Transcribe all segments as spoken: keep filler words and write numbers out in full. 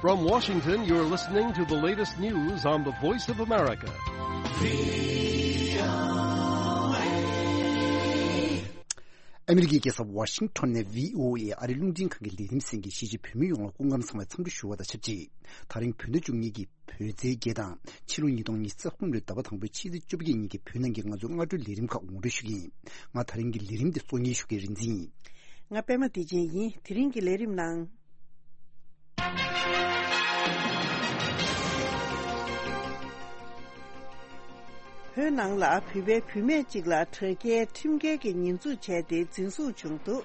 From Washington, you're listening to the latest news on the Voice of America. ཨ་མི་རི་ཀའི་རྒྱལ་ས་ཝ་ཤིང་ཊོན་ནས་བྷི་ཨོ་ཨེ་ཨ་རིའི་རླུང་འཕྲིན་ཁང་གི་ལས་རིམ་གསན་མཁན་གཞིས་བྱེས་བོད་མི་ཡོངས་ལ་སྐུ་ཁམས་བཟང་བའི་འཚམས་འདྲི་ཞུ་བ་དང་ཆབས་ཅིག་ད་རིང་བོད་ཟླ་བཅུ་གཉིས་ཀྱི་བོད་ཚེས་བརྒྱད་དང་ཕྱི་ལོ་ཉིས་སྟོང་ཉི་ཤུ་རྩ་གསུམ་ལོའི་ཟླ་བ་དང་པོའི་ཕྱི་ཚེས་བཅོ་བརྒྱད་ཉིན་གྱི་བོད་ནང་གི་ང་ཚོའི་སྔ་དྲོའི་ལས་རིམ་ཁག་ངོ་སྤྲོད་ཞུ་གི་ཡིན། ང་ད་རིང་གི་ལས་རིམ་འདི་གཙོ་གཉེར་ཞུ་མཁན་རིག་འཛིན་ཡིན། ང་པད་མ་བདེ་ཆེན་ཡིན། དེ་རིང་གི་ལས་རིམ་ནང་། བོད་ནང་ལ་བོད་པའི་བུད་མེད་ཅིག་ལ་དྲ་རྒྱའི་ཁྲིམས་འགལ་གྱི་ཉེས་འཛུགས་བྱས་ཏེ་འཛིན་བཟུང་བྱུང་འདུག།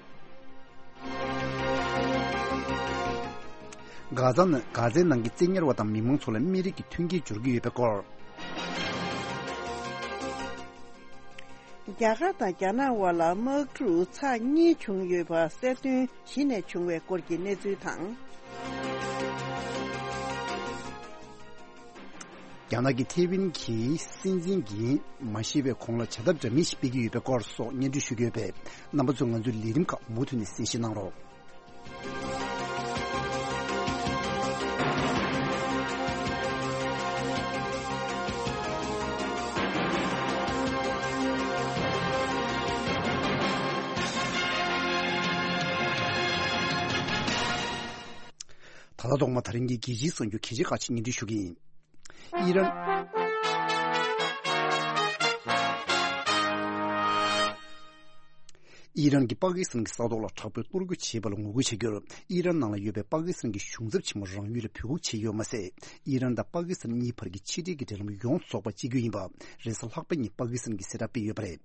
གྷ་ཛ་ནང་གྷ་ཛའི་ནང་གི་བཙན་ཉར་བ་དང་མི་མང་ཚོ་ལ་སྨན་རིགས་ཀྱི་མཐུན་རྐྱེན་སྦྱོར་གྱི་ཡོད་པའི་སྐོར། རྒྱ་གར་དང་རྒྱ་ནག་དབར་ལ་དམག་འཁྲུག་ཚར་གཉིས་བྱུང་ཡོད་པ་གསལ་སྟོན་གཞི་ནས་བྱུང་བའི་སྐོར་གྱི་གནས་ཚུལ་དང་། རྒྱ་ནག་གི་ཐེ་ཝན་གྱི་སྲིད་འཛིན་གྱིས་མ་ཤི་བའི་གོང་ལ་བྱ་ཐབས་འདྲ་མིན་ཞིག་སྤེལ་གྱི་ཡོད་པའི་སྐོར་སོགས་སྙན་སྒྲོན་ཞུ་གི་ཡོད་པས། རྣམ་པ་ཚོས་ང་ཚོའི་ལས་རིམ་ཁག་མུ་མཐུད་ནས་གསན་བཞེས་གནང་རོགས། ད་ལྟ་ཐོག་མ་ད་རིང་གི་རྒྱལ་སྤྱིའི་གསར་འགྱུར་གལ་ཆེ་ཁག་ཅིག་སྙན་སྒྲོན་ཞུ་གི་ཡིན། ཨི་རན། ཨི་རན་གྱིས་པ་ཀི་སི་ཐན་གྱི་ས་ཐོག་ལ་དྲག་པོའི་གཏོར་རྒོལ་བྱས་པ་ལ་ངོ་རྒོལ་བྱ་རྒྱུར། ཨི་རན་ནང་ལ་ཡོད་པའི་པ་ཀི་སི་ཐན་གྱི་གཞུང་ཚབ་ཆེན་མོ་རང་ཡུལ་ལ་འབོད་འགུག་བྱས་ཡོད་མ་ཟད། ཨི་རན་དང་པ་ཀི་སི་ཐན་གཉིས་བར་གྱི་ཕྱི་འབྲེལ་གྱི་འབྲེལ་ལམ་ཡོངས་རྫོགས་པ་བཅད་རྒྱུ་ཡིན་པ། རེས་གཟའ་ལྷག་པ་ཉིན་པ་ཀི་སི་ཐན་གྱིས་གསལ་བསྒྲགས་སྤེལ་ཡོད་པ་རེད།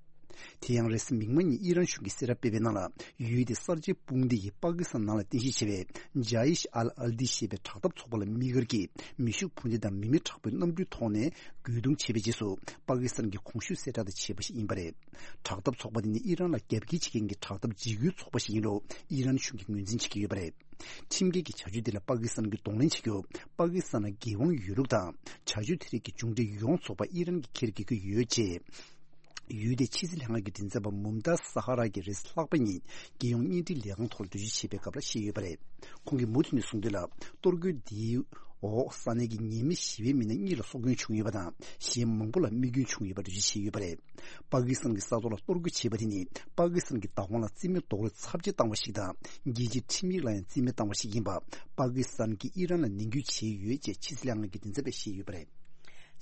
དེ་ཡང་རེས་གཟའ་མིག་དམར་ཉིན་ཨི་རན་གཞུང་གིས་གསལ་བསྒྲགས་སྤེལ་བའི་ནང་ལ། ཡུལ་དེའི་གསར་བརྗེའི་དཔུང་སྡེ་ཡིས་པ་ཀི་སི་ཐན་ནང་ལ་རྟེན་གཞི་བྱས་པའི་ཇཱ་ཨིཤ་ཨལ་ཨལ་ཏི་ཞེས་པའི་དྲག་འཐབ་ཚོགས་པ་ལ་དམིགས་བཀར་གྱིས་མེ་ཤུགས་འཕུར་མདེལ་དང་མི་མེད་དྲག་པོའི་གནམ་གྲུའི་ཐོག་ནས་རྒོལ་རྡུང་བྱས་པའི་རྗེས་སུ། པ་ཀི་སི་ཐན་གྱིས་གོང་ཞུས་གསལ་བསྒྲགས་དེ་བྱས་པ་ཞིག་ཡིན་པ་རེད། དྲག་འཐབ་ཚོགས་པ་དེ་ནི་ཨི་རན་ལ་རྒྱབ་འགལ་བྱེད་མཁན་གྱི་དྲག་འཐབ་འཇིགས་སྐུལ་ཚོགས་པ་ཞིག་ཡིན་ལུགས་ཨི་རན་གཞུང་གིས་ངོས་འཛིན་བྱེད་ཀྱི་ཡོད་པ་རེད། ཁྲིམས་འགལ་གྱི་བྱ་སྤྱོད་དེ་ལ་པ་ཀི་སི་ཐན་གྱིས་གདོང་ལེན་བྱེད་རྒྱུ། པ་ཀི་སི་ཐན་ལ་འགན་དབང་ཡོད་ལུགས་དང་། བྱ་སྤྱོད་དེ་རིགས་ཀྱི་མཇུག་འབྲས་ཡོངས་རྫོགས་པ་ཨི་རན་གྱིས་འཁྱེར་དགོས་ཀྱི་ཡོད་ཅེས། ཡུལ་དེའི་ཕྱི་སྲིད་ལྷན་ཁང་གི་མགྲིན་ཚབ་པ་མུམ་ཏཱ་ས་ཧ་ར་གིས་རེས་ལྷག་པ་ཉིན་རྒྱལ་ཡོངས་བརྙན་འཕྲིན་ལས་ཁང་ཐོག་ལ་འགྲེལ་བརྗོད་བྱས་པའི་སྐབས་ལ་བཤད་ཡོད་པ་རེད། ཁོང་གིས་མུ་མཐུད་ནས་གསུངས་དོན་ལ། གཏོར་རྒོལ་འདིའི་འོག་ས་གནས་ཀྱི་ཉེས་མེད་ཞི་བའི་མི་སྣ་གཉིས་ལ་སྲོག་སྐྱོན་བྱུང་ཡོད་པ་དང་། གཞན་མང་པོ་ལ་རྨས་སྐྱོན་བྱུང་ཡོད་པ་འགྲེལ་བརྗོད་བྱས་ཡོད་པ་རེད། པ་ཀི་སི་ཐན་གྱི་ས་ཐོག་ལ་གཏོར་རྒོལ་བྱས་པ་དེ་ནི་པ་ཀི་སི་ཐན་གྱི་བདག་དབང་ལ་རྩིས་མེད་རྡོག་རོལ་ཚབས་ཆེ་བཏང་བ་ཞིག་དང་། རྒྱལ་སྤྱིའི་ཁྲིམས་ཡིག་ལ་ཡང་རྩིས་མེད་བཏང་བ་ཞིག་ཡིན་པ། པ་ཀི་སི་ཐན་གྱིས་ཨི་རན་ལ་ནན་སྐུལ་བྱས་ཡོད་ཅེས་ཕྱི་སྲིད་ལྷན་ཁང་གི་མགྲིན་ཚབ་པས་བཤད་ཡོད་པ་རེད།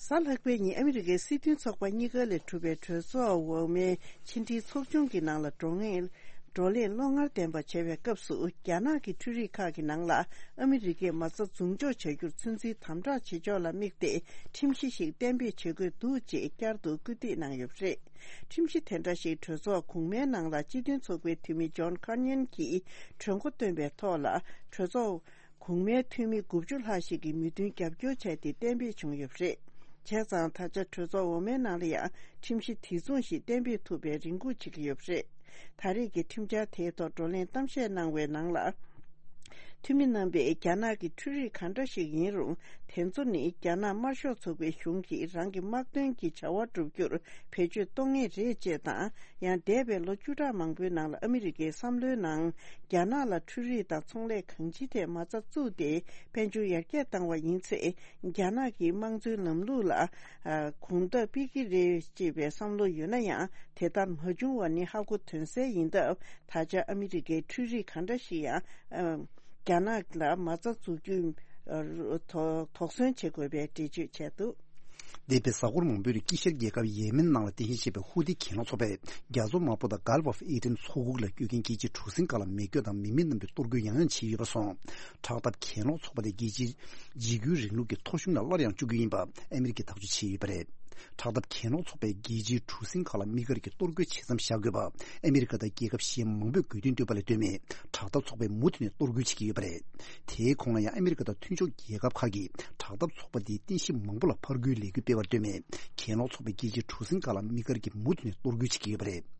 གཟའ་ལྷག་པའི་ཉིན་ཨ་མི་རི་ཀའི་སྲིད་དོན་ཚོགས་པ་གཉིས་ཀ་ལས་གྲུབ་པའི་གྲོས་ཚོགས་འོག་མའི་ཕྱི་འབྲེལ་ཚོགས་ཆུང་གི་ནང་ལ་བགྲོ་གླེང་བགྲོ་གླེང་བློ་ངར་ལྡན་པ་བྱ་བའི་སྐབས་སུ། རྒྱ་ནག་གི་འཕྲུལ་རིག་ཁག་གི་ནང་ལ་ཨ་མི་རི་ཀས་མ་རྩ་འཛུགས་འཇོག་བྱ་རྒྱུར་ཚོད་འཛིན་དམ་དྲག་བྱེད་ཕྱོགས་ལ་དམིགས་ཏེ་ཁྲིམས་གཞི་ཞིག་གཏན་འབེབས་བྱེད་དགོས་འདུག་ཅེས་བསྐྱར་དུ་སྐུལ་འདེད་གནང་ཡོད་པ་རེད། ཁྲིམས་གཞི་དེ་འདྲ་ཞིག་གྲོས་ཚོགས་གོང་མའི་ནང་ལ་སྤྱི་མཐུན་ཚོགས་པའི་འཐུས་མི་ཇོན་ཁར་ཉན་གྱིས་གྲོས་འགོ་བཏོན་པའི་ཐོག་ལ། གྲོས་ཚོགས་གོང་མའི་འཐུས་མི་དགུ་བཅུ་ལྷག་ཞིག་གིས་མོས་མཐུན་རྒྱབ་སྐྱོར་བྱས་ཏེ་གཏན་འབེབས་བྱུང་ཡོད་པ་རེད། བྱས་ཙང་ད་ཆ་གྲོས་ཚོགས་འོག་མའི་ནང་ལ་ཡང་ཁྲིམས་གཞི་དེ་མཚུངས་ཤིག་གཏན་འབེབས་ཐུབ་པའི་རེ་སྒུག་བྱེད་ཀྱི་ཡོད་པ་རེད། ད་རེས་ཀྱི་ཁྲིམས་འཆར་དེའི་ཐོག་བགྲོ་གླེང་གཏམ་བཤད་གནང་བའི་ནང་ལ། འཐུས་མི་རྣམ་པས་རྒྱ་ནག་གི་འཕྲུལ་རིག་གང་འདྲ་ཞིག་ཡིན་རུང་། དེ་ཚོ་ནི་རྒྱ་ནག་དམར་ཤོག་ཚོགས་པའི་གཞུང་གིས་རང་གི་དམག་དོན་གྱི་བྱ་བ་བསྒྲུབ་རྒྱུར་བེད་སྤྱོད་གཏོང་ངེས་རེད་ཅེས་དང་། ཡང་འདས་པའི་ལོ་བཅུ་ཕྲག་མང་པོའི་ནང་ལ་ཨ་མི་རི་ཀའི་བསམ་བློའི་ནང་། རྒྱ་ནག་ལ་འཕྲུལ་རིག་དང་ཚོང་ལས་གང་ཅིའི་ཐད་མ་རྩ་བཙུགས་ཏེ་དཔལ་འབྱོར་ཡར་རྒྱས་བཏང་བ་ཡིན་ཚེ། རྒྱ་ནག་གི་དམངས་གཙོའི་ལམ་ལུགས་ལ་གོང་ཐོག་སྤེལ་གྱི་རེད་ཅེས་པའི་བསམ་བློ་ཡོད་ན་ཡང་། དེ་ལྟར་མ་བྱུང་བ་ནི་ཧ་གོ་དོན་གསལ་ཡིན་སྟབས། ད་ཆ་ཨ་མི་རི་ཀའི་འཕྲུལ་རིག་གང་འདྲ་ཞིག་ཡང་། རྒྱ་ནག་ལ་མ་རྩ་འཛུགས་རྒྱུའི་དོགས་ཟོན་བྱེད་དགོས་པའི་འགྲེལ་བརྗོད་བྱས་འདུག། འདས་པའི་གཟའ་འཁོར་མང་པོའི་རིང་དཀྱིལ་ཤར་རྒྱལ་ཁབ་ཡེ་མེན་ནང་ལ་རྟེན་གཞི་བྱས་པའི་ཧུ་ཐི་གྱེན་ལོག་ཚོགས་པས་རྒྱ་མཚོ་དམར་པོ་དང་Gulf of Aden མཚོ་ཁུག་ལ་སྐྱོད་མཁན་རྒྱལ་སྤྱིའི་གྲུ་གཟིངས་ཁག་ལ་མེ་སྐྱོབ་དང་མི་མེད་རྣམས་ཀྱི་གཏོར་རྒོལ་ཡང་ཡང་བྱས་ཡོད་པ་སོང་། དྲག་འཐབ་གྱེན་ལོག་ཚོགས་པ་དེ་རྒྱལ་སྤྱིའི་འཇིགས་སྐུལ་རིང་ལུགས་ཀྱི་ཐོ་གཞུང་ལ་སླར་ཡང་བཅུག་རྒྱུ་ཡིན་པ་ཨ་མི་རི་ཀས་ཐག་གཅོད་བྱས་ཡོད་པ་རེད། དྲག་འཐབ་གྱེན་ལོག་ཚོགས་པས་རྒྱལ་སྤྱིའི་གྲུ་གཟིངས་ཁག་ལ་དམིགས་བཀར་གྱིས་གཏོར་རྒོལ་བྱེད་མཚམས་བཞག་དགོས་པ་ཨ་མི་རི་ཀ་དང་རྒྱལ་ཁབ་གཞན་མང་པོས་དགོས་འདུན་བཏོན་པ་ལ་ལྟོས་མེད་དྲག་འཐབ་ཚོགས་པས་མུ་མཐུད་ནས་གཏོར་རྒོལ་བྱེད་ཀྱི་ཡོད་པ་རེད། དེའི་གོང་ལ་ཡང་ཨ་མི་རི་ཀ་དང་མཐུན་ཕྱོགས་རྒྱལ་ཁབ་ཁག་གིས་དྲག་འཐབ་ཚོགས་པ་འདིའི་རྟེན་གཞི་མང་པོ་ལ་ཕར་རྒོལ་ལས་འགུལ་སྤེལ་བར་ལྟོས་མེད་གྱེན་ལོག་ཚོགས་པས་རྒྱལ་སྤྱིའི་གྲུ་གཟིངས་ཁག་ལ་དམིགས་བཀར་གྱིས་མུ་མཐུད་ནས་གཏོར་རྒོལ་བྱེད་ཀྱི་ཡོད་པ་རེད།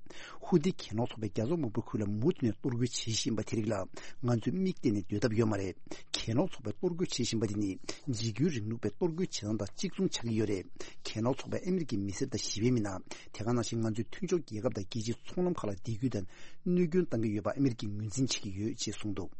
ཧུ་ཐི་གྱེན་ལོག་ཚོགས་པས་རྒྱ་མཚོ་དམར་པོའི་ཁུལ་ལ་མུ་མཐུད་ནས་གཏོར་རྒོལ་བྱེད་བཞིན་པ་དེ་རིགས་ལ་ང་ཚོས་མིག་བལྟས་ནས་སྡོད་ཐབས་ཡོད་མ་རེད། གྱེན་ལོག་ཚོགས་པས་གཏོར་རྒོལ་བྱེད་བཞིན་པ་དེ་ནི་འཇིགས་སྐུལ་རིང་ལུགས་པའི་གཏོར་རྒོལ་བྱེད་སྟངས་དང་གཅིག་མཚུངས་ཆགས་ཀྱི་ཡོད་རེད། གྱེན་ལོག་ཚོགས་པས་ཨ་མི་རི་ཀའི་མི་སེར་དང་ཞི་བའི་མི་སྣ། དེ་ག་ནང་བཞིན་ང་ཚོའི་མཐུན་ཕྱོགས་རྒྱལ་ཁབ་དང་རྒྱལ་སྤྱིའི་ཚོང་ལམ་ཁག་ལ་སྡིགས་སྐུལ་དང་གནོད་སྐྱོན་བཏང་གི་ཡོད་པ་ཨ་མི་རི་ཀས་ངོས་འཛིན་བྱེད་ཀྱི་ཡོད་ཅེས་གསུངས་འདུག།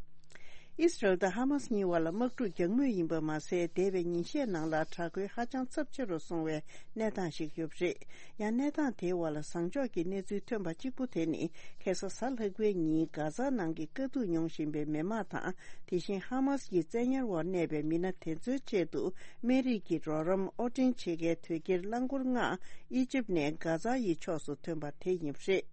ཨི་སི་རལ་དང་ཧ་མ་སི་གཉིས་བར་ལ་དམག་འཁྲུག་རྒྱག་མུས་ཡིན་པ་མ་ཟད། འདས་པའི་ཉིན་ཤས་ནང་ལ་དྲག་རྒོལ་ཧ་ཅང་ཚབས་ཆེ་རུ་སོང་བའི་གནས་སྟངས་ཤིག་ཡོད་པ་རེད། ཡང་གནས་སྟངས་དེའི་བར་ལ་བཟང་ཕྱོགས་ཀྱི་གནས་ཚུལ་ཐོན་པ་གཅིག་པུ་དེ་ནི། ཁ་སང་གཟའ་ལྷག་པའི་ཉིན་གྷ་ཛ་ནང་གི་དཀའ་སྡུག་མྱོང་བཞིན་པའི་མི་མང་དང་། དེ་བཞིན་ཧ་མ་སི་ཡི་བཙན་ཉར་འོག་གནས་པའི་མི་སྣ་དེ་ཚོའི་ཆེད་དུ། སྨན་རིགས་ཀྱི་རོགས་རམ་དབོར་འདྲེན་བྱེད་མཁན་དོས་སྐྱེལ་རླངས་འཁོར་ལྔ་ཨི་ཇིབ་ནས་གྷ་ཛ་ཡི་ཕྱོགས་སུ་ཐོན་པ་དེ་ཡིན་པ་རེད།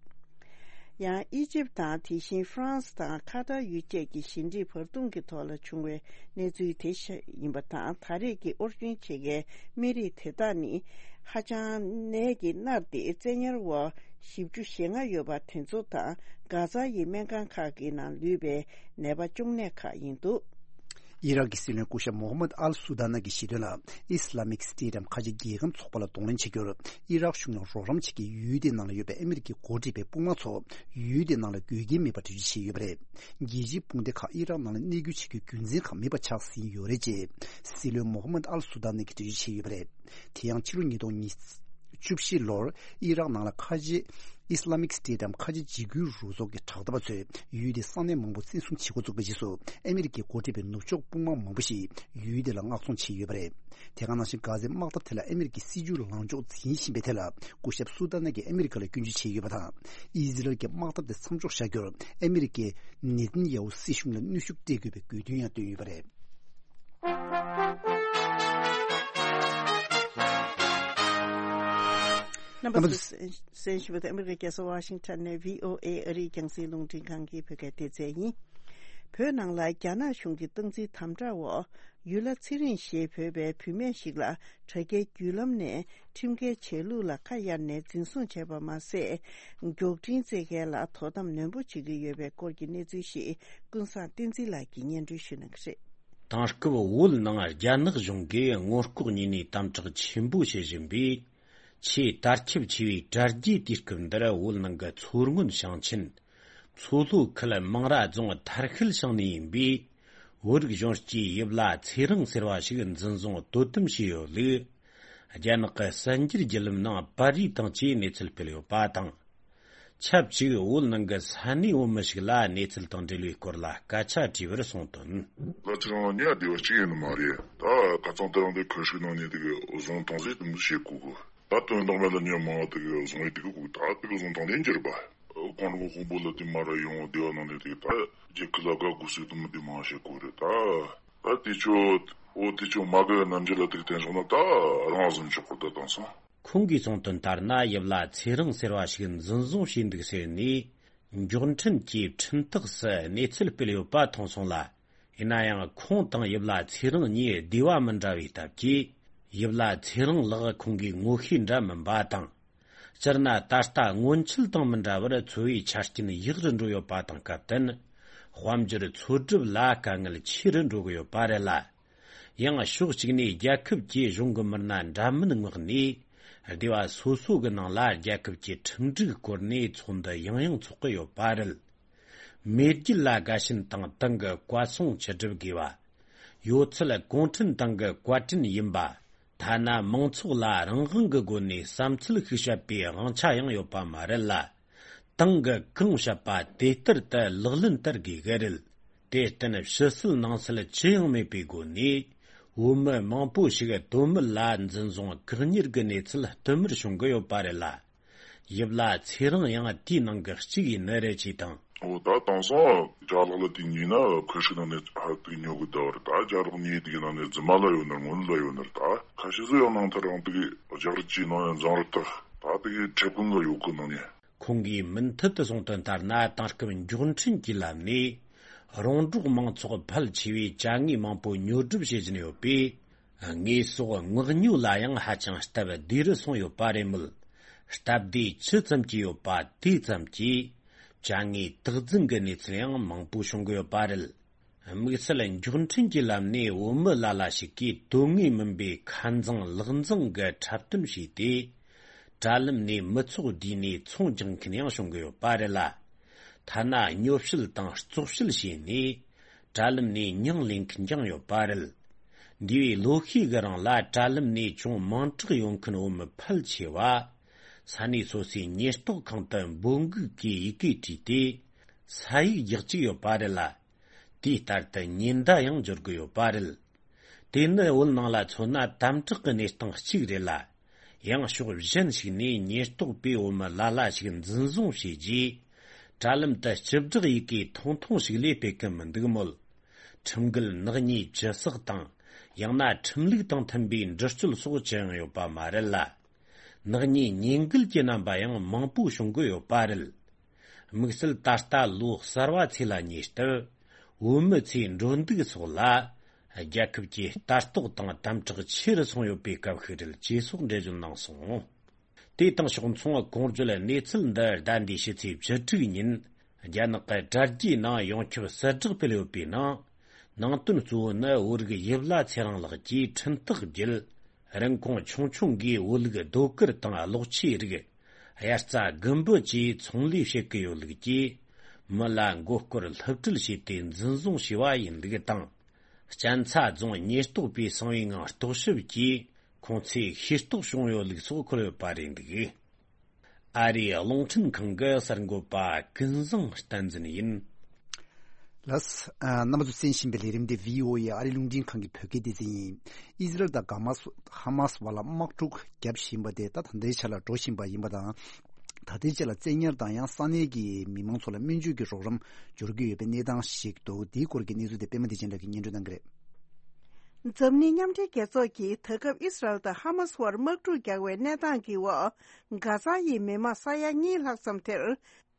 ཡང་ཨི་ཇིབ་དང་། དེ་བཞིན་ཧྥ་རན་སི་དང་ཁ་ཏར་ཡུལ་བཅས་ཀྱི་ཞི་འགྲིག་བར་འདུམ་གྱི་ཐོག་ལ་བྱུང་བའི་གནས་ཚུལ་དེ་ཤ་ཡིན་པ་དང་། ད་རེས་ཀྱི་དབོར་འདྲེན་བྱེད་མཁན་སྨན་རིགས་དེ་དག་ནི་ཧ་ཅང་ནད་ཀྱིས་མནར་ཏེ་བཙན་ཉར་འོག་བཞི་བཅུ་ཞེ་ལྔ་ཡོད་པ་དེ་ཚོ་དང་། གྷ་ཛ་ཡི་སྨན་ཁང་ཁག་གི་ནང་ལུས་པའི་ནད་པ་གཅོང་ནད་ཁག་ཡིན་འདུག། ཨི་རག་གི་སྲིད་བློན་སྐུ་ཞབས་མོ་ཧམ་མད་ཨལ་སུ་དཱ་ན་གྱིས་བཤད་དོན་ལ། ཨི་སི་ལ་མིག་སི་ཊེཊ་འམ་ཁ་ཆེ་རྒྱལ་ཁམས་ཚོགས་པ་ལ་གདོང་ལེན་བྱེད་རྒྱུར། ཨི་རག་གཞུང་ལ་རོགས་རམ་བྱེད་མཁན་ཡུལ་དེའི་ནང་ལ་ཡོད་པའི་ཨ་མི་རི་ཀའི་འགོ་ཁྲིད་པའི་དཔུང་དམག་ཚོ་ཡུལ་དེའི་ནང་ལ་དགོས་ཀྱིན་མེད་པར་གྲ་སྒྲིག་བྱས་ཡོད་པ་རེད། རྒྱལ་སྤྱིའི་དཔུང་སྡེ་ཁག་ཨི་རག་ནང་ལ་གནས་སྐྱོད་བྱེད་རྒྱུའི་རྒྱུ་མཚན་ཁག་མེད་པ་ཆགས་ཟིན་ཡོད་རེད་ཅེས། སྲིད་བློན་མོ་ཧམ་མད་ཨལ་སུ་དཱ་ན་གྱིས་འགྲེལ་བརྗོད་བྱས་ཡོད་པ་རེད། དེ་ཡང་ཕྱི་ལོ་ཉིས་སྟོང་བཅུ་བཞི་ལོར་ཨི་རག་ནང་ལ་ཁ་ཆེ་ཨི་སི་ལ་མིག་སི་ཊེཊ་འམ་ཁ་ཆེ་འཇིགས་སྐུལ་རུ་ཚོགས་ཀྱི་དྲག་འཐབ་པ་ཚོས་ཡུལ་དེའི་ས་གནས་མང་པོ་བཙན་བཟུང་བྱེད་འགོ་བཙུགས་པའི་རྗེས་སུ། ཨ་མི་རི་ཀའི་འགོ་ཁྲིད་པའི་ནུབ་ཕྱོགས་དཔུང་དམག་མང་པོ་ཞིག་ཡུལ་དེ་ལ་མངགས་གཏོང་བྱས་ཡོད་པ་རེད། དེ་ག་ནང་བཞིན་གྷ་ཛའི་དམག་འཐབ་དེ་ལ་ཨ་མི་རི་ཀའི་སྲིད་ཇུས་ལངས་ཕྱོགས་འཛིན་བཞིན་པའི་ཐད་ལ། སྐུ་ཞབས་སུ་དཱ་ན་གྱིས་ཨ་མི་རི་ཀ་ལ་སྐྱོན་བརྗོད་བྱས་ཡོད་པ་དང་། ཨི་ཟི་རལ་གྱི་དམག་འཐབ་དེ་མཚམས་འཇོག་བྱ་རྒྱུར་ཨ་མི་རི་ཀས་ནེ་ཐན་ཡ་ཧུ་སྲིད་གཞུང་ལ་གནོན་ཤུགས་སྤྲད་དགོས་པའི་དགོས་འདུན་ཡང་བཏོན་ཡོད་པ་རེད། རྣམ་པ་ཚོས་གསན་གསན་བཞིན་པ་དེ་ཨ་མི་རི་ཀའི་རྒྱལ་ས་ཝ་ཤིང་ཊོན་ནས་བྷི་ཨོ་ཨེ་ཨ་རིའི་རྒྱང་སྲིང་རླུང་འཕྲིན་ཁང་གི་བོད་སྐད་སྡེ་ཚན་ཡིན། བོད་ནང་ལ་རྒྱ་ནག་གཞུང་གི་སྟངས་འཛིན་དམ་དྲག་འོག་ཡུལ་ལྷ་ཚེ་རིང་ཞེས་འབོད་པའི་བུད་མེད་ཞིག་ལ་དྲ་རྒྱའི་བརྒྱུད་ལམ་ནས་ཁྲིམས་འགལ་བྱས་ལུགས་ལ་ཁ་གཡར་ནས་འཛིན་བཟུང་བྱས་པ་མ་ཟད། མགྱོགས་འཕྲིན་བཙལ་མཁན་ལ་དོ་དམ་ནན་པོ་བྱེད་ཀྱི་ཡོད་པའི་སྐོར་གྱི་གནས་ཚུལ་ཞིག་ཀུན་བཟང་བསྟན་འཛིན་ལགས་ཀྱིས་སྙན་སྒྲོན་ཞུ་གནང་གི་རེད། དེང་སྐབས་བོད་ནང་རྒྱ་ནག་གཞུང་གིས་སྔོན་འགོག་ནུས་པའི་དམ་དྲག་ཆེན་པོ་བྱེད་བཞིན་པས། ཆེས་དར་ཁྱབ་ཆེ་བའི་དྲ་རྒྱའི་དུས་སྐབས་འདིར་བོད་ནང་གི་མཚོ་སྔོན་ཞིང་ཆེན། མཚོ་ལྷོ་ཁུལ་མང་ར་རྫོང་ཐར་ཤུལ་ཞིང་ནས་ཡིན་པའི་བོད་རིགས་གཞོན་སྐྱེས་ཡིབ་ལ་ཚེ་རིང་ཟེར་བ་ཞིག་འཛིན་བཟུང་དོ་དམ་བྱས་ཡོད་ལུགས། རྒྱ་ནག་གི་གསར་འགྱུར་བརྒྱུད་ལམ་ནང་པར་རིས་དང་བཅས་གནས་ཚུལ་སྤེལ་ཡོད་པ་དང་། ཆབས་ཅིག་བོད་ནང་གི་ས་གནས་བོད་མི་ཞིག་ལ་གནས་ཚུལ་དང་འབྲེལ་བའི་སྐོར་ལ་སྐད་ཆ་དྲིས་པར་གསུངས་དོན། ལ་ཚེ་རིང་ལ་ཉེ་བ་བདེ་བ་གཅིག་ཡིན་ནི་མ་རེད། ད་ཁ་སང་དེ་རིང་དེ་ཁོས་ཤིག་ནང་ནས་དེ་གི་བཟུང་བཏང་ཟིག་དེ་མི་བྱེད་དགོས་གི། ད་དོན་དག་མེད་ལ་ཉོན་མང་བ་དེ་གི་བཟུང་བའི་དེ་གི་དགོས། ད་དེ་གི་བཟུང་བཏང་ནས་འགྱུར་བ། ཁོང་རང་དཔོན་པོ་ལ་དེ་མ་ར་ཡོང་བདེ་བ་ནང་ནས་དེ་གི་ད་རྒྱལ་ཁབ་ལ་དགའ་དགོས་ཟིག་དེ་མི་དེ་མང་བྱེད་དགོས་རེད་ད། ད་དེ་ཆོ་འོ་དེ་ཆོ་མ་དགའ་རྣམ་འགྱུར་ལ་དེ་གི་བསྟན་སོང་ན་ད་རང་བཟུང་ཆོག་གི་ད་དང་སོང་། ཁོང་གིས་གསུངས་དོན་ལྟར་ན། ཡིབ་ལ་ཚེ་རིང་ཟེར་བ་ཞིག་འཛིན་བཟུང་བྱས་འདུག་ཟེར་ནས་མགྱོགས་འཕྲིན་གྱི་འཕྲིན་སྟེགས་སུ་གནས་ཚུལ་སྤེལ་ཡོད་པ་མཐོང་སོང་ལ། ཡིན་ན་ཡང་ཁོང་དང་ཡིབ་ལ་ཚེ་རིང་གཉིས་སྡེ་བ་མི་འདྲ་བའི་སྟབས་ཀྱིས། ཡིབ་ལ་ཚེ་རིང་ལགས་ཁོང་གི་ངོ་ཤེས་འདྲ་མིན་པ་དང་། སྤྱིར་ན་ད་ལྟ་སྔོན་ཆད་དང་མི་འདྲ་བར་འཚོ་བའི་ཆ་རྐྱེན་ཡག་རུ་འགྲོ་ཡོད་པ་དང་སྐབས་བསྟུན། དཔལ་འབྱོར་འཚོ་སྒྲུབ་ལ་དཀའ་ངལ་ཆེ་རུ་འགྲོ་གི་ཡོད་པ་རེད་ལ། ཡང་ཕྱོགས་གཅིག་ནས་རྒྱལ་ཁབ་ཀྱི་གཞུང་གི་མི་སྣ་འདྲ་མིན་མངགས་ནས། སྡེ་བ་སོ་སོ་གི་ནང་ལ་རྒྱལ་ཁབ་ཀྱི་ཁྲིམས་སྒྲིག་བསྐོར་ནས་ཚོགས་འདུ་ཡང་ཡང་འཚོགས་ཀྱི་ཡོད་པ་རེད། མེས་རྒྱལ་ལ་དགའ་ཞེན་དང་ཏང་གི་བཀའ་གསུང་ཆིག་སྒྲུབ་དགོས་པ། ཡོད་ཚད་གུང་ཁྲན་ཏང་གི་བཀའ་དྲིན་ཡིན་པ། ཐ་ན་མང་ཚོགས་ལ་རང་དབང་གི་སྒོ་ནས་བསམ་ཚུལ་ཤིག་བཤད་པའི་དབང་ཆ་ཡང་ཡོད་པ་མ་རེད་ལ། ཏང་གིས་གང་བཤད་པ་དེ་ལྟར་དུ་ལག་ལེན་བསྟར་དགོས་ཀྱི་རེད། དེར་བརྟེན་ཕྱི་གསལ་ནང་གསལ་ཅི་ཡང་མེད་པའི་སྒོ་ནས། བོད་མི་མང་པོ་ཞིག་དོན་མེད་ལ་འཛིན་བཟུང་བཀག་ཉར་གྱི་གནས་ཚུལ་བསྟུད་མར་བྱུང་གི་ཡོད་པ་རེད་ལ། ཡིབ་ལ་ཚེ་རིང་ཡང་དེའི་ནང་གི་གཅིག་ཡིན་ནི་རེད་ཅེས་དང་། འོ་ད་དེང་སང་ཅ་ལག་ལ་དེ་ཉོས་ན་ཁོས་ཤིག་ནང་ནས་ཧ་དེ་ཉོ་གི་བསྡད་པ་རེད། ད་ཅ་ལག་ཉོས་དེ་གི་ནང་ནས་རྫུན་མ་ལ་ཡོད་ནི་རེད། དངོས་གནས་ལ་ཡོད་ནི་རེད། ད་ཁ་ཤས་སུ་ཡང་ནང་ཐར་རང་དེ་གི་རྒྱག་རེས་ཀྱིས་ནང་ཡང་འཛིང་རེས་བཏང་། ད་དེ་གི་ཁྲེ་ཀུན་ལ་ཡོད་གི་ནང་ནས། ཁོང་གིས་མུ་མཐུད་དུ་གསུངས་དོན་ལྟར་ན། དེང་སྐབས་མགྱོགས་འཕྲིན་གྱི་ལམ་ནས་རོང་འབྲོག་མང་ཚོགས་ཕལ་ཆེ་བས་ཅ་དངོས་མང་པོ་ཉོ་སྒྲུབ་བྱེད་བཞིན་ཡོད་པས། དངོས་ཟོག་མངགས་ཉོ་ལ་ཡང་ཧ་ཅང་སྟབས་བདེ་རུ་སོང་ཡོད་པ་རེད་མོད། སྟབས་བདེ་ཅི་ཙམ་གྱིས་ཡོད་པ་དེ་ཙམ་གྱིས། ཅ་དངོས་དག་འཛིན་གྱི་གནས་ཚུལ་ཡང་མང་པོ་བྱུང་གི་ཡོད་པ་རེད། དམིགས་བསལ་མགྱོགས་འཕྲིན་གྱི་ལམ་ནས་བོད་མི་ལ་ལ་ཞིག་གིས་དོན་དངོས་མིན་པའི་ཁ་འཛིང་ལག་འཛིང་གི་འཁྲབ་སྟོན་བྱས་ཏེ། དྲ་ལམ་ནས་མི་ཚོགས་བསྡུས་ནས་ཚོང་རྒྱག་མཁན་ཡང་བྱུང་གི་ཡོད་པ་རེད་ལ། ཐ་ན་ཉོ་བཤད་དང་བཙོག་བཤད་བྱས་ནས་དྲ་ལམ་ནས་མྱིང་ལེན་མཁན་ཀྱང་ཡོད་པ་རེད། འདས་པའི་ལོ་ཤས་ཀྱི་རིང་ལ་དྲ་ལམ་ནས་ཅུང་མིང་གྲགས་ཡོད་མཁན་བོད་མི་ཕལ་ཆེ་བ། ས་གནས་སོ་སོའི་ཉེན་རྟོག་ཁང་དུ་འབོད་འགུག་གི་ཡི་གེ་བྲིས་ཏེ། ས་ཡིག་རྒྱག་བཅུག་ཡོད་པ་རེད་ལ། དེའི་ལྟར་དུ་ཉེན་བརྡ་ཡང་འབྱོར་གི་ཡོད་པ་རེད། དེ་ནི་བོད་ནང་ལ་མཚོན་ན་དམ་དྲག་གི་གནས་སྟངས་གཅིག་རེད་ལ། ཡང་ཕྱོགས་གཞན་ཞིག་ནས་ཉེན་རྟོག་པས་བོད་མི་ལ་ལ་ཞིག་འཛིན་བཟུང་བྱས་རྗེས། དྲ་ལམ་དུ་སྤྱི་བསྒྲགས་ཡི་གེ་ཐུང་ཐུང་ཞིག་ལས་སྤེལ་གི་མི་འདུག་མོད། ཁྲིམས་འགལ་ནག་ཉེས་ཇི་བསགས་དང་། ཡང་ན་ཁྲིམས་ལུགས་དང་མཐུན་པའི་འདྲི་གཅོད་སོགས་ཅི་ཡང་ཡོད་པ་མ་རེད་ལ། ནག་ཉེས་ཉེས་འགལ་གྱི་རྣམ་པ་ཡང་མང་པོ་བྱུང་གི་ཡོད་པ་རེད། དམིགས་བསལ་ད་ལྟ་ལོ་གསར་བ་ཚེས་ལ་ཉེ་སྟབས། བོད་མི་ཚོས་འགྲོ་འདུག་སོགས་ལ། རྒྱལ་ཁབ་ཀྱི་ལྟ་རྟོག་དང་དམ་དྲག་ཆེ་རུ་སོང་ཡོད་པའི་སྐབས་ཤིག་རེད་ཅེས་སོགས་འགྲེལ་བརྗོད་གནང་སོང་། དེ་དང་ཕྱོགས་མཚུངས་གོང་བརྗོད་གནས་ཚུལ་འདི་ཟླ་འདིའི་ཕྱི་ཚེས་བཅུ་དྲུག་ཉིན། རྒྱ་ནག་གི་དྲ་རྒྱའི་ནང་ཡོངས་ཁྱབ་གསལ་བསྒྲགས་སྤེལ་ཡོད་པའི་ནང་། ནང་དོན་གཙོ་བོ་ནི་བོད་རིགས་ཡིབ་ལ་ཚེ་རིང་ལགས་ཀྱིས་འཕྲིན་ཐག་བརྒྱུད། རིན་གོང་ཆུང་ཆུང་གིས་བོད་ལུགས་རྡོ་དཀར་དང་གློག་ཆས་རིགས། དབྱར་རྩྭ་དགུན་འབུ་བཅས་ཚོང་ལས་བྱེད་ཀྱི་ཡོད་ལུགས་ཀྱིས། མི་ལ་མགོ་སྐོར་སློབ་ཁྲིད་བྱས་ཏེ་འཛིན་བཟུང་བྱས་པ་ཡིན་ལུགས་དང་། གཅན་ཚ་རྫོང་ཉེན་རྟོག་པས་གསང་བའི་ངང་རྟོག་ཞིབ་ཀྱིས་ཁོང་ཚོས་ཤེས་རྟོགས་བྱུང་ཡོད་ལུགས་སོགས་འཁོད་ཡོད་པ་རེད་འདུག། ཨ་རིའི་རླུང་འཕྲིན་ཁང་གི་གསར་འགོད་པ་ཀུན་བཟང་བསྟན་འཛིན་ཡིན། ལགས། ཨ། རྣམ་པ་ཚོ་གསན་བཞིན་པའི་ལས་རིམ་འདི་བྷི་ཨོ་ཨེ་ཨ་རིའི་རླུང་འཕྲིན་ཁང་གི་བོད་སྐད་སྡེ་ཚན་ཡིན། ཨི་ཟི་རལ་དང་གྷ་མ་སི་ཧ་མ་སི་བར་ལ་དམག་འཁྲུག་བརྒྱབ་བཞིན་པ་དེ་ད་ད་ལྟའི་ཆ་ལ་འགྲོ་བཞིན་པ་ཡིན་པ་དང་། ད་ལྟའི་ཆ་ལ་བཙན་ཉར་དང་ཡང་ས་གནས་ཀྱི་མི་མང་ཚོ་ལ་སྨན་བཅོས་ཀྱི་རོགས་རམ་འབྱོར་གྱི་ཡོད་པའི་གནས་སྟངས་ཤིག་འདུག། དེའི་སྐོར་གྱི་གནས་ཚུལ་དེ་པད་མ་བདེ་ཆེན་ལགས་ཀྱིས་སྙན་སྒྲོན་གནང་གི་རེད། འཛམ་གླིང་མཉམ་འབྲེལ་རྒྱལ་ཚོགས་ཀྱིས་ད་སྐབས་ཨི་སི་རལ་དང་ཧ་མ་སི་བར་དམག་འཁྲུག་རྒྱག་པའི་གནས་སྟངས་ཀྱི་འོག་གྷ་ཛ་ཡི་མི་མང་ས་ཡ་གཉིས་ལྷག་ཙམ་དེར་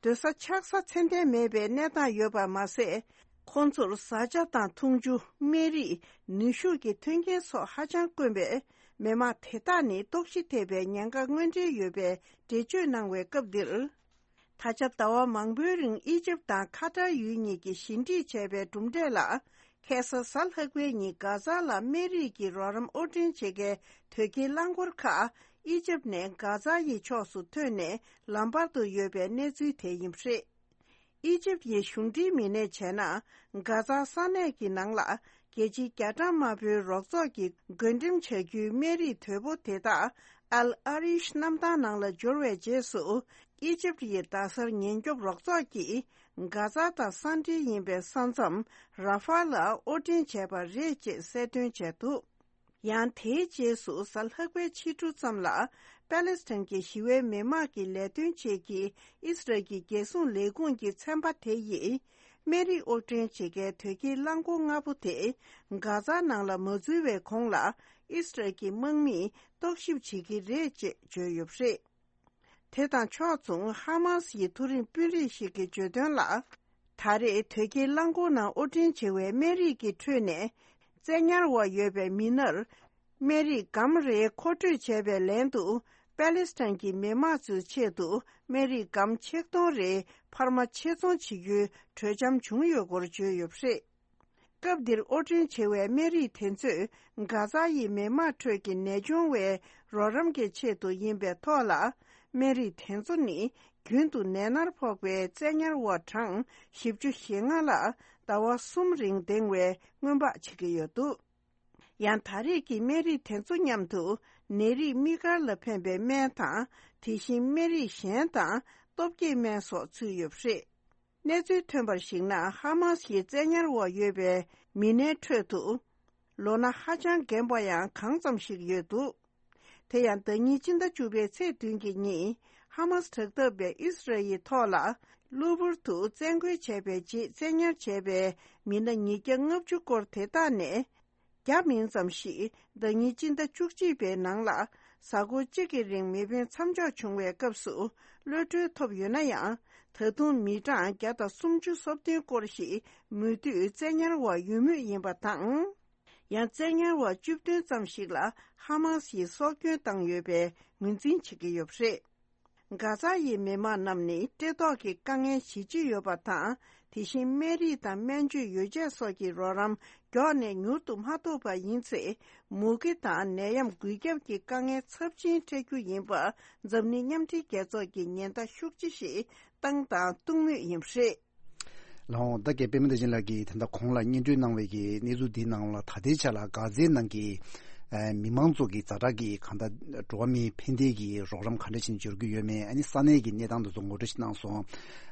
སྡོད་ས་ཆགས་ས་ཚད་ལྡན་མེད་པའི་གནས་སྟངས་ཡོད་པ་མ་ཟད། ཁོང་ཚོར་བཟའ་བཅའ་དང་འཐུང་ཆུ། སྨན་རིགས། ནུས་ཤུགས་ཀྱི་མཐུན་རྐྱེན་སོགས་ཧ་ཅང་དཀོན་པས། མི་མང་དེ་དག་ནི་ལྟོགས་ཤི་ཐེབས་པའི་ཉེན་ཁ་དངོས་འབྲེལ་ཡོད་པའི་འགྲེལ་བརྗོད་གནང་བའི་སྐབས་འདིར། ད་ཆ་ཟླ་བ་མང་པོའི་རིང་ཨི་ཇིབ་དང་ཁ་ཏར་ཡུལ་གཉིས་ཀྱིས་ཞི་འགྲིག་བྱས་པའི་གྲུབ་འབྲས་ལ། ཁ་སང་གཟའ་ལྷག་པའི་ཉིན་གྷ་ཛ་ལ་སྨན་རིགས་ཀྱི་རོགས་རམ་དབོར་འདྲེན་བྱེད་མཁན་དོས་སྐྱེལ་རླངས་འཁོར་ཁག་ཨི་ཇིབ་ནས་གྷ་ཛ་ཡི་ཕྱོགས་སུ་ཐོན་ནས་ལམ་བར་དུ་ཡོད་པའི་གནས་ཚུལ་དེ་ཡིན་པ་རེད། ཨི་ཇིབ་ཡི་གཞུང་འབྲེལ་མི་སྣས་བྱས་ན། གྷ་ཛ་ས་གནས་ཀྱི་ནང་ལ་རྒྱལ་སྤྱིའི་རྒྱ་གྲམ་དམར་པོའི་རོགས་ཚོགས་ཀྱིས་བགོ་འགྲེམས་བྱ་རྒྱུའི་སྨན་རིགས་དོས་པོ་དེ་དག་ཨལ་ཨ་རིཤ་གནམ་ཐང་ནང་ལ་འབྱོར་བའི་རྗེས་སུ། ཨི་ཇིབ་ཡི་རྡ་སར་ཉེན་སྐྱོབ་རོགས་ཚོགས་ཀྱིས་གྷ་ཛ་དང་ས་འབྲེལ་ཡིན་པའི་ས་མཚམས་ར་ཧྥ་ལ་དབོར་འདྲེན་བྱས་པ་རེད་ཅེས་གསལ་སྟོན་བྱས་འདུག། ཡང་དེའི་རྗེས་སུ་གཟའ་ལྷག་པའི་ཕྱི་དྲོ་ཙམ་ལ་པ་ལེ་སི་ཐན་གྱི་ཞི་བའི་མི་དམངས་ཀྱི་ལས་དོན་ཆེད་ཀྱི་ཨི་སི་རལ་གྱི་རྒྱལ་སྲུང་ལས་ཁུངས་ཀྱི་ཚན་པ་དེ་ཡིས་སྨན་རིགས་དབོར་འདྲེན་བྱེད་མཁན་དོས་སྐྱེལ་རླངས་འཁོར་ལྔ་པོ་དེ་གྷ་ཛ་ནང་ལ་མ་འཛུལ་བའི་གོང་ལ་ཨི་སི་རལ་གྱི་དམག་མིས་རྟོག་ཞིབ་བྱེད་ཀྱི་རེད་ཅེས་བརྗོད་ཡོད་པ་རེད། དེ་དང་ཕྱོགས་མཚུངས་ཧ་མ་སི་ཡི་མཐོ་རིམ་དཔོན་རིགས་ཤིག་གིས་བརྗོད་དོན་ལ། ད་རེས་དོས་སྐྱེལ་རླངས་འཁོར་ནང་དབོར་འདྲེན་བྱེད་པའི་སྨན་རིགས་ཀྱི་ཁྲོད་ནས། བཙན་ཉར་འོག་ཡོད་པའི་མི་སྣར། སྨན་རིགས་སྒམ་རེ་མཁོ་སྤྲོད་བྱས་པའི་ལན་དུ། པ་ལེ་སི་ཐན་གྱི་མི་དམངས་ཚོའི་ཆེད་དུ། སྨན་རིགས་སྒམ་ཆིག་སྟོང་རེ་འཕར་མ་ཆེད་ཚོང་བྱེད་རྒྱུའི་གྲོས་འཆམ་བྱུང་ཡོད་སྐོར་བརྗོད་ཡོད་པ་རེད། སྐབས་འདིར་དབོར་འདྲེན་བྱེད་པའི་སྨན་རིགས་དེ་ཚོས་གྷ་ཛ་ཡི་མི་དམངས་ཁྲོད་ཀྱི་ནད་གཅོང་བའི་རོགས་རམ་གྱི་ཆེད་དུ་ཡིན་པའི་ཐོག་ལ། སྨན་རིགས་དེ་ཚོ་ནི་རྒྱུན་དུ་ནད་མནར་ཕོག་པའི་བཙན་ཉར་འོག་གྲངས་བཞི་བཅུ་ཞེ་ལྔ་ལ་ཟླ་བ་གསུམ་རིང་འདེང་བའི་སྔོན་དཔག་བྱེད་ཀྱི་ཡོད་འདུག། ཡང་ད་རེས་ཀྱི་སྨན་རིགས་དེ་ཚོ་མཉམ་དུ་ནད་རིགས་དམིགས་བཀར་ལ་ཕན་པའི་སྨན་དང་། དེ་བཞིན་སྨན་རིགས་གཞན་དང་སྟོབས་སྐྱེད་སྨན་སོགས་ཚུད་ཡོད་པ་རེད། གནས་ཚུལ་ཐོན་པར་གཞིགས་ན། ཧ་མ་སི་ཡི་བཙན་ཉར་འོག་ཡོད་པའི་མི་སྣའི་ཁྲོད་དུ། ལོ་ན་ཧ་ཅང་རྒན་པ་ཡང་གང་ཙམ་ཞིག་ཡོད་འདུག། དེ་ཡང་ཟླ་ཉིན་སྤྱི་ཟླ་བཅུ་པའི་ཚེས་བདུན་གྱི་ཉིན། ཧ་མ་སི་དྲག་འཐབ་པས་ཨི་སི་རལ་ཡི་ཐོག་ལ། གློ་བུར་དུ་བཙན་རྒོལ་བྱས་པའི་རྗེས་བཙན་ཉར་བྱས་པའི་མི་སྣ་ཉིས་བརྒྱ་ལྔ་བཅུ་སྐོར་དེ་དག་ནས། བརྒྱ་མིན་ཙམ་ཞིག་ཟླ་ཉིན་སྤྱི་ཟླ་བཅུ་གཅིག་པའི་ནང་ལ་གཟའ་འཁོར་གཅིག་གི་རིང་མེ་འཕེན་མཚམས་འཇོག་བྱུང་བའི་སྐབས་སུ་གློད་གྲོལ་ཐོབ་ཡོད་ན་ཡང་། ད་དུང་མི་གྲངས་བརྒྱ་དང་སུམ་ཅུ་སོ་བདུན་སྐོར་ཞིག་མུ་མཐུད་བཙན་ཉར་འོག་ཡོད་མུས་ཡིན་པ་དང་། ཡང་བཙན་ཉར་བ་བཅུ་བདུན་ཙམ་ཞིག་ལ་ཧ་མ་སི་ཡིས་སྲོག་སྐྱོན་བཏང་ཡོད་པའི་ངོས་འཛིན་བྱེད་ཀྱི་ཡོད་པ་རེད། གྷ་ཛ་ཡི་མི་མང་རྣམས་ནི་བཀྲེས་ལྟོགས་ཀྱི་དཀའ་ངལ་ཞི་བརྗིད་ཡོད་པ་དང་། དེ་བཞིན་སྨན་རིགས་དང་སྨན་བཅོས་ཡོ་བྱད་སོགས་ཀྱི་རོགས་རམ་མགྱོགས་ནས་མྱུར་དུ་མ་ཐོབ་པ་ཡིན་ཚེ། མུ་གེ་དང་ནད་ཡམས་འགོས་ཁྱབ་ཀྱི་དཀའ་ངལ་ཚབས་ཆེན་འཕྲད་རྒྱུ་ཡིན་པ་འཛམ་གླིང་མཉམ་འབྲེལ་རྒྱལ་ཚོགས་ཀྱིས་ཉེན་བརྡ་ཤུགས་ཆེ་ཞིག་བཏང་དང་གཏོང་མུས་ཡིན་པ་རེད། ལགས་འོང་། ད་རྒན་པད་མ་བདེ་ཆེན་ལགས་ཀྱིས་ད་ལྟ་གོང་ལ་སྙན་སྒྲོན་གནང་བའི་གི་གནས་ཚུལ་འདིའི་ནང་ལ་ད་ལྟའི་ཆ་ལ་གྷ་ཛའི་ནང་གི་ ཨ་མི་མང་ཚོ་གི་ཛ་དྲག་གི་གང་ལྟར་འགྲོ་བ་མིའི་ཕན་བདེ་གི་རོགས་རམ་ག་འདྲ་བྱས་ནས་འབྱོར་གྱི་ཡོད་མེད། ཨ་ནི་ས་གནས་ཀྱི་གནས་སྟངས་དེ་ཚོ་ངོ་སྤྲོད་ཅིག་གནང་སོང་།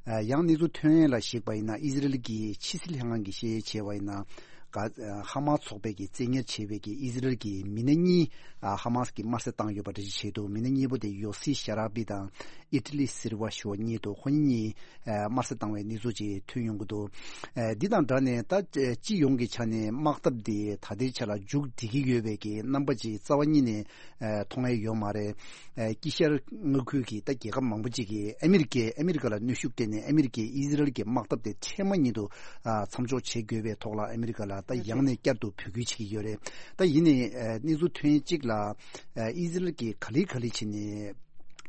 ཨ་ཡང་གནས་ཚུལ་ཐོན་ཡས་ལ་གཞིགས་པ་ཡིན་ན། ཨི་ཟི་རལ་གྱི་ཕྱི་སྲིད་ལྷན་ཁང་གིས་བཤད་ཡས་བྱས་པ་ཡིན་ན། ག་ཧ་མ་སི་ཚོགས་པས་ཀྱི་བཙན་ཉར་བྱས་པའི་གི་ཨི་ཟི་རལ་གྱི་མི་སྣ་གཉིས། ཨ་ཧ་མ་སི་གིས་དམར་གསོད་བཏང་ཡོད་པ་འདྲ་ཞིག་བྱས་འདུག་མི་སྣ་གཉིས་པོ་དེ་ཡོ་སི་ཤ་ར་བི་དང་ཨི་ཊ་ལི་སིལ་ཝ་ཞུ་བ་གཉིས་འདུག་ཁོ་གཉིས་ཨ་དམར་གསོད་བཏང་བའི་གནས་ཚུལ་ཅིག་ཐོན་ཡོང་གི་འདུག་ཨ་འདི་དང་སྦྲགས་ནས་ད་སྤྱི་ཡོངས་ཀྱི་ཆ་ནས་དམག་འཐབ་འདི་ད་ལྟའི་ཆ་ལ་མཇུག་སྒྲིལ་གྱི་ཡོད་པའི་གི་རྣམ་པ་ཅིག་རྩ་བ་ཉིད་ནས་ཨ་མཐོང་ཡས་ཡོད་མ་རེད། ཨ་དཀྱིལ་ཤར་མངའ་ཁུལ་གྱི་ད་རྒྱལ་ཁབ་མང་པོ་ཅིག་གིས་ཨ་མི་རི་ཀས་ཨ་མི་རི་ཀ་ལ་གནོན་ཤུགས་སྤྲད་ནས། ཨ་མི་རི་ཀས་ཨི་ཟི་རལ་གྱི་དམག་འཐབ་དེ་འཕྲལ་མ་ཉིད་དུ་ཨ་མཚམས་འཇོག་བྱེད་དགོས་པའི་ཐོག་ལ་ཨ་མི་རི་ཀ་ལ་ད་ཡང་ནས་བསྐྱར་དུ་འབོད་སྐུལ་བྱེད་ཀྱི་ཡོད་རེད། ད་ཡིན་ནའི་ཨ་གནས་ཚུལ་ཐོན་གཅིག་ལ། ཨ་ཨི་ཟི་རལ་གྱིས་ག་ལེ་ག་ལེ་བྱས་ནས་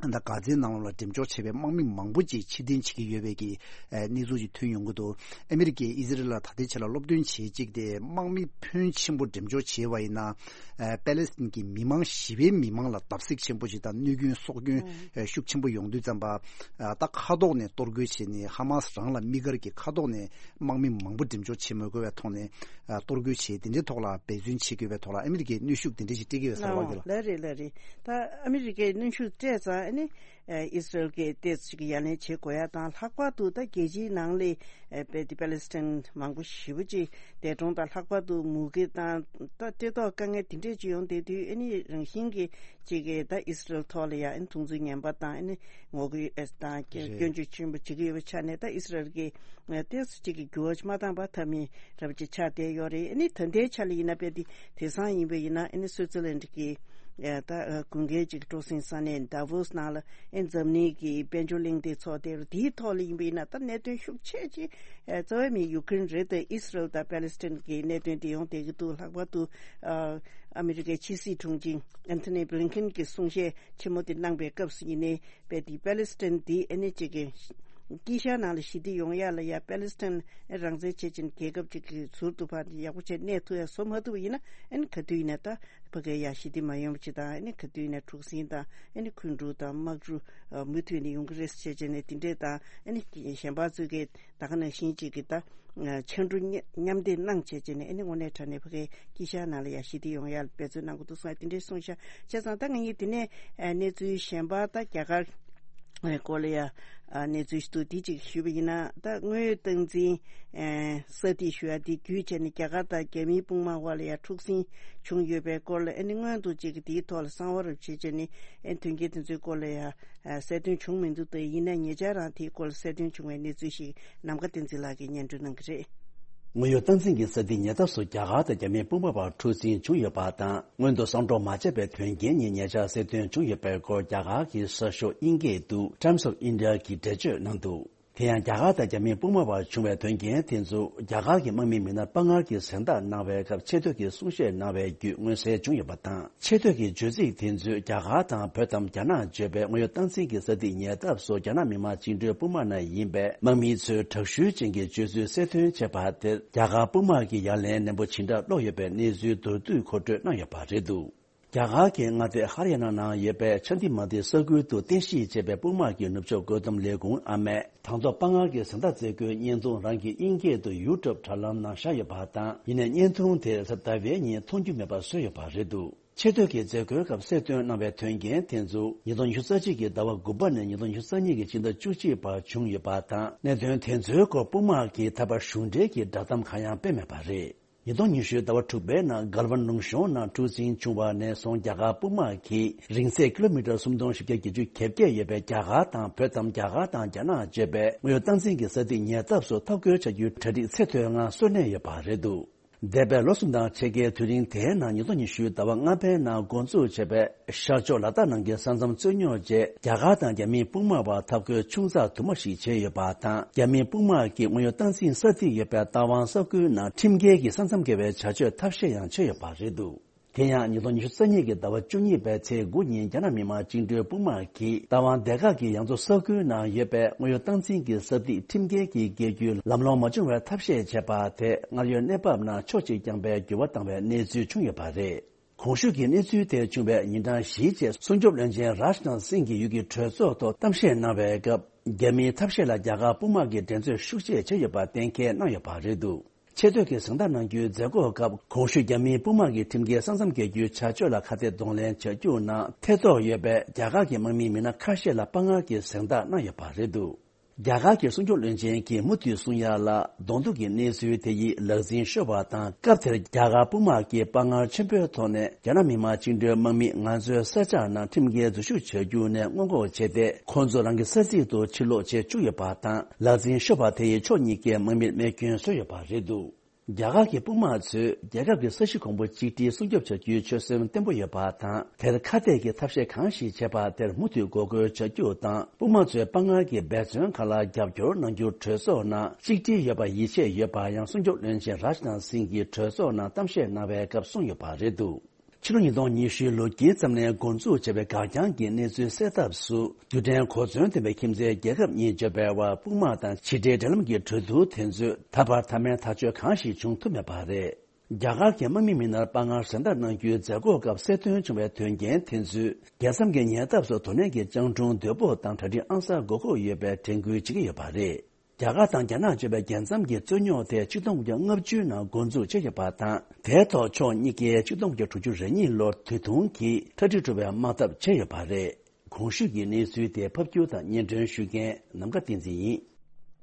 ད་གྷ་ཛའི་ནང་ལ་འགྲེམས་འཇོག་བྱས་པའི་དམག་མི་མང་པོ་ཅིག་ཕྱིར་འཐེན་བྱེད་ཀྱི་ཡོད་པའི་གི་ཨ་གནས་ཚུལ་ཅིག་ཐོན་ཡོང་གི་འདུག་ཨ་མི་རི་ཀས་ཨི་ཟི་རལ་ལ་ད་ལྟའི་ཆ་ལ་སློབ་སྟོན་བྱེད་གཅིག་དེ། དམག་མི་ཕོན་ཆེན་པོ་འགྲེམས་འཇོག་བྱས་པ་ཡིན་ན། ཨ་པེ་ལེ་སི་ཐན་གྱི་མི་མང་། ཞི་བའི་མི་མང་ལ་བརྡབ་གསིག་ཆེན་པོ་ཞིག་དང་གནོད་སྐྱོན་སྲོག་སྐྱོན་ཨ་ཤུགས་ཆེན་པོ་ཡོང་དུས་ཙམ་པ། ཨ་ད་མཁའ་ཐོག་ནས་གཏོར་རྒོལ་བྱས་ནས། ཧ་མ་སི་རང་ལ་དམིགས་བཀར་གྱི་མཁའ་ཐོག་ནས་དམག་མི་མང་པོ་འགྲེམས་འཇོག་བྱེད་མི་དགོས་པའི་ཐོག་ནས། ཨ་གཏོར་རྒོལ་བྱས། དེ་འདྲའི་ཐོག་ལ་འབད་བརྩོན་བྱེད་དགོས་པའི་ཐོག་ལ་ཨ་མི་རི་ཀས་གནོན་ཤུགས་དེ་འདྲ་ཞིག་སྤྲད་ཀྱི་ཡོད་ས་རེད་པ། ཨོ་རྒན་ལགས། ལགས་རེད། ལགས་རེད། ད་ཨ་མི་རི་ཀས་གནོན་ཤུགས་སྤྲད་ཙང་། ཨ་ནི་ཨ་ཨི་སི་རལ་གྱིས་ཏོག་ཙམ་ཅིག་ཡ་ལན་བྱེད་དགོས་ཡ་དང་། ལྷག་པར་དུ་ད་རྒྱལ་སྤྱིའི་ནང་ལ་ཨ་པེ་དེ་པེ་ལེ་སི་ཐན་མང་པོ་ཞེ་པོ་ཅིག་འདས་གྲོངས་དང་། ལྷག་པར་དུ་མུ་གེ་དང་ད་བཀྲེས་ལྟོགས་དཀའ་ངལ་དེ་འདྲས་ཅིག་ཡོང་བསྡད་དུས། ཨ་ནི་རང་བཞིན་གྱིས་ཅིག་གིས་ད་ཨི་སི་རལ་ཐོག་ལ་ཡ་ཨ་ནི་མཐོང་ཚུལ་ངན་པ་དང་། ཨ་ནི་ངོ་རྒོལ་དང་སྐྱོན་བརྗོད་ཆེན་པོ་བྱེད་ཀྱི་ཡོད་པའི་ཆ་ནས། ད་ཨི་སི་རལ་གྱིས་ཏོག་ཙམ་ཅིག་གི་འགྱུར་བ་མ་བཏང་བ་ཐབས་མེད་འདྲ་པོ་ཅིག་ཆགས་བསྡད་ཡོད་རེད། ཨ་ནི་ད་ལྟའི་ཆ་ལ་ཡིན་ན་དཔེ་དེ་དེང་སང་ཡིན་པ་ཡིན་ན། ཨ་ནི་སུའི་ཙི་ལན་གྱི་ཨ་ད་ཨ་དགུན་ཁའི་ཅིག་སྤྲོ་གསེང་ས་གནས་དཱ་ཝོ་སི་ནང་ལ། ཨ་ནི་འཛམ་གླིང་གི་དཔལ་འབྱོར་གླེང་སྟེགས་ཚོགས་འདུ་དེའི་ཐོག་ལ་ཡིན་པ་ཡིན་ན། ད་གནད་དོན་ཤུགས་ཆེ་ཅིག་ཨ་རྩ་བའི་མི་ཡུ་ཀེ་རེན་རེད་དེ། ཨི་སི་རལ་དང་པེ་ལེ་སི་ཐན་གྱི་གནད་དོན་དེ་ཡོང་བསྡད་ཀྱི་འདུག་ལྷག་པར་དུ་ཨ་ཨ་མི་རི་ཀའི་ཕྱི་སྲིད་དྲུང་ཆེ་ཨན་ཐོ་ནི་བྷི་ལིན་ཁེན་གྱིས་གསུང་བཤད་ཆེན་མོ་དེ་གནང་པའི་སྐབས་སུ་ཡིན་ནའི། དཔེ་དེ་པེ་ལེ་སི་ཐན་དེ་ཨ་ནི་ཅིག་གི་དཀྱིལ་ཤར་ནང་ལ་ཞི་བདེ་ཡོང་ཡ་ལ་ཡ། པེ་ལེ་སི་ཐན་རང་བཙན་བྱེད་ཀྱིན་རྒྱལ་ཁབ་ཅིག་གི་ཟུར་དུ་ཕར་ཡག་པོ་བྱས་གནས་ཐུབ་ཡ་བཟོ་མ་ཐུབ་པ་ཡིན་ན། ཨ་ནི་ག་དུས་ཡིན་ན་ད་ཕ་གིར་ཡ་ཞི་བདེ་མ་ཡོང་བ་ཅིག་དང་། ཨ་ནི་ག་དུས་ཡིན་ན་འཁྲུག་ཟིང་དང་། ཨ་ནི་འཁོན་འཁྲུག་དང་དམག་འཁྲུག་ཨ་མུ་མཐུད་ནས་ཡོང་གི་རེད་ཟེར་བྱས་ནས། དེ་འདྲས་དང་། ཨ་ནི་གཞན་པ་ཚོས་ཀྱིས་ད་ག་ནང་བཞིན་ཅིག་གི་ད་ཕྱར་གྲུ་མཉམ་འདེགས་གནང་བྱས་བྱས་ནས། ཨ་ནི་དངོས་གནས་དྲང་གནས་ཕ་གིའི་དཀྱིལ་ཤར་ནང་ལ་ཡ་ཞི་བདེ་ཡོང་ཡ་ལ་འབད་བརྩོན་གནང་དགོས་འདུག་གསུངས། དེ་འདྲས་གསུངས་ཤག་བྱས་ཙང་ད་ངེད་ཀྱིས་དེ་ནས་ཨ་གནས་ཚུལ་གཞན་པ་ད་རྒྱ་གར་སྐོར་ལ་ཡ་ཨ་གནས་ཚུལ་ཞིག་འདུག་དེ་ཅིག་ཞུས་པ་ཡིན་ན། ད་དངོས་ཡོད་སྟངས་འཛིན་ཨ་ས་ཐིག་ཞུ་ཡ་དེ་བརྒྱུད་བྱས་ནས། རྒྱ་གར་དང་རྒྱ་མིའི་དཔུང་དམག་དབར་ལ་ཡ་འཁྲུག་ཟིང་བྱུང་ཡོད་པའི་སྐོར་ལ། ཨ་ནི་སྔོན་དུ་ཅིག་དེའི་ཐོག་ལ་གསང་བ་རུ་བྱས་བྱས་ནས། ཨ་དོན་རྐྱེན་དེ་ཚོའི་སྐོར་ལ་ཡ་ཨ་གསལ་སྟོན་བྱུང་མི་འདུག་དེ་ཡིན་ན་ཉེ་ཆར་རང་དེའི་སྐོར་ལ་གསལ་སྟོན་བྱུང་བའི་གནས་ཚུལ་ཞིག་ནམ་མཁའ་བསྟན་འཛིན་ལགས་ཀྱིས་སྙན་སྒྲོན་གནང་གི་རེད། དངོས་ཡོད་སྟངས་འཛིན་གྱི་ས་ཐིག་ཉེ་འདབས་སུ་རྒྱ་གར་དང་རྒྱ་མིའི་དཔུང་དམག་བར་འཁྲུག་ཟིང་བྱུང་ཡོད་པ་དང་། སྔོན་དུ་གསང་སྒྲོག་མ་བྱས་པའི་དོན་རྐྱེན་གཉིས་ཉེ་ཆར་གསལ་སྟོན་བྱུང་ཡོད་པའི་སྐོར་རྒྱ་གར་གྱི་གསར་ཤོག་དབྱིན་སྐད་དུ་Times of India གིས་འགྲེལ་བརྗོད་གནང་འདུག་དེ་ཡང་རྒྱ་གར་དང་རྒྱ་མིའི་དཔུང་དམག་བར་བྱུང་བའི་དོན་རྐྱེན་དེ་ཚོ་རྒྱ་གར་གྱི་དམག་མིའི་མི་སྣ་དཔའ་ངར་གྱིས་གཟེངས་རྟགས་གནང་བའི་སྐབས་ཆེ་བསྟོད་ཀྱི་གསུང་བཤད་གནང་བའི་བརྒྱུད་མངོན་གསལ་བྱུང་ཡོད་པ་དང་། ཆེ་བསྟོད་ཀྱི་བརྗོད་ཚིག་དེ་ཚོས་རྒྱ་གར་དང་བོད་དམ་རྒྱ་ནག་བརྗོད་པའི་དངོས་ཡོད་སྟངས་འཛིན་གྱི་ས་ཐིག་ཉེ་འདབས་སུ་རྒྱ་ནག་མི་དམངས་བཅིངས་འགྲོལ་དཔུང་དམག་ནང་ཡིན་པའི་དམག་མི་ཚོའི་དྲག་ཤུལ་ཅན་གྱི་སྤྱོད་ཚུལ་གསལ་སྟོན་བྱས་པ་དེར། རྒྱ་གར་དཔུང་དམག་གིས་ཡ་ལན་ནན་པོ་ཇི་འདྲ་སློག་ཡོད་པའི་གནས་ཚུལ་མདོར་བསྡུས་མཁོ་སྤྲོད་གནང་ཡོད་པ་རེད་འདུག་རྒྱ་གར་གྱི་མངའ་སྡེ་ཧ་རི་ཡ་ན་ནང་ཡོད་པའི་ཆ་དི་མ་དི་ས་ཁུལ་དུ་རྟེན་གཞི་བྱས་པའི་དཔུང་དམག་གི་ནུབ་ཕྱོགས་བཀོད་འདོམས་ལས་ཁུངས་ཨ་མས། དང་ཐོག་དཔའ་ངར་གྱི་གཟེངས་རྟགས་སྩལ་རྒྱུའི་བརྙན་ཐུང་རང་གི་དབྱིན་སྐད་དུ་ཡུ་ཊུབ་དྲ་ལམ་ནང་བཞག་ཡོད་པ་དང་། ཡིན་ནའི་བརྙན་ཐུང་དེ་གཟའ་ཟླ་བའི་ཉིན་མཐོང་རྒྱུ་མེད་པ་བཟོས་ཡོད་པ་རེད་འདུག་ཆེ་བསྟོད་ཀྱི་མཛད་སྒོའི་སྐབས་གསལ་སྟོན་གནང་བའི་དོན་རྐྱེན་དེ་ཚོ་ཉིས་སྟོང་ཉི་ཤུ་རྩ་གཅིག་གི་ཟླ་བ་དགུ་པ་ནས་ཉིས་སྟོང་ཉི་ཤུ་རྩ་གཉིས་ཀྱི་ཕྱི་ཟླ་བཅུ་གཅིག་བར་བྱུང་ཡོད་པ་དང་། གནད་དོན་དེ་ཚོའི་སྐོར་དཔུང་དམག་གིས་ད་བར་གཞུང་འབྲེལ་གྱི་བསྒྲགས་གཏམ་གང་ཡང་སྤེལ་མེད་པ་རེད། ཉིས་སྟོང་ཉི་ཤུའི་ཟླ་བ་དྲུག་པའི་ནང་གལ་ཝན་ལུང་གཤོང་ནང་འཁྲུག་འཛིང་བྱུང་བ་ནས་བཟུང་རྒྱ་གར་དཔུང་དམག་གིས་རིང་ཚད་ཀི་ལོ་མི་ཊར་སུམ་སྟོང་བཞི་བརྒྱ་བརྒྱད་ཅུ་གྱ་བརྒྱད་ཡོད་པའི་རྒྱ་གར་དང་བོད་དམ་རྒྱ་གར་དང་རྒྱ་ནག་བརྗོད་པའི་དངོས་ཡོད་སྟངས་འཛིན་གྱི་ས་ཐིག་ཉེ་འདབས་སུ་འཐབ་རྒོལ་བྱ་རྒྱུའི་གྲ་སྒྲིག་ཚད་མཐོའི་ངང་གསོ་གནས་ཡོད་པ་རེད་འདུག་འདས་པའི་ལོ་གསུམ་དང་ཕྱེད་ཀའི་དུས་རིང་དེའི་ནང་ཉིས་སྟོང་ཉི་ཤུའི་ཟླ་བ་ལྔ་པའི་ནང་འགོ་འཛུགས་བྱས་པའི་ཤར་ཕྱོགས་ལ་དྭགས་ནང་གི་ས་མཚམས་རྩོད་རྙོག་རྗེས་རྒྱ་གར་དང་རྒྱ་མིའི་དཔུང་དམག་བར་འཐབ་རྒོལ་ཆུང་ཙག་དུ་མ་ཞིག་བྱས་ཡོད་པ་དང་། རྒྱ་མིའི་དཔུང་དམག་གིས་དངོས་ཡོད་སྟངས་འཛིན་ས་ཐིག་ཡོད་པའི་རྟ་དབང་ས་ཁུལ་ནང་ཁྲིམས་འགལ་གྱི་ས་མཚམས་བརྒལ་བའི་བྱ་སྤྱོད་ཐབས་ཤེས་ཡང་བྱས་ཡོད་པ་རེད་འདུག་དེ་ཡང་ཉིས་སྟོང་ཉི་ཤུ་རྩ་གཉིས་ཀྱི་ཟླ་བ་བཅུ་གཉིས་པའི་ཚེས་དགུ་ཉིན་རྒྱ་ནག་མི་དམངས་བཅིངས་འགྲོལ་དཔུང་དམག་གིས་རྟ་དབང་སྡེ་ཁག་གི་ཡང་རྩེ་ས་ཁུལ་ནང་ཡོད་པའི་དངོས་ཡོད་སྟངས་འཛིན་གྱི་ས་ཐིག་ཁྲིམས་འགལ་གྱིས་བརྒལ་རྒྱུའི་ལམ་ལྷོང་མ་བྱུང་བའི་ཐབས་ཤེས་བྱས་པ་དེ་སྔར་ཡོད་གནས་བབ་ནང་ཕྱོགས་གཅིག་རྐྱང་པའི་འགྱུར་བ་བཏང་བའི་གནས་ཚུལ་བྱུང་ཡོད་པ་རེད། གོང་ཞུས་ཀྱི་གནས་ཚུལ་དེ་བྱུང་བའི་ཉིན་གྲངས་བཞིའི་རྗེས་སྲུང་སྐྱོབ་བློན་ཆེན་རཱཇ་ནཱཐ་སིང་གིས་ཡུལ་གྱི་གྲོས་ཚོགས་ཐོག་གཏམ་བཤད་གནང་བའི་སྐབས། རྒྱ་མིའི་ཐབས་ཤེས་ལ་རྒྱ་གར་དཔུང་དམག་གིས་འགྲན་རྩོད་ཤུགས་ཆེ་བྱས་ཡོད་པ་གཏན་འཁེལ་གནང་ཡོད་པ་རེད་འདུག་ཆེ་བསྟོད་ཀྱི་གཟེངས་རྟགས་གནང་རྒྱུའི་མཛད་སྒོའི་སྐབས། གོང་ཞུས་རྒྱ་མིའི་དཔུང་དམག་གི་ཁྲིམས་འགལ་ས་མཚམས་བརྒལ་རྒྱུའི་བྱ་སྤྱོད་ལ་ཁ་གཏད་གདོང་ལེན་བྱ་རྒྱུ་ནང་ཐེ་གཏོགས་ཡོད་པའི་རྒྱ་གར་གྱི་དམག་མི་མི་སྣ་ཁ་ཤས་ལ་དཔའ་ངར་གྱི་གཟེངས་རྟགས་གནང་ཡོད་པ་རེད་འདུག་རྒྱ་གར་གྱི་སྲུང་སྐྱོབ་བློན་ཆེན་གྱིས་མུ་མཐུད་གསུང་ཡ་ལ། གདོང་ཐུག་གི་གནས་ཚུལ་དེ་ཡིས་ལག་འཛིན་ཤོར་བ་དང་། སྐབས་དེར་རྒྱ་གར་དཔུང་དམག་གིས་དཔའ་ངར་ཆེན་པོའི་ཐོག་ནས་རྒྱ་ནག་མི་དམངས་བཅིངས་འགྲོལ་དམག་མི་ང་ཚོའི་ས་ཆ་ནང་ཁྲིམས་འགལ་འཛུལ་ཞུགས་བྱ་རྒྱུ་ནས་སྔོན་འགོག་བྱས་ཏེ། ཁོང་ཚོ་རང་གི་ས་ཚིགས་སུ་ཕྱིར་ལོག་བྱེད་བཅུག་ཡོད་པ་དང་། ལག་འཛིན་ཤོར་བ་དེ་ཡིས་ཕྱོགས་གཉིས་ཀའི་དམག་མིར་རྨས་སྐྱོན་བཟོས་ཡོད་པ་རེད་འདུག་རྒྱ་གར་གྱི་དཔུང་དམག་ཚོས་རྒྱལ་ཁབ་ཀྱི་ས་གཞི་གོང་བུ་གཅིག་སྒྲིལ་སྲུང་སྐྱོབ་བྱ་རྒྱུའི་ཆོད་སེམས་བརྟན་པོ་ཡོད་པ་དང་། དེར་ཁ་གཏད་ཀྱི་ཐབས་ཤེས་གང་ཞིག་བྱེད་པ་དེར་མུ་མཐུད་འགོག་རྒོལ་བྱ་རྒྱུ་དང་། དཔུང་དམག་ཚོའི་དཔའ་ངར་གྱི་འབད་བརྩོན་ཁག་ལ་རྒྱབ་སྐྱོར་གནང་རྒྱུར་གྲོས་ཚོགས་ནང་གཅིག་སྒྲིལ་ཡོད་པར་ཡིད་ཆེས་ཡོད་པ་ཡང་སྲུང་སྐྱོབ་བློན་ཆེན་རཱཇ་ནཱཐ་སིང་གིས་གྲོས་ཚོགས་ནང་གཏམ་བཤད་གནང་བའི་སྐབས་གསུངས་ཡོད་པ་རེད་འདུག་ཕྱི་ལོ་ཉིས་སྟོང་ཉི་ཤུའི་ལོ་དཀྱིལ་ཙམ་ནས་འགོ་འཛུགས་བྱས་པའི་འགག་རྐྱང་གི་གནས་ཚུལ་སེལ་ཐབས་སུ། རྡུལ་ཕྲན་གོ་མཚོན་ལྡན་པའི་ཁྱིམ་མཚེས་རྒྱལ་ཁབ་གཉིས་འབྱོར་པའི་དབར་དཔུང་དམག་དང་ཕྱི་འབྲེལ་འབྲེལ་ལམ་གྱི་གྲོས་བསྡུར་དེ་ཚོས་ད་བར་མཐའ་མའི་ཐག་གཅོད་གང་ཞིག་བྱུང་ཐུབ་མེད་པ་རེད། རྒྱ་གར་གྱི་དམག་མི་མི་སྣར་དཔའ་ངར་གཟེངས་རྟགས་གནང་རྒྱུའི་མཛད་སྒོའི་སྐབས་གསལ་སྟོན་བྱུང་བའི་དོན་རྐྱེན་དེ་ཚོས། རྒྱལ་མཚམས་ཀྱི་ཉེ་འདབས་སུ་དོ་ནན་གྱི་སྤྱང་གྲུང་དོད་པོ་དང་གྲ་སྒྲིག་ཨང་གསར་དགོས་མཁོ་ཡོད་པའི་དྲན་སྐུལ་བྱེད་ཀྱི་ཡོད་པ་རེད། རྒྱ་གར་དང་རྒྱ་ནག་བརྗོད་པའི་རྒྱལ་མཚམས་ཀྱི་རྩོད་རྙོག་དེ་ཆིག་སྟོང་དགུ་བརྒྱ་ལྔ་བཅུ་ནང་འགོ་འཛུགས་བྱས་ཡོད་པ་དང་། དེའི་ཐོག་ཕྱོགས་གཉིས་ཀས་ཆིག་སྟོང་དགུ་བརྒྱ་དྲུག་ཅུ་རེ་གཉིས་ལོར་དུས་ཐུང་གིས་གྲ་སྒྲིག་གྲུབ་པའི་དམག་འཐབ་བྱས་ཡོད་པ་རེད། གོང་ཞུས་ཀྱི་གནས་ཚུལ་དེ་ཕབ་སྒྱུར་དང་སྙན་སྒྲོན་ཞུ་མཁན་ནམ་མཁའ་བསྟན་འཛིན་ཡིན།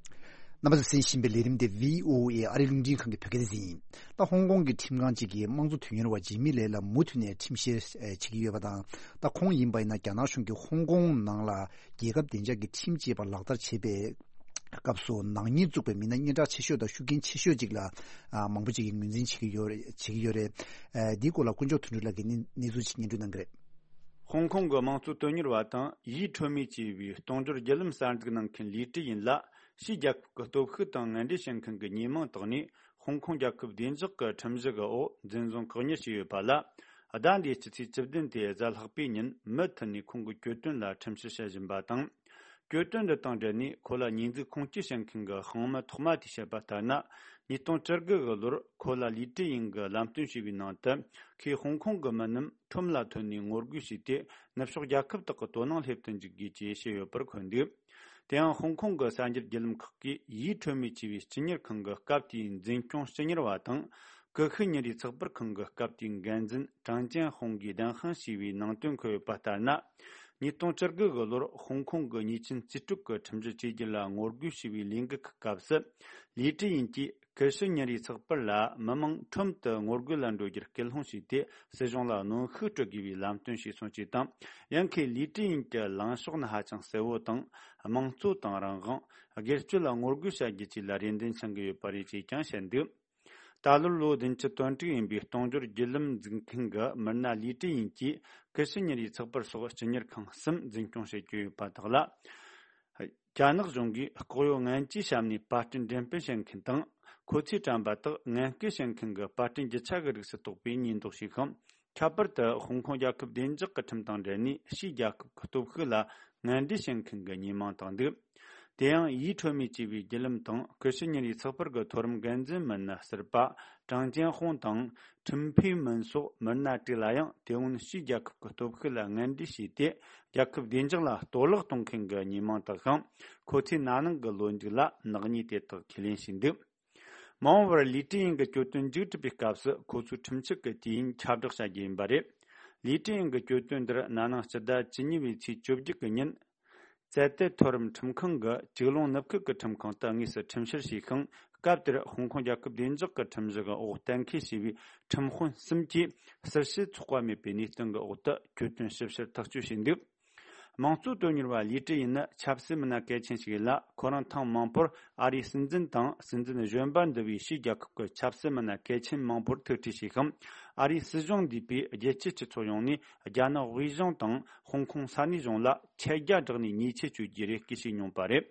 རྣམ་པ་ཚོས་གསན་བཞིན་པའི་ལས་རིམ་དེ་བྷི་ཨོ་ཨེ་ཨ་རིའི་རླུང་འཕྲིན་ཁང་གི་བོད་སྐད་སྡེ་ཚན་ཡིན། ད་ཧོང་ཀོང་གི་ཁྲིམས་ཁང་གཅིག་གིས་དམངས་གཙོ་དོན་གཉེར་བ་ཇི་མི་ལེ་ལ་མུ་མཐུད་ནས་ཁྲིམས་བཤེར་བྱེད་ཀྱི་ཡོད་པ་དང་། ད་ཁོང་ཡིན་པ་ཡིན་ན་རྒྱ་ནག་གཞུང་གིས་ཧོང་ཀོང་ནང་ལ་རྒྱལ་ཁབ་བདེ་འཇགས་ཀྱི་ཁྲིམས་ཅེས་པ་ལག་བསྟར་བྱེད་པའི་སྐབས་སུ་ནག་ཉེས་བཙུགས་པའི་མི་སྣ་སྙན་གྲགས་ཆེ་ཤོས་དང་ཤུགས་རྐྱེན་ཆེ་ཤོས་ཅིག་ལ་ཨ་མང་པོ་ཅིག་གིས་ངོས་འཛིན་བྱེད་ཀྱི་ཡོད་རེད། བྱེད་ཀྱི་ཡོད་རེད། ཨ་འདིའི་སྐོར་ལ་དཀོན་མཆོག་དོན་གྲུབ་ལགས་ཀྱིས་གནས་གནས་ཚུལ་ཅིག་སྙན་སྒྲོན་གནང་གི་རེད། ཧོང་ཀོང་གི་དམངས་གཙོ་དོན་གཉེར་བ་དང་ཡི་ཁྲོ་མི་ཅེས་པའི་གཏོང་སྦྱོར་བརྒྱུད་ལམ་གསར་འཛུགས་གནང་མཁན་ལི་ཀྲི་ཡིན་ལ། ཕྱིའི་རྒྱལ་ཁབ་ཀྱི་སྟོབས་ཤུགས་དང་ངན་འབྲེལ་བྱེད་མཁན་གྱི་ཉེས་མིང་བཏགས་ནས། ཧོང་ཀོང་རྒྱལ་ཁབ་བདེ་འཇགས་ཀྱི་ཁྲིམས་གཞི་གི་འོག་འཛིན་བཟུང་བཀག་ཉར་བྱས་ཡོད་པ་ལ། ཟླ་འདིའི་སྤྱི་ཚེས་བཅུ་བདུན་སྟེ་གཟའ་ལྷག་པའི་ཉིན་མུ་མཐུད་ནས་ཁོང་གི་གྱོད་དོན་ལ་ཁྲིམས་བཤེར་བྱེད་བཞིན་པ་དང་། གྱོད་དོན་འདི་དང་འབྲེལ་ནས་ཁོ་ལ་ཉེས་འཛུགས་ཁུངས་སྐྱེལ་བྱེད་མཁན་གྱི་དཔང་མི་ཐོག་མ་དེས་བཤད་པ་ལྟར་ན། ཉིས་སྟོང་བཅུ་དགུ་གི་ལོར་ཁོ་ལ་ལི་ཀྲི་ཡིན་གྱིས་ལམ་སྟོན་བྱས་པའི་ནང་དུ། ཁོས་ཧོང་ཀོང་གི་མི་རྣམས་ཁྲོམ་ལ་ཐོན་ནས་ངོ་རྒོལ་བྱས་ཏེ། ནུབ་ཕྱོགས་རྒྱལ་ཁབ་དག་གི་དོ་སྣང་སླེབས་དུ་འཇུག་དགོས་ཅེས་བཤད་ཡོད་པར་འཁོད་འདུག་དེ་ཡང་ཧོང་ཀོང་གི་གསར་འགྱུར་བརྒྱུད་ལམ་ཁག་གིས་ཡི་ཁྲོ་མི་ཅེས་པའི་སྤྱི་གཉེར་ཁང་གི་སྐབས་དེའི་འཛིན་སྐྱོང་སྤྱི་གཉེར་བ་དང་། ཀུ་ཤུ་ཉིན་རེའི་ཚགས་པར་ཁང་གི་སྐབས་དེའི་འགན་འཛིན་ཀྲང་ཅན་ཧོང་གིས་བདེན་དཔང་བྱས་པའི་ནང་དོན་འཁོད་ཡོད་པ་ལྟར་ན། ཉིས་སྟོང་བཅུ་དགུ་གི་ལོར་ཧོང་ཀོང་གི་ཉེས་ཅན་རྩིས་སྤྲོད་ཀྱི་ཁྲིམས་གཞི་བཅོས་བསྒྱུར་ལ་ངོ་རྒོལ་བྱས་པའི་ལས་འགུལ་གྱི་སྐབས་སུ། ལི་ཀྲི་ཡིན་གྱིས་ཀུ་ཤུ་ཉིན་རེའི་ཚགས་པར་ལ་མི་མང་ཁྲོམ་དུ་ངོ་རྒོལ་ལ་འགྲོ་རྒྱུར་སྐུལ་སློང་བྱས་ཏེ། སྲིད་གཞུང་ལ་གནོན་ཤུགས་སྤྲོད་དགོས་པའི་ལམ་སྟོན་བྱས་སོང་ཅེས་དང་། ཡང་ཁོས་ལི་ཀྲི་ཡིན་གྱི་ལངས་ཕྱོགས་ནི་ཧ་ཅང་གསལ་བོ་དང་། དམངས་གཙོ་དང་རང་དབང་། སྒེར་གཅོད་ལ་ངོ་རྒོལ་བྱ་རྒྱུ་བཅས་ལ་རེ་འདུན་འཆང་གི་ཡོད་པ་རེད་ཅེས་ཀྱང་བཤད་འདུག་ད་ལོར་ལོ་བདུན་ཅུ་དོན་དྲུག་ཡིན་པའི་གཏོང་སྦྱོར་བརྒྱུད་ལམ་འཛུགས་མཁན་གྱི་མི་སྣ་ལི་ཀྲི་ཡིན་གྱིས་ཀུ་ཤུ་ཉིན་རེའི་ཚགས་པར་སོགས་སྤྱི་གཉེར་ཁང་གསུམ་འཛིན་སྐྱོང་བྱེད་ཀྱི་ཡོད་པ་དག་ལ། རྒྱ་ནག་གཞུང་གིས་ལྐོག་གཡོ་ངན་ཇུས་བྱས་ནས་པར་སྐྲུན་འགྲེམས་སྤེལ་བྱེད་མཁན་དང་། ཁོ་ཚོས་བཀྲམ་པ་དག་ངན་སྐུལ་བྱེད་མཁན་གྱི་པར་སྐྲུན་རྒྱུ་ཆ་གི་རིགས་སུ་གཏོགས་པའི་ཉེས་འདོགས་བྱས་ཤིང་། ཁྱད་པར་དུ་ཧོང་ཀོང་རྒྱལ་ཁབ་བདེ་འཇགས་ཀྱི་ཁྲིམས་དང་འབྲེལ་ནས་ཕྱིའི་རྒྱལ་ཁབ་ཀྱི་སྟོབས་ཤུགས་ལ་ངན་འབྲེལ་བྱེད་མཁན་གྱི་ཉེས་མིང་བཏགས་འདུག་དེ་ཡང་ཡི་ཁྲོ་མི་ཅེས་པའི་བརྒྱུད་ལམ་དང་ཀུ་ཤུ་ཉིན་རེའི་ཚགས་པར་གྱི་མཐོ་རིམ་འགན་འཛིན་མི་སྣ་ཟུར་པ་ཀྲང་ཅན་ཧོང་དང་། ཁྲིན་ཕེ་མིན་སོགས་མི་སྣ་དྲུག་ལ་ཡང་དེ་སྔོན་ཕྱིའི་རྒྱལ་ཁབ་ཀྱི་སྟོབས་ཤུགས་ལ་ངན་འབྲེལ་བྱས་ཏེ། རྒྱལ་ཁབ་བདེ་འཇགས་ལ་གཏོར་བརླག་གཏོང་མཁན་གྱི་ཉེས་མིང་བཏགས་ཤིང་། ཁོ་ཚོས་ན་ནིང་གི་ལོ་མཇུག་ལ་ནག་ཉེས་དེ་དག་ཁས་ལེན་བྱས་འདུག་མ་འོངས་པར་ལི་ཀྲི་ཡིན་གྱི་གྱོད་དོན་མཇུག་གྲུབ་པའི་སྐབས་སུ་ཁོ་ཚོས་ཁྲིམས་ཆད་ཀྱི་དུས་ཡུན་ཁྱབ་བསྒྲགས་བྱ་རྒྱུ་ཡིན་པ་རེད། ལི་ཀྲི་ཡིན་གྱི་གྱོད་དོན་འདིར་ན་ནིང་སྤྱི་ཟླ་བཅུ་གཉིས་པའི་ཚེས་བཅོ་བརྒྱད་ཀྱི་ཉིན། ཙེ་ཏེ་མཐོ་རིམ་ཁྲིམས་ཁང་གི་ཅིག་ལོང་ནུབ་ཁུལ་གྱི་ཁྲིམས་ཁང་དུ་དངོས་སུ་ཁྲིམས་བཤེར་བྱས་ཤིང་། སྐབས་དེར་ཧོང་ཀོང་རྒྱལ་ཁབ་བདེ་འཇགས་ཀྱི་ཁྲིམས་གཞི་གི་འོག་གཏན་འཁེལ་བྱས་པའི་ཁྲིམས་དཔོན་གསུམ་གྱིས་ཟུར་བཤད་ཚོགས་པ་མེད་པའི་གནས་སྟངས་ཀྱི་འོག་ཏུ་གྱོད་དོན་ཞིབ་བཤེར་ཐག་གཅོད་བྱས་འདུག་དམངས་གཙོ་དོན་གཉེར་བ་ལི་ཀྲི་ཡིན་ནི་ཆབ་སྲིད་མི་སྣ་གལ་ཆེན་ཞིག་ཡིན་ལ། ཁོ་རང་ཐེངས་མང་པོར་ཨ་རིའི་སྲིད་འཛིན་དང་། སྲིད་འཛིན་གཞོན་པ་འདི་བའི་ཕྱིའི་རྒྱལ་ཁབ་ཀྱི་ཆབ་སྲིད་མི་སྣ་གལ་ཆེན་མང་པོར་ཐུག་འཕྲད་བྱས་ཤིང་། ཨ་རིའི་སྲིད་གཞུང་འདུས་པའི་རྒྱལ་སྤྱིའི་སྤྱི་ཚོགས་ཡོངས་ནས་རྒྱ་ནག་དབུས་གཞུང་དང་ཧོང་ཀོང་ས་གནས་གཞུང་ལ་ཆད་རྒྱ་བསྒྲགས་ནས་ཉེས་ཆད་གཅོད་རྒྱུའི་རེ་སྐུལ་བྱས་མྱོང་པ་རེད།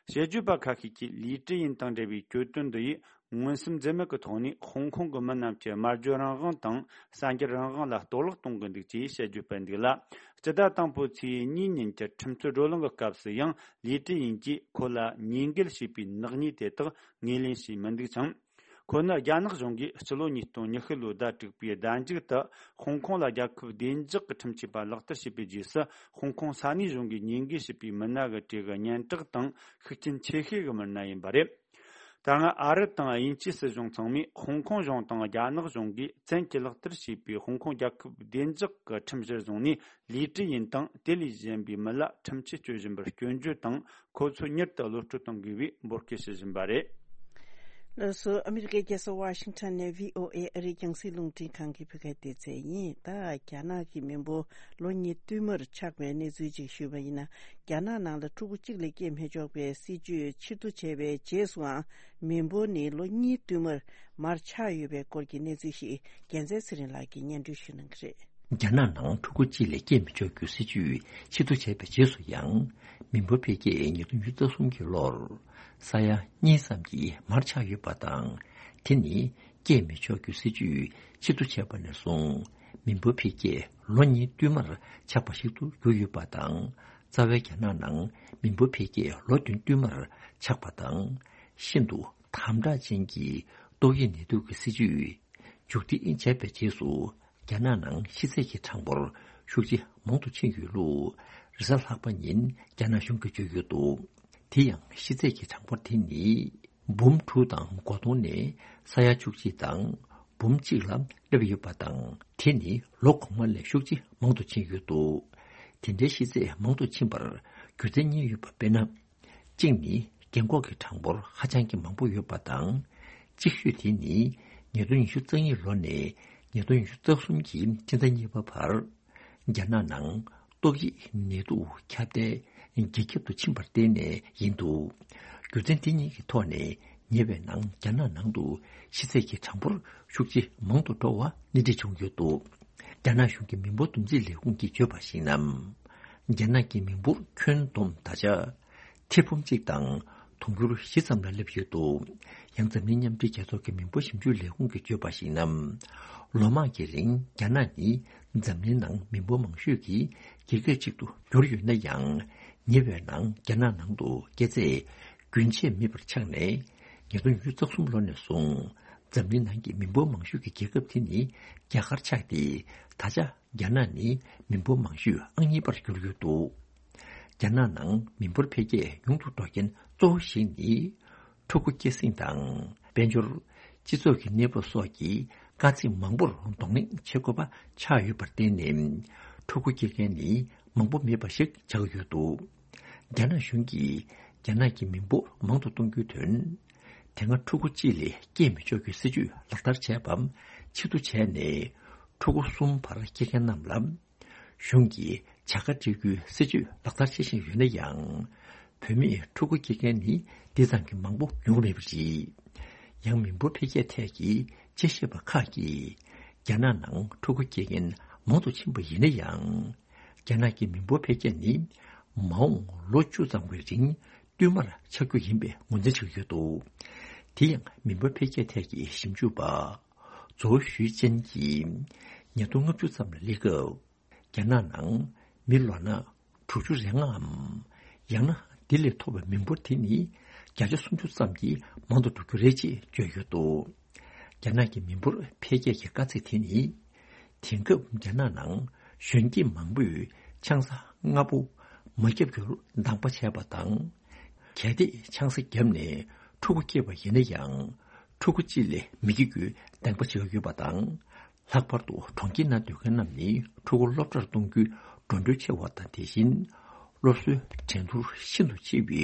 དཔྱད་བརྗོད་པ་ཁ་ཤས་ཀྱིས་ལི་ཀྲི་ཡིན་དང་འབྲེལ་བའི་གྱོད་དོན་འདི་ཡིས་མངོན་སུམ་འཛེམ་མེད་ཀྱི་ཐོག་ནས་ཧོང་ཀོང་གི་མི་རྣམས་ཀྱི་སྨྲ་བརྗོད་རང་དབང་དང་གསར་འགྱུར་རང་དབང་ལ་གཏོར་བརླག་གཏོང་གི་འདུག་ཅེས་དཔྱད་བརྗོད་སྤེལ་འདུག་ལ། སྤྱི་ཟླ་དང་པོའི་ཚེས་གཉིས་ཉིན་གྱི་ཁྲིམས་རྩོད་བགྲོ་གླེང་གི་སྐབས་སུ་ཡང་ལི་ཀྲི་ཡིན་གྱིས་ཁོ་ལ་ཉེས་འགེལ་བྱས་པའི་ནག་ཉེས་དེ་དག་ངོས་ལེན་བྱས་མི་འདུག་ཅིང་། ཁོ་ནི་རྒྱ་ནག་གཞུང་གིས་ཕྱི་ལོ་ཉིས་སྟོང་ཉི་ཤུ་ལོའི་ཟླ་དྲུག་པའི་ཟླ་མཇུག་ཏུ་ཧོང་ཀོང་ལ་རྒྱལ་ཁབ་བདེ་འཇགས་ཀྱི་ཁྲིམས་ཅེས་པ་ལག་བསྟར་བྱས་པའི་རྗེས་སུ། ཧོང་ཀོང་ས་གནས་གཞུང་གིས་ཉེས་འགེལ་བྱས་པའི་མི་སྣ་གི་གྲས་ཀྱི་སྙན་གྲགས་དང་ཤུགས་རྐྱེན་ཆེ་ཤོས་ཀྱི་མི་སྣ་ཡིན་པ་རེད། ད་སྔ་ཨ་རི་དང་དབྱིན་ཇིའི་སྲིད་གཞུང་ཚང་མས་ཧོང་ཀོང་གཞུང་དང་རྒྱ་ནག་གཞུང་གིས་བཙན་གྱིས་ལག་བསྟར་བྱས་པའི་ཧོང་ཀོང་རྒྱལ་ཁབ་བདེ་འཇགས་ཀྱི་ཁྲིམས་གཞིར་བཟུང་ནས། ལས་བྲལ་ཡིན་དང་དེ་ལས་གཞན་པའི་མི་ལ་ཁྲིམས་ཆད་གཅོད་བཞིན་པར་སྐྱོན་བརྗོད་དང་། ཁོ་ཚོས་མྱུར་དུ་གློད་བཀྲོལ་གཏོང་དགོས་པའི་འབོད་སྐུལ་ཞུ་བཞིན་པ་རེད། ལགས་སོ། ཨ་མི་རི་ཀའི་རྒྱལ་ས་ཝ་ཤིང་ཊོན་ནས་བྷི་ཨོ་ཨེ་ཨ་རིའི་རྒྱང་སྲིང་རླུང་འཕྲིན་ཁང་གི་བོད་སྐད་སྡེ་ཚན་ཡིན། ད་རྒྱ་ནག་གི་མི་འབོར་ལོ་གཉིས་བསྟུད་མར་ཆག་པའི་གནས་ཚུལ་ཅིག་ཞུས་པ་ཡིན་ན། རྒྱ་ནག་ནང་ལ་ཕྲུ་གུ་གཅིག་ལས་སྐྱེས་མི་ཆོག་པའི་སྲིད་ཇུས་ཕྱིར་བསྡུ་བྱས་པའི་རྗེས་སུའང་མི་འབོར་ནི་ལོ་གཉིས་བསྟུད་མར་མར་ཆག་ཡོད་པའི་སྐོར་གྱི་གནས་ཚུལ་ཞིག་རྒྱལ་མཚན་ཚེ་རིང་ལགས་ཀྱིས་སྙན་སྒྲོན་ཞུ་གནང་གི་རེད། རྒྱ་ནག་ནང་ཕྲུ་གུ་གཅིག་ལས་སྐྱེས་མི་ཆོག་རྒྱུའི་སྲིད་ཇུས་ཕྱིར་བསྡུ་བྱས་པའི་རྗེས་སུ་ཡང་། མི་འབོར་འཕེལ་རྒྱས་ཉིས་སྟོང་ཉི་ཤུ་རྩ་གསུམ་གྱི་ལོར་ས་ཡ་གཉིས་ཙམ་གྱིས་མར་ཆག་ཡོད་པ་དང་། དེ་ནི་སྐྱེས་མི་ཆོག་རྒྱུའི་སྲིད་ཇུས་ཕྱིར་བསྡུ་བྱས་པ་ནས་བཟུང་། མི་འབོར་འཕེལ་རྒྱས་ལོ་གཉིས་བསྟུད་མར་ཆག་པ་ཞིག་ཏུ་གྱུར་ཡོད་པ་དང་། རྩ་བའི་རྒྱ་ནག་ནང་མི་འབོར་འཕེལ་རྒྱས་ལོ་བདུན་བསྟུད་མར་ཆག་པ་དང་། ཤིན་ཏུ་དམ་དྲག་ཅན་གྱི་ཏོག་དབྱིབས་ནད་དུག་གི་སྲིད་ཇུས། མཇུག་སྒྲིལ་བྱས་པའི་རྗེས་སུ། རྒྱ་ནག་ནང་ཤི་ཚད་ཀྱི་གྲངས་འབོར་ཤུགས་ཆེ་མང་དུ་ཕྱིན་ཡོད་ལུགས། རེས་གཟའ་ལྷག་པ་ཉིན་རྒྱ་ནག་གཞུང་གིས་བརྗོད་ཡོད་འདུག། དེ་ཡང་ཤི་ཚད་ཀྱི་གྲངས་འབོར་དེ་ནི། འབུམ་དྲུག་དང་སྒོ་སྟོང་ནས་ས་ཡ་བཅུ་གཅིག་དང་། འབུམ་གཅིག་ལ་སླེབས་ཡོད་པ་དང་། དེ་ནི་ལོ་གོང་མ་ལས་ཤུགས་ཆེ་མང་དུ་ཕྱིན་ཡོད་འདུག། དེ་འདྲའི་ཤི་ཚད་མང་དུ་ཕྱིན་པར་རྒྱུ་མཚན་གཉིས་ཡོད་པ་དཔེར་ན། གཅིག་ནི། རྒན་འཁོགས་ཀྱི་གྲངས་འབོར་ཧ་ཅང་གི་མང་པོ་ཡོད་པ་དང་། གཅིག་ཤོས་དེ་ནི། ཉིས་སྟོང་ཉི་ཤུ་རྩ་གཉིས་ལོ་ནས་ཉིས་སྟོང་ཉི་ཤུ་རྩ་གསུམ་གྱི་སྤྱི་ཟླ་གཉིས་པ་བར། རྒྱ་ནག་ནང་ཏོག་དབྱིབས་ནད་དུག་ཁྱབ་གདལ་ཇེ་ཁྱབ་ཏུ་ཕྱིན་པར་བརྟེན་ནས་ཡིན་འདུག། རྒྱུ་མཚན་དེ་གཉིས་ཀྱི་ཐོག་ནས་ཉེ་བའི་ནང་རྒྱ་ནག་ནང་དུ་ཤི་ཚད་ཀྱི་གྲངས་འབོར་ཤུགས་ཆེ་མང་དུ་འགྲོ་བ་སྣེ་ཁྲིད་བྱུང་ཡོད་འདུག། རྒྱ་ནག་གཞུང་གི་མི་འབོར་བསྡོམས་རྩིས་ལས་ཁུངས་ཀྱིས་བརྗོད་པར་གཞིགས་ན། རྒྱ་ནག་གི་མི་འབོར་ཁྱོན་བསྡོམས་ད་ཆ་ཐེར་འབུམ་གཅིག་དང་དུང་ཕྱུར་བཞི་ཙམ་ལ་སླེབས་ཡོད་འདུག། ཡང་འཛམ་གླིང་མཉམ་འབྲེལ་རྒྱལ་ཚོགས་ཀྱི་མི་འབོར་ཞིབ་འཇུག་ལས་ཁུངས་ཀྱིས་བརྗོད་པར་གཞིགས་ན། ལོ་མང་གི་རིང་རྒྱ་ནག་ནི་འཛམ་གླིང་ནང་མི་འབོར་མང་ཤོས་ཀྱི་རྒྱལ་ཁབ་ཅིག་ཏུ་གྱུར་ཡོད་ན་ཡང་། ཉེ་བའི་ནང་རྒྱ་ནག་ནང་དུ་སྐྱེས་ཚད་རྒྱུན་ཆད་མེད་པར་ཆག་ནས། ཉིས་སྟོང་ཉི་ཤུ་རྩ་གསུམ་ལོ་ནས་བཟུང་འཛམ་གླིང་ནང་གི་མི་འབོར་མང་ཤོས་ཀྱི་རྒྱལ་ཁབ་དེ་ནི་རྒྱ་གར་ཆགས་ཏེ། ད་ཆ་རྒྱ་ནག་ནི་མི་འབོར་མང་ཤོས་ཨང་གཉིས་པར་གྱུར་ཡོད་འདུག། རྒྱ་ནག་ནང་མི་འབོར་འཕེལ་རྒྱས་ཉུང་དུ་འགྲོ་རྐྱེན་གཙོ་བོ་ཞིག་ནི། ཕྲུ་གུ་སྐྱེད་སྲིང་དང་། དཔལ་འབྱོར། སྤྱི་ཚོགས་ཀྱི་གནས་བབ་སོགས་ཀྱི་དཀའ་ཚེགས་མང་པོར་གདོང་ལེན་བྱེད་དགོས་པ་ཆགས་ཡོད་པར་བརྟེན་ནས། ཕྲུ་གུ་སྐྱེ་མཁན་ནི་མང་པོ་མེད་པ་ཞིག་ཆགས་ཡོད་འདུག། རྒྱ་ནག་གཞུང་གིས་རྒྱ་ནག་གི་མི་འབོར་མང་དུ་གཏོང་རྒྱུའི་དོན། དེ་སྔ་ཕྲུ་གུ་གཅིག་ལས་སྐྱེས་མི་ཆོག་རྒྱུའི་སྲིད་ཇུས་ལག་བསྟར་བྱས་པ་ཕྱིར་བསྡུ་བྱས་ནས། ཕྲུ་གུ་གསུམ་བར་སྐྱེ་མཁན་རྣམས་ལ། གཞུང་གིས་བྱ་དགའ་སྤྲད་རྒྱུའི་སྲིད་ཇུས་ལག་བསྟར་བྱེད་བཞིན་ཡོད་ན་ཡང་། བུད་མེད་ཕྲུ་གུ་སྐྱེ་མཁན་ནི་འདི་ཙམ་གྱིས་མང་པོ་ཡོང་གི་མེད་པ་རེད། ཡང་མི་འབོར་འཕེལ་རྒྱས་ཐད་ཀྱི་དཔྱད་ཞིབ་པ་ཁག་གིས། རྒྱ་ནག་ནང་ཕྲུ་གུ་སྐྱེ་མཁན་མང་དུ་ཕྱིན་པ་ཡིན་ན་ཡང་། རྒྱ་ནག་གི་མི་འབོར་འཕེལ་རྒྱས་ནི་མ་འོངས་ལོ་བཅུ་ཙམ་གྱི་རིང་བསྟུད་མར་ཆག་རྒྱུ་ཡིན་པའི་ངོས་འཛིན་བྱེད་ཀྱི་ཡོད་འདུག། དེ་ཡང་མི་འབོར་འཕེལ་རྒྱས་ཐད་ཀྱི་ཞིབ་འཇུག་པ་ཛོ་ཞུས་ཅན་གྱིས། ཉིས་སྟོང་ལྔ་བཅུ་ཙམ་ལ་སླེབས་སྐབས། རྒྱ་ནག་ནང་མི་ལོ་ན་དྲུག་ཅུ་རེ་ལྔའམ། ཡང་ན་དེ་ལས་མཐོ་བའི་མི་འབོར་དེ་ནི་བརྒྱ་ཆ་སུམ་ཅུ་ཙམ་གྱིས་མང་དུ་འགྲོ་རྒྱུ་རེད་ཅེས་བརྗོད་ཡོད་འདུག། རྒྱ་ནག་གི་མི་འབོར་འཕེལ་རྒྱས་ཀྱི་དཀའ་ཚེགས་དེ་ནི། དེང་སྐབས་རྒྱ་ནག་ནང་གཞོན་སྐྱེས་མང་པོས་ཆང་ས་ལྔ་པོ་མ་བརྒྱབ་རྒྱུར་འདང་པ་བྱས་པ་དང་། གལ་ཏེ་ཆང་ས་བརྒྱབ་ནས་ཕྲུ་གུ་སྐྱེས་པ་ཡིན་ན་ཡང་། ཕྲུ་གུ་གཅིག་ལས་མི་སྐྱེ་རྒྱུའི་འདེང་པ་བྱེད་ཀྱི་ཡོད་པ་དང་། ལྷག་པར་དུ་གྲོང་ཁྱེར་ནང་སྡོད་མཁན་རྣམས་ནི་ཕྲུ་གུ་སློབ་གྲྭར་གཏོང་རྒྱུའི་འགྲོ་གྲོན་ཆེ་བ་དང་། དེ་བཞིན་སློབ་གསོའི་འགྲན་བསྡུར་ཤིན་ཏུ་ཆེ་བའི་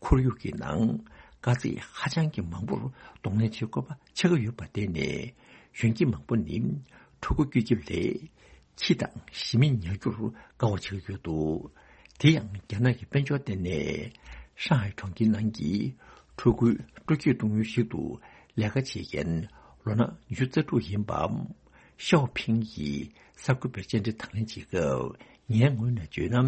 ཁོར་ཡུག་གི་ནང་དཀའ་ཚེགས་ཧ་ཅང་གི་མང་པོར་གདོང་ལེན་བྱེད་དགོས་པ་ཆགས་ཀྱི་ཡོད་པར་བརྟེན་ནས། གཞོན་སྐྱེས་མང་པོ་ནི་ཕྲུ་གུ་སྐྱེ་རྒྱུ་ལས་ཁྱི་དང་ཞི་མི་ཉར་རྒྱུར་དགའ་བ་བྱེད་ཀྱི་ཡོད་འདུག། དེ་ཡང་རྒྱ་ནག་གི་དཔལ་འབྱོར་ལྟེ་གནས་ཧྲང་ཧའེ་གྲོང་ཁྱེར་ནང་གི་ཕྲུ་གུའི་སྤྲོ་སྐྱིད་གཏོང་ཡུལ་ཞིག་ཏུ་ལས་ཀ་བྱེད་མཁན་ལོ་ན་ཉི་ཤུ་རྩ་དྲུག་ཡིན་པ་ཤའོ་ཕིང་གིས་གསར་འགོད་པར་བཅར་འདྲི་དང་ལེན་བྱེད་སྐབས། ངའི་ངོས་ནས་བརྗོད་ན།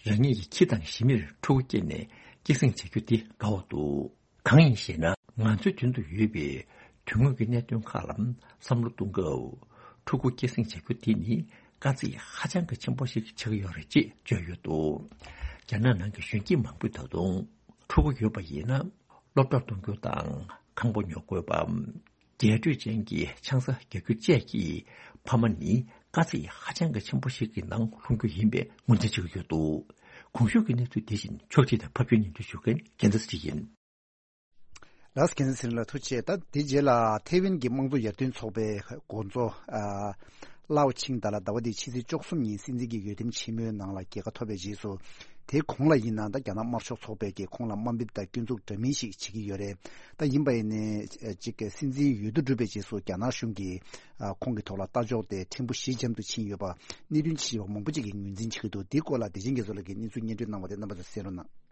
རང་ཉིད་ཀྱི་ཁྱི་དང་ཞི་མིར་ཕྲུ་གུ་སྐྱེས་ནས་སྐྱེད་སྲིང་བྱ་རྒྱུ་དེ་དགའ་བ་འདུག། གང་ཡིན་ཞེ་ན། ང་ཚོའི་མདུན་དུ་ཡོད་པའི་དོན་དངོས་ཀྱི་གནད་དོན་ཁག་ལ་བསམ་བློ་གཏོང་སྐབས། ཕྲུ་གུ་སྐྱེད་སྲིང་བྱ་རྒྱུ་དེ་ནི་དཀའ་ཚེགས་ཧ་ཅང་གི་ཆེན་པོ་ཞིག་ཆགས་ཀྱི་ཡོད་རེད་ཅེས་བརྗོད་ཡོད་འདུག། རྒྱ་ནག་ནང་གི་གཞོན་སྐྱེས་མང་པོས་ད་དུང་ཕྲུ་གུ་ཡོད་པ་ཡིན་ན། སློབ་གྲྭར་གཏོང་རྒྱུ་དང་ཁང་པ་ཉོ་དགོས་པ། རྒྱས་སྤྲོས་ཅན་གྱི་ཆང་ས་རྒྱག་རྒྱུ་བཅས་ཀྱིས་ཕ་མ་ནི་དཀའ་ཚེགས་ཧ་ཅང་གི་ཆེན་པོ་ཞིག་གི་ནང་ལྷུང་རྒྱུ་ཡིན་པའི་ངོས་འཛིན་བྱེད་ཀྱི་ཡོད་འདུག། གོང་ཞུས་ཀྱི་གནས་ཚུལ་དེ་བཞིན་ཕྱོགས་སྒྲིག་དང་ཕབ་སྒྱུར་སྙན་སྒྲོན་ཞུ་མཁན་རྒྱལ་མཚན་ཚེ་རིང་ཡིན། ལགས་སོ། རྒྱལ་མཚན་ཚེ་རིང་ལགས་ཐུགས་རྗེ་ཆེ། ད་དེ་རྗེས་ལ་ཐེ་ཝན་གྱི་དམངས་གཙོ་ཡར་ཐོན་ཚོགས་པའི་འགོ་གཙོ་ཨ་ལའོ་ཆིང་ཏ་ལ་ཟླ་བ་འདིའི་ཕྱི་ཚེས་བཅུ་གསུམ་ཉིན་སྲིད་འཛིན་གྱི་འོས་འདེམས་ཆེན་མོའི་ནང་ལ་རྒྱལ་ཁ་ཐོབ་པའི་རྗེས་སུ། དེའི་གོང་ལ་ཡིན་ན་ད་རྒྱ་ནག་དམར་ཤོག་ཚོགས་པས་ཀྱི་ཁོང་ལ་དམའ་འབེབས་དང་སྐྱོན་འཛུགས་འདྲ་མིན་ཞིག་བྱེད་ཀྱི་ཡོད་རེད། ད་ཡིན་པ་ཡིན་ནའི་ཅིག་གི་སྲིད་འཛིན་འོས་བསྡུ་གྲུབ་པའི་རྗེས་སུ་རྒྱ་ནག་གཞུང་གིས་ཨ་ཁོང་གི་ཐོག་ལ་ལྟ་ཕྱོགས་དེ་ཕྲན་བུ་ཞི་འཇམ་དུ་ཕྱིན་ཡོད་པ་གནད་དོན་ཆེ་བ་མང་པོ་ཅིག་གིས་ངོས་འཛིན་བྱེད་ཀྱི་འདུག་འདིའི་སྐོར་ལ་བདེ་ཆེན་རྒྱ་མཚོ་ལགས་ཀྱིས་གནས་ཚུལ་སྙན་སྒྲོན་གནང་བ་དེ་རྣམ་པ་ཚོས་གསན་རོགས་གནང་།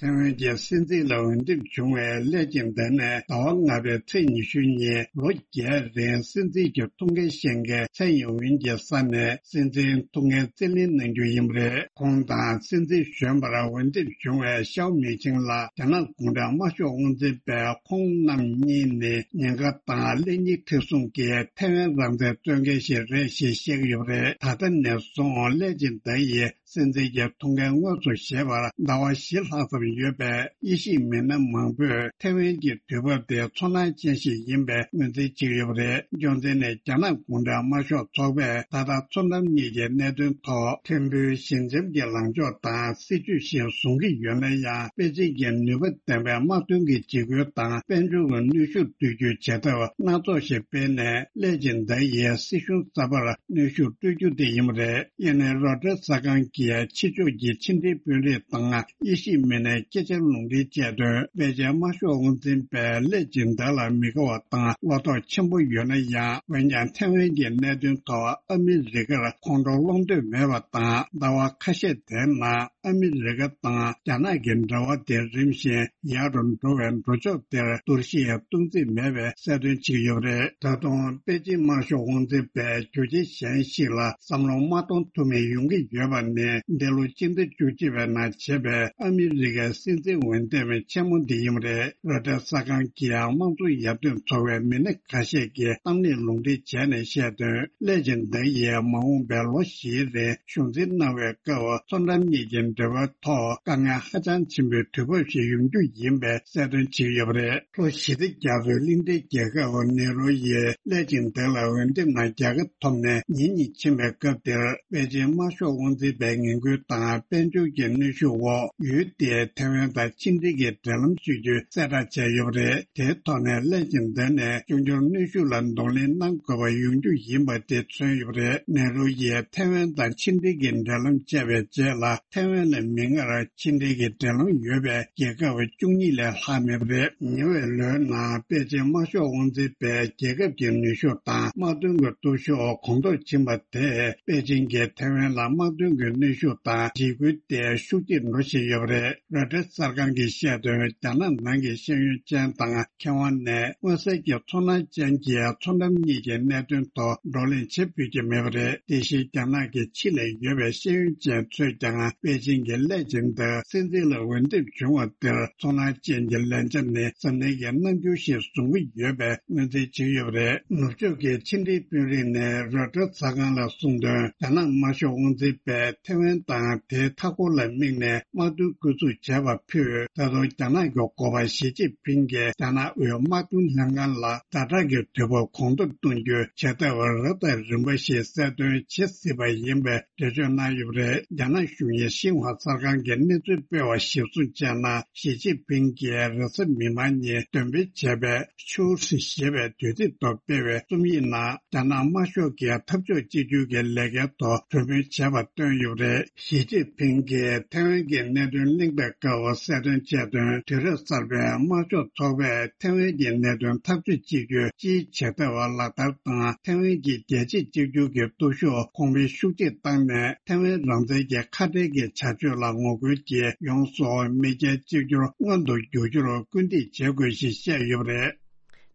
ཐེ་ཝན་གྱི་སྲིད་འཛིན་ལ་འོས་འདེམས་བྱུང་བའི་ལེ་ཅིན་ཏེ་ནས་ཟླ་བ་ལྔ་པའི་ཚེས་ཉི་ཤུ་ཉིན་ལོ་བརྒྱད་རིང་སྲིད་འཛིན་གྱི་ཐུགས་འགན་བཞེས་མཁན་ཚའེ་ཡིན་ཝིན་གྱི་ས་ནས་སྲིད་འཛིན་ཐུགས་འགན་རྩིས་ལེན་གནང་རྒྱུ་ཡིན་པ་རེད། ཁོང་དང་སྲིད་འཛིན་གཞོན་པར་འོས་འདེམས་བྱུང་བའི་ཤའོ་མིང་ཆིང་ལ་རྒྱ་ནག་གུང་ཁྲན་དམར་ཤོག་དབང་འཛིན་པས་ཁོང་རྣམ་གཉིས་ནི་ཉེན་ཁ་དང་ཀླད་རྙིགས་མཁྲེགས་བཟུང་གིས་ཐེ་ཝན་རང་བཙན་རྩོད་མཁན་ཞིག་རེད་ཞེས་བཤད་ཀྱི་ཡོད་པ་རེད། ད་ལྟ་ནས་བཟུང་ལེ་ཅིན་ཏེ་ཡིས་སྲིད་འཛིན་གྱི་ཐུགས་འགན་དངོས་སུ་བཞེས་པར་ཟླ་བ་བཞི་ལྷག་ཙམ་ཡོད་པས། དབྱེ་ཞིབ་མི་སྣ་མང་པོས་ཐེ་ཝན་གྱི་དུས་བབ་དེ་ཚོར་སྣང་ཅན་ཞིག་ཡིན་པའི་ངོས་འཛིན་བྱེད་ཀྱི་ཡོད་པ་རེད། རྒྱུ་མཚན་ནི་རྒྱ་ནག་གུང་ཁྲན་དམར་ཤོག་ཚོགས་པས་ད་ལྟ་མཚོ་འགྲམ་གཉིས་ཀྱི་གནད་དོན་ཐོག་ཐེམ་འབུའི་ཞི་འཇམ་གྱི་ལངས་ཕྱོགས་དང་སྲིད་ཇུས་ཤིག་བཟུང་གི་ཡོད་ན་ཡང་། པེ་ཅིན་གྱིས་ནུས་པ་ལྡན་པའི་དམག་དོན་གྱི་འཇིགས་སྐུལ་དང་དཔལ་འབྱོར་གྱི་གནོན་ཤུགས་གཏོད་རྒྱུའི་བྱེད་ཐབས་སྣ་ཚོགས་ཤིག་སྤེལ་ནས། ལེ་ཅིན་ཏེ་ཡིས་སྲིད་གཞུང་གསར་པར་གནོན་ཤུགས་སྤྲོད་རྒྱུ་དེ་ཡིན་པ་རེད། ཡེ་ནས་རོའི་ཊར་གསར་ཁང་གིས་ཕྱི་ཕྱོགས་ཀྱི་ཕྱི་འབྲེལ་དཔོན་རིགས་དང་དབྱེ་ཞིབ་མི་སྣའི་སྐད་ཆར་ལུང་འདྲེན་བྱས་དོན། པེ་ཅིན་དམར་ཤོག་དབང་འཛིན་པས་ལེ་ཅིན་ཏེ་ལ་མི་དགའ་བ་དང་བློ་དོགས་ཆེན་པོ་ཡོད་ན་ཡང་། འོན་ཀྱང་ཐེ་ཝན་གྱི་གནད་དོན་ཐོག་ཨ་མི་རི་ཀར་ཁོང་ཁྲོ་སློང་འདོད་མེད་པ་དང་། ཟླ་བ་ཁ་ཤས་དེའི་ནང་ཨ་མི་རི་ཀ་དང་རྒྱ་ནག་གི་འབྲེལ་བ་དེ་རིམ་བཞིན་ཡག་རུ་འགྲོ་བའི་འགྲོ་ཕྱོགས་དེར་གཏོར་བཤིག་གཏོང་རྩིས་མེད་པའི་གསལ་སྟོན་བྱེད་ཀྱི་ཡོད་པ་རེད། ད་དུང་པེ་ཅིན་དམར་ཤོག་དབང་འཛིན་པས་རྒྱུ་རྐྱེན་གཞན་ཞིག་ལ་བསམ་བློ་མ་གཏོང་ཐུབ་མིན་ཡོང་གི་ཡོད་པ་ནི། འདི་ལོ་སྤྱི་ཟླ་བཅུ་གཅིག་པའི་ནང་བྱས་པའི་ཨ་མི་རི་ཀའི་སྲིད་འཛིན་འོས་འདེམས་ཆེན་མོ་འདི་ཡིན་པ་རེད། རོའི་ཊར་གསར་ཁང་གིས་དམངས་གཙོ་ཡར་ཐོན་ཚོགས་པའི་མི་སྣ་ཁ་ཤས་ཀྱི་གཏམ་གླེང་ལུང་འདྲེན་བྱས་ནས་བཤད་དོན། ལེ་ཅིན་ཏེ་ཡིས་མ་འོངས་པའི་ལོ་བཞིའི་རིང་གཞུང་འཛིན་གནང་བའི་སྐབས། མཚོ་འགྲམ་གཉིས་ཀྱི་འབྲེལ་བའི་ཐོག་དཀའ་ངལ་ཧ་ཅང་ཆེན་པོའི་དུས་བབ་ཞིག་ཡོང་རྒྱུ་ཡིན་པའི་གསལ་སྟོན་བྱེད་ཀྱི་ཡོད་པ་རེད། ལྷོ་ཞི་བདེ་རྒྱ་མཚོའི་གླིང་ཕྲན་རྒྱལ་ཁབ་ནེ་རུ་ཡིས་ལེ་ཅིན་ཏེ་ལ་འོས་འདེམས་ནང་རྒྱལ་ཁ་ཐོབ་ནས་ཉིན་གཉིས་ཕྱིན་པའི་སྐབས་དེར། པེ་ཅིན་དམར་ཤོག་དབང་འཛིན་པའི་ངན་སྐུལ་དང་དཔལ་འབྱོར་གྱི་གནོན་ཤུགས་འོག་ཡུལ་དེའི་ཐེ་ཝན་དང་ཕྱི་འབྲེལ་གྱི་འབྲེལ་ལམ་བཅད་རྒྱུ་གསལ་བསྒྲགས་བྱས་ཡོད་པ་རེད། དེའི་ཐོག་ནས་ལེ་ཅིན་ཏེ་ནས་ཆུང་ཆུང་གནོན་ཤུགས་ལ་གདོང་ལེན་གནང་དགོས་པ་ཡོང་རྒྱུ་ཡིན་པ་དེ་མཚོན་ཡོད་པ་རེད། ནེ་རུ་ཡིས་ཐེ་ཝན་དང་ཕྱི་འབྲེལ་གྱི་འབྲེལ་ལམ་བཅད་པའི་རྗེས་ལ། ཐེ་ཝན་ལ་མིག་སྔར་ཕྱི་འབྲེལ་གྱི་འབྲེལ་ལམ་ཡོད་པའི་རྒྱལ་ཁབ་བཅུ་གཉིས་ལས་ལྷག་མེད་པ་རེད། ཉེ་བའི་ལོའི་ནང་པེ་ཅིན་དམར་ཤོག་དབང་འཛིན་པས་རྒྱལ་ཁབ་ཀྱི་ནུས་ཤུགས་དང་དམག་དོན་གྱི་སྟོབས་ཤུགས་གོང་མཐོར་ཕྱིན་པ་དེས། པེ་ཅིན་གྱིས་ཐེ་ཝན་ལ་དམག་དོན་གྱི་གནོན་ཤུགས་དང་འཇིགས་སྐུལ་དེ་ཤུགས་ཆེར་འགྲོ་བཞིན་ཡོད་པ་རེད། རོའི་ཊར་གསར་ཁང་གིས་བཤད་དོན། རྒྱ་ནག་ནང་གི་ཤེས་ཡོན་ཅན་དང་མཁས་དབང་ནས་མངོན་གསལ་གྱི་ཚོར་སྣང་ཅན་གྱིས་མཚོ་འགྲམ་གཉིས་ཀྱི་གནད་དོན་ཐོག་བགྲོ་གླེང་བྱེད་ཕོད་ཀྱི་མེད་པ་རེད། དེ་བཞིན་རྒྱ་ནག་གི་ཕྱི་ལ་ཡོད་པའི་ཤེས་ཡོན་ཅན་ཚོས་ཀྱང་པེ་ཅིན་གྱི་ལེ་ཅིན་ཏེ་སྲིད་འཛིན་ལ་འོས་འདེམས་བྱུང་བ་དེར་ཚོར་སྣང་ཅན་གྱི་ལན་ཆ་ནི་གཟབ་ནན་གྱི་རྣམ་འགྱུར་ཞིག་བཟུང་གི་ཡོད་པའི་ངོས་འཛིན་བྱེད་ཀྱི་ཡོད་པ་རེད། ནུབ་ཕྱོགས་ཀྱི་ཕྱི་འབྲེལ་དཔོན་རིགས་ནས་རོའི་ཊར་གསར་ཁང་ལ་གསུངས་དོན། རྒྱ་ནག་དམར་ཤོག་དབང་འཛིན་པས་ཐེ་ཝན་དང་དེའི་མཐའ་འཁོར་ལ་དམིགས་ནས་དམག་དོན་བསྐྱོད་འཛུགས་བྱས་པ་ཕུད། ད་དུང་རྒྱ་ནག་གི་འགོ་པ་ཞི་ཅིན་ཕིང་གིས་རྒྱ་ནག་དབུས་དམག་དོན་ལྷན་ཁང་ལ་ཛ་དྲག་གི་དུས་བབ་གོང་མཐོར་གཏོང་རྒྱུའི་བྱེད་ཐབས་རབ་དང་རིམ་པ་ཞིག་གསལ་སྟོན་བྱེད་སྲིད་པ་ཡིན་པའི་འགྲེལ་བརྗོད་གནང་ཡོད་པ་རེད། རྒྱ་ནག་གཞུང་གིས་ཤིན་ཧྭ་གསར་ཁང་གིས་གནས་ཚུལ་སྤེལ་བ་གཞིར་བཟུང་བྱས་ན། ཞི་ཅིན་ཕིང་གིས་རེས་གཟའ་མིག་དམར་ཉིན་འདོན་སྤེལ་བྱས་པའི་ཆུའུ་ཧྲི་ཞེས་པའི་དུས་ཚིགས་ཐོག་སྤེལ་བའི་རྩོམ་ཡིག་ནང་། རྒྱ་ནག་དམར་ཤོག་གིས་འཐབ་ཕྱོགས་གཅིག་གྱུར་གྱི་ལས་འགན་ཐོག་གྲོས་མོལ་བྱས་པ་བཏོན་ཡོད་པ་རེད། ཞི་ཅིན་ཕིང་གིས་ཐེ་ཝན་གྱི་གནད་དོན་གླེང་བའི་སྐབས་གསལ་སྟོན་བྱས་དོན། དུས་རབས་གསར་པའི་དམར་ཤོག་ཚོགས་པས་ཐེ་ཝན་གྱི་གནད་དོན་འཐབ་ཕྱོགས་གཅིག་གྱུར་སྤྱིའི་བྱེད་ཐབས་ལག་བསྟར་དང་། ཐེ་ཝན་གྱི་རྒྱལ་གཅེས་གཅིག་གྱུར་གྱི་སྟོབས་ཤུགས་གོང་འཕེལ་ཤུགས་ཆེར་བཏང་ནས། ཐེ་ཝན་རང་བཙན་གྱི་ཁ་བྲལ་གྱི་བྱ་སྤྱོད་ལ་ངོ་རྒོལ་གྱིས་ཡོངས་སུ་མེས་རྒྱལ་གཅིག་གྱུར་མངོན་དུ་འགྱུར་རྒྱུར་སྐུལ་འདེད་བྱེད་དགོས་ཞེས་བཤད་ཡོད་པ་རེད།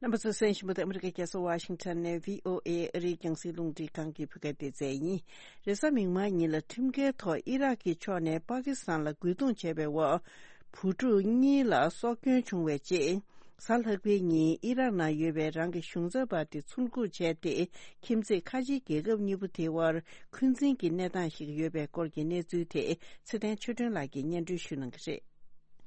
རྣམ་པ་ཚོས་གསན་བཞིན་པ་དེ་ཨ་མི་རི་ཀའི་རྒྱལ་ས་ཝ་ཤིང་ཊོན་ནས་བྷི་ཨོ་ཨེ་ཨ་རིའི་རྒྱང་སྲིང་རླུང་འཕྲིན་ཁང་གི་བོད་སྐད་སྡེ་ཚན་ཡིན། རེས་གཟའ་མིག་དམར་ཉིན་ལ་ཁྲིམས་འགལ་ཐོག་ཨི་རག་གི་ཕྱོགས་ནས་པ་ཀི་སི་ཐན་ལ་རྒོལ་རྡུང་བྱས་པའི་འོག་བུ་ཕྲུག་གཉིས་ལ་སྲོག་སྐྱོན་བྱུང་བའི་རྗེས། གཟའ་ལྷག་པའི་ཉིན་ཨི་རག་ནང་ཡོད་པའི་རང་གི་གཞུང་ཚབ་པ་དེ་ཚུར་འགུག་བྱས་ཏེ། ཁྱིམ་མཚེས་ཁ་ཆེའི་རྒྱལ་ཁབ་གཉིས་པོ་དེའི་དབར་འཁོན་འཛིན་གྱི་གནས་སྟངས་ཤིག་ཡོད་པའི་སྐོར་གྱི་གནས་ཚུལ་དེ་ཚེ་བརྟན་ཆོས་སྒྲོན་ལགས་ཀྱིས་སྙན་སྒྲོན་ཞུ་གནང་གི་རེད།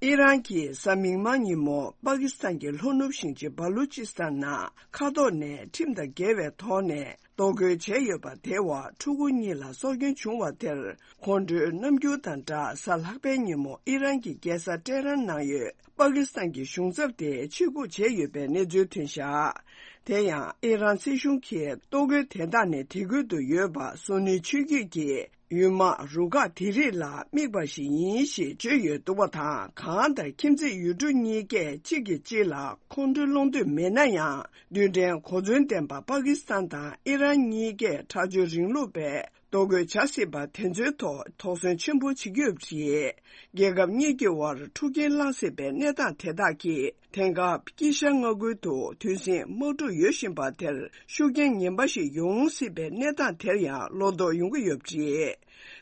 ཨི་རན་གྱིས་གཟའ་མིག་དམར་ཉིན་མོ་པ་ཀི་སི་ཐན་གྱི་ལྷོ་ནུབ་ཞིང་ཆེན་སྦ་ལུ་ཅི་སི་ཐན་ནང་མཁའ་ཐོག་ནས་ཁྲིམས་དང་འགལ་བའི་ཐོག་ནས། གཏོར་རྒོལ་བྱས་ཡོད་པ་དེའི་འོག་ཕྲུ་གུ་གཉིས་ལ་སྲོག་སྐྱོན་བྱུང་བ་དེར། ཁོང་ཁྲོའི་རྣམ་འགྱུར་དང་སྦྲགས། གཟའ་ལྷག་པའི་ཉིན་མོ་ཨི་རན་གྱི་རྒྱལ་ས་ཏེ་རན་ནང་ཡོད་པ་ཀི་སི་ཐན་གྱི་གཞུང་ཚབ་དེ་ཕྱིར་འབུད་བྱས་ཡོད་པའི་གནས་ཚུལ་ཐོན་བཞག་དེ་ཡང་ཨི་རན་སྲིད་གཞུང་གིས་གཏོར་རྒོལ་དེ་དག་ནི་དེ་ཁུལ་དུ་ཡོད་པ་སུ་ནི་ཆོས་བརྒྱུད་ཀྱི་ཡུལ་དམག་རུ་ཁག་དེ་རིགས་ལ་དམིགས་པ་ཞིག་ཡིན་ཞེས་བརྗོད་ཡོད་འདུག་པ་དང་། གང་ལྟར་ཁྱིམ་མཚེས་ཡུལ་གྲུ་གཉིས་ཀས་གཅིག་གིས་གཅིག་ལ་ཁོང་ཁྲོའི་སློང་འདོད་མེད་ན་ཡང་། རྡུལ་ཕྲན་གོ་མཚོན་ལྡན་པ་པ་ཀི་སི་ཐན་དང་ཨི་རན་གཉིས་ཀས་ཁྲག་སྦྱོར་རིང་ལུགས་པའི་གཏོར་རྒོལ་བྱ་སྲིད་པ་དེ་ཚོའི་ཐོག་དོགས་ཟོན་ཆེན་པོ་བྱེད་ཀྱི་ཡོད་པ་རེད། རྒྱལ་ཁབ་གཉིས་ཀྱི་དབར་འཁྲུག་རྐྱེན་སློང་སྲིད་པའི་གནས་སྟངས་དེ་དག་གིས། དེང་སྐབས་དཀྱིལ་ཤར་མངའ་ཁུལ་དུ་དུས་ཟིང་དམག་འཁྲུག་ཡོད་བཞིན་པ་དེར་ཤུགས་རྐྱེན་ངན་པ་ཞིག་ཡོང་སྲིད་པའི་གནས་སྟངས་དེར་ཡང་བློ་དོགས་ཡོང་གི་ཡོད་པ་རེད།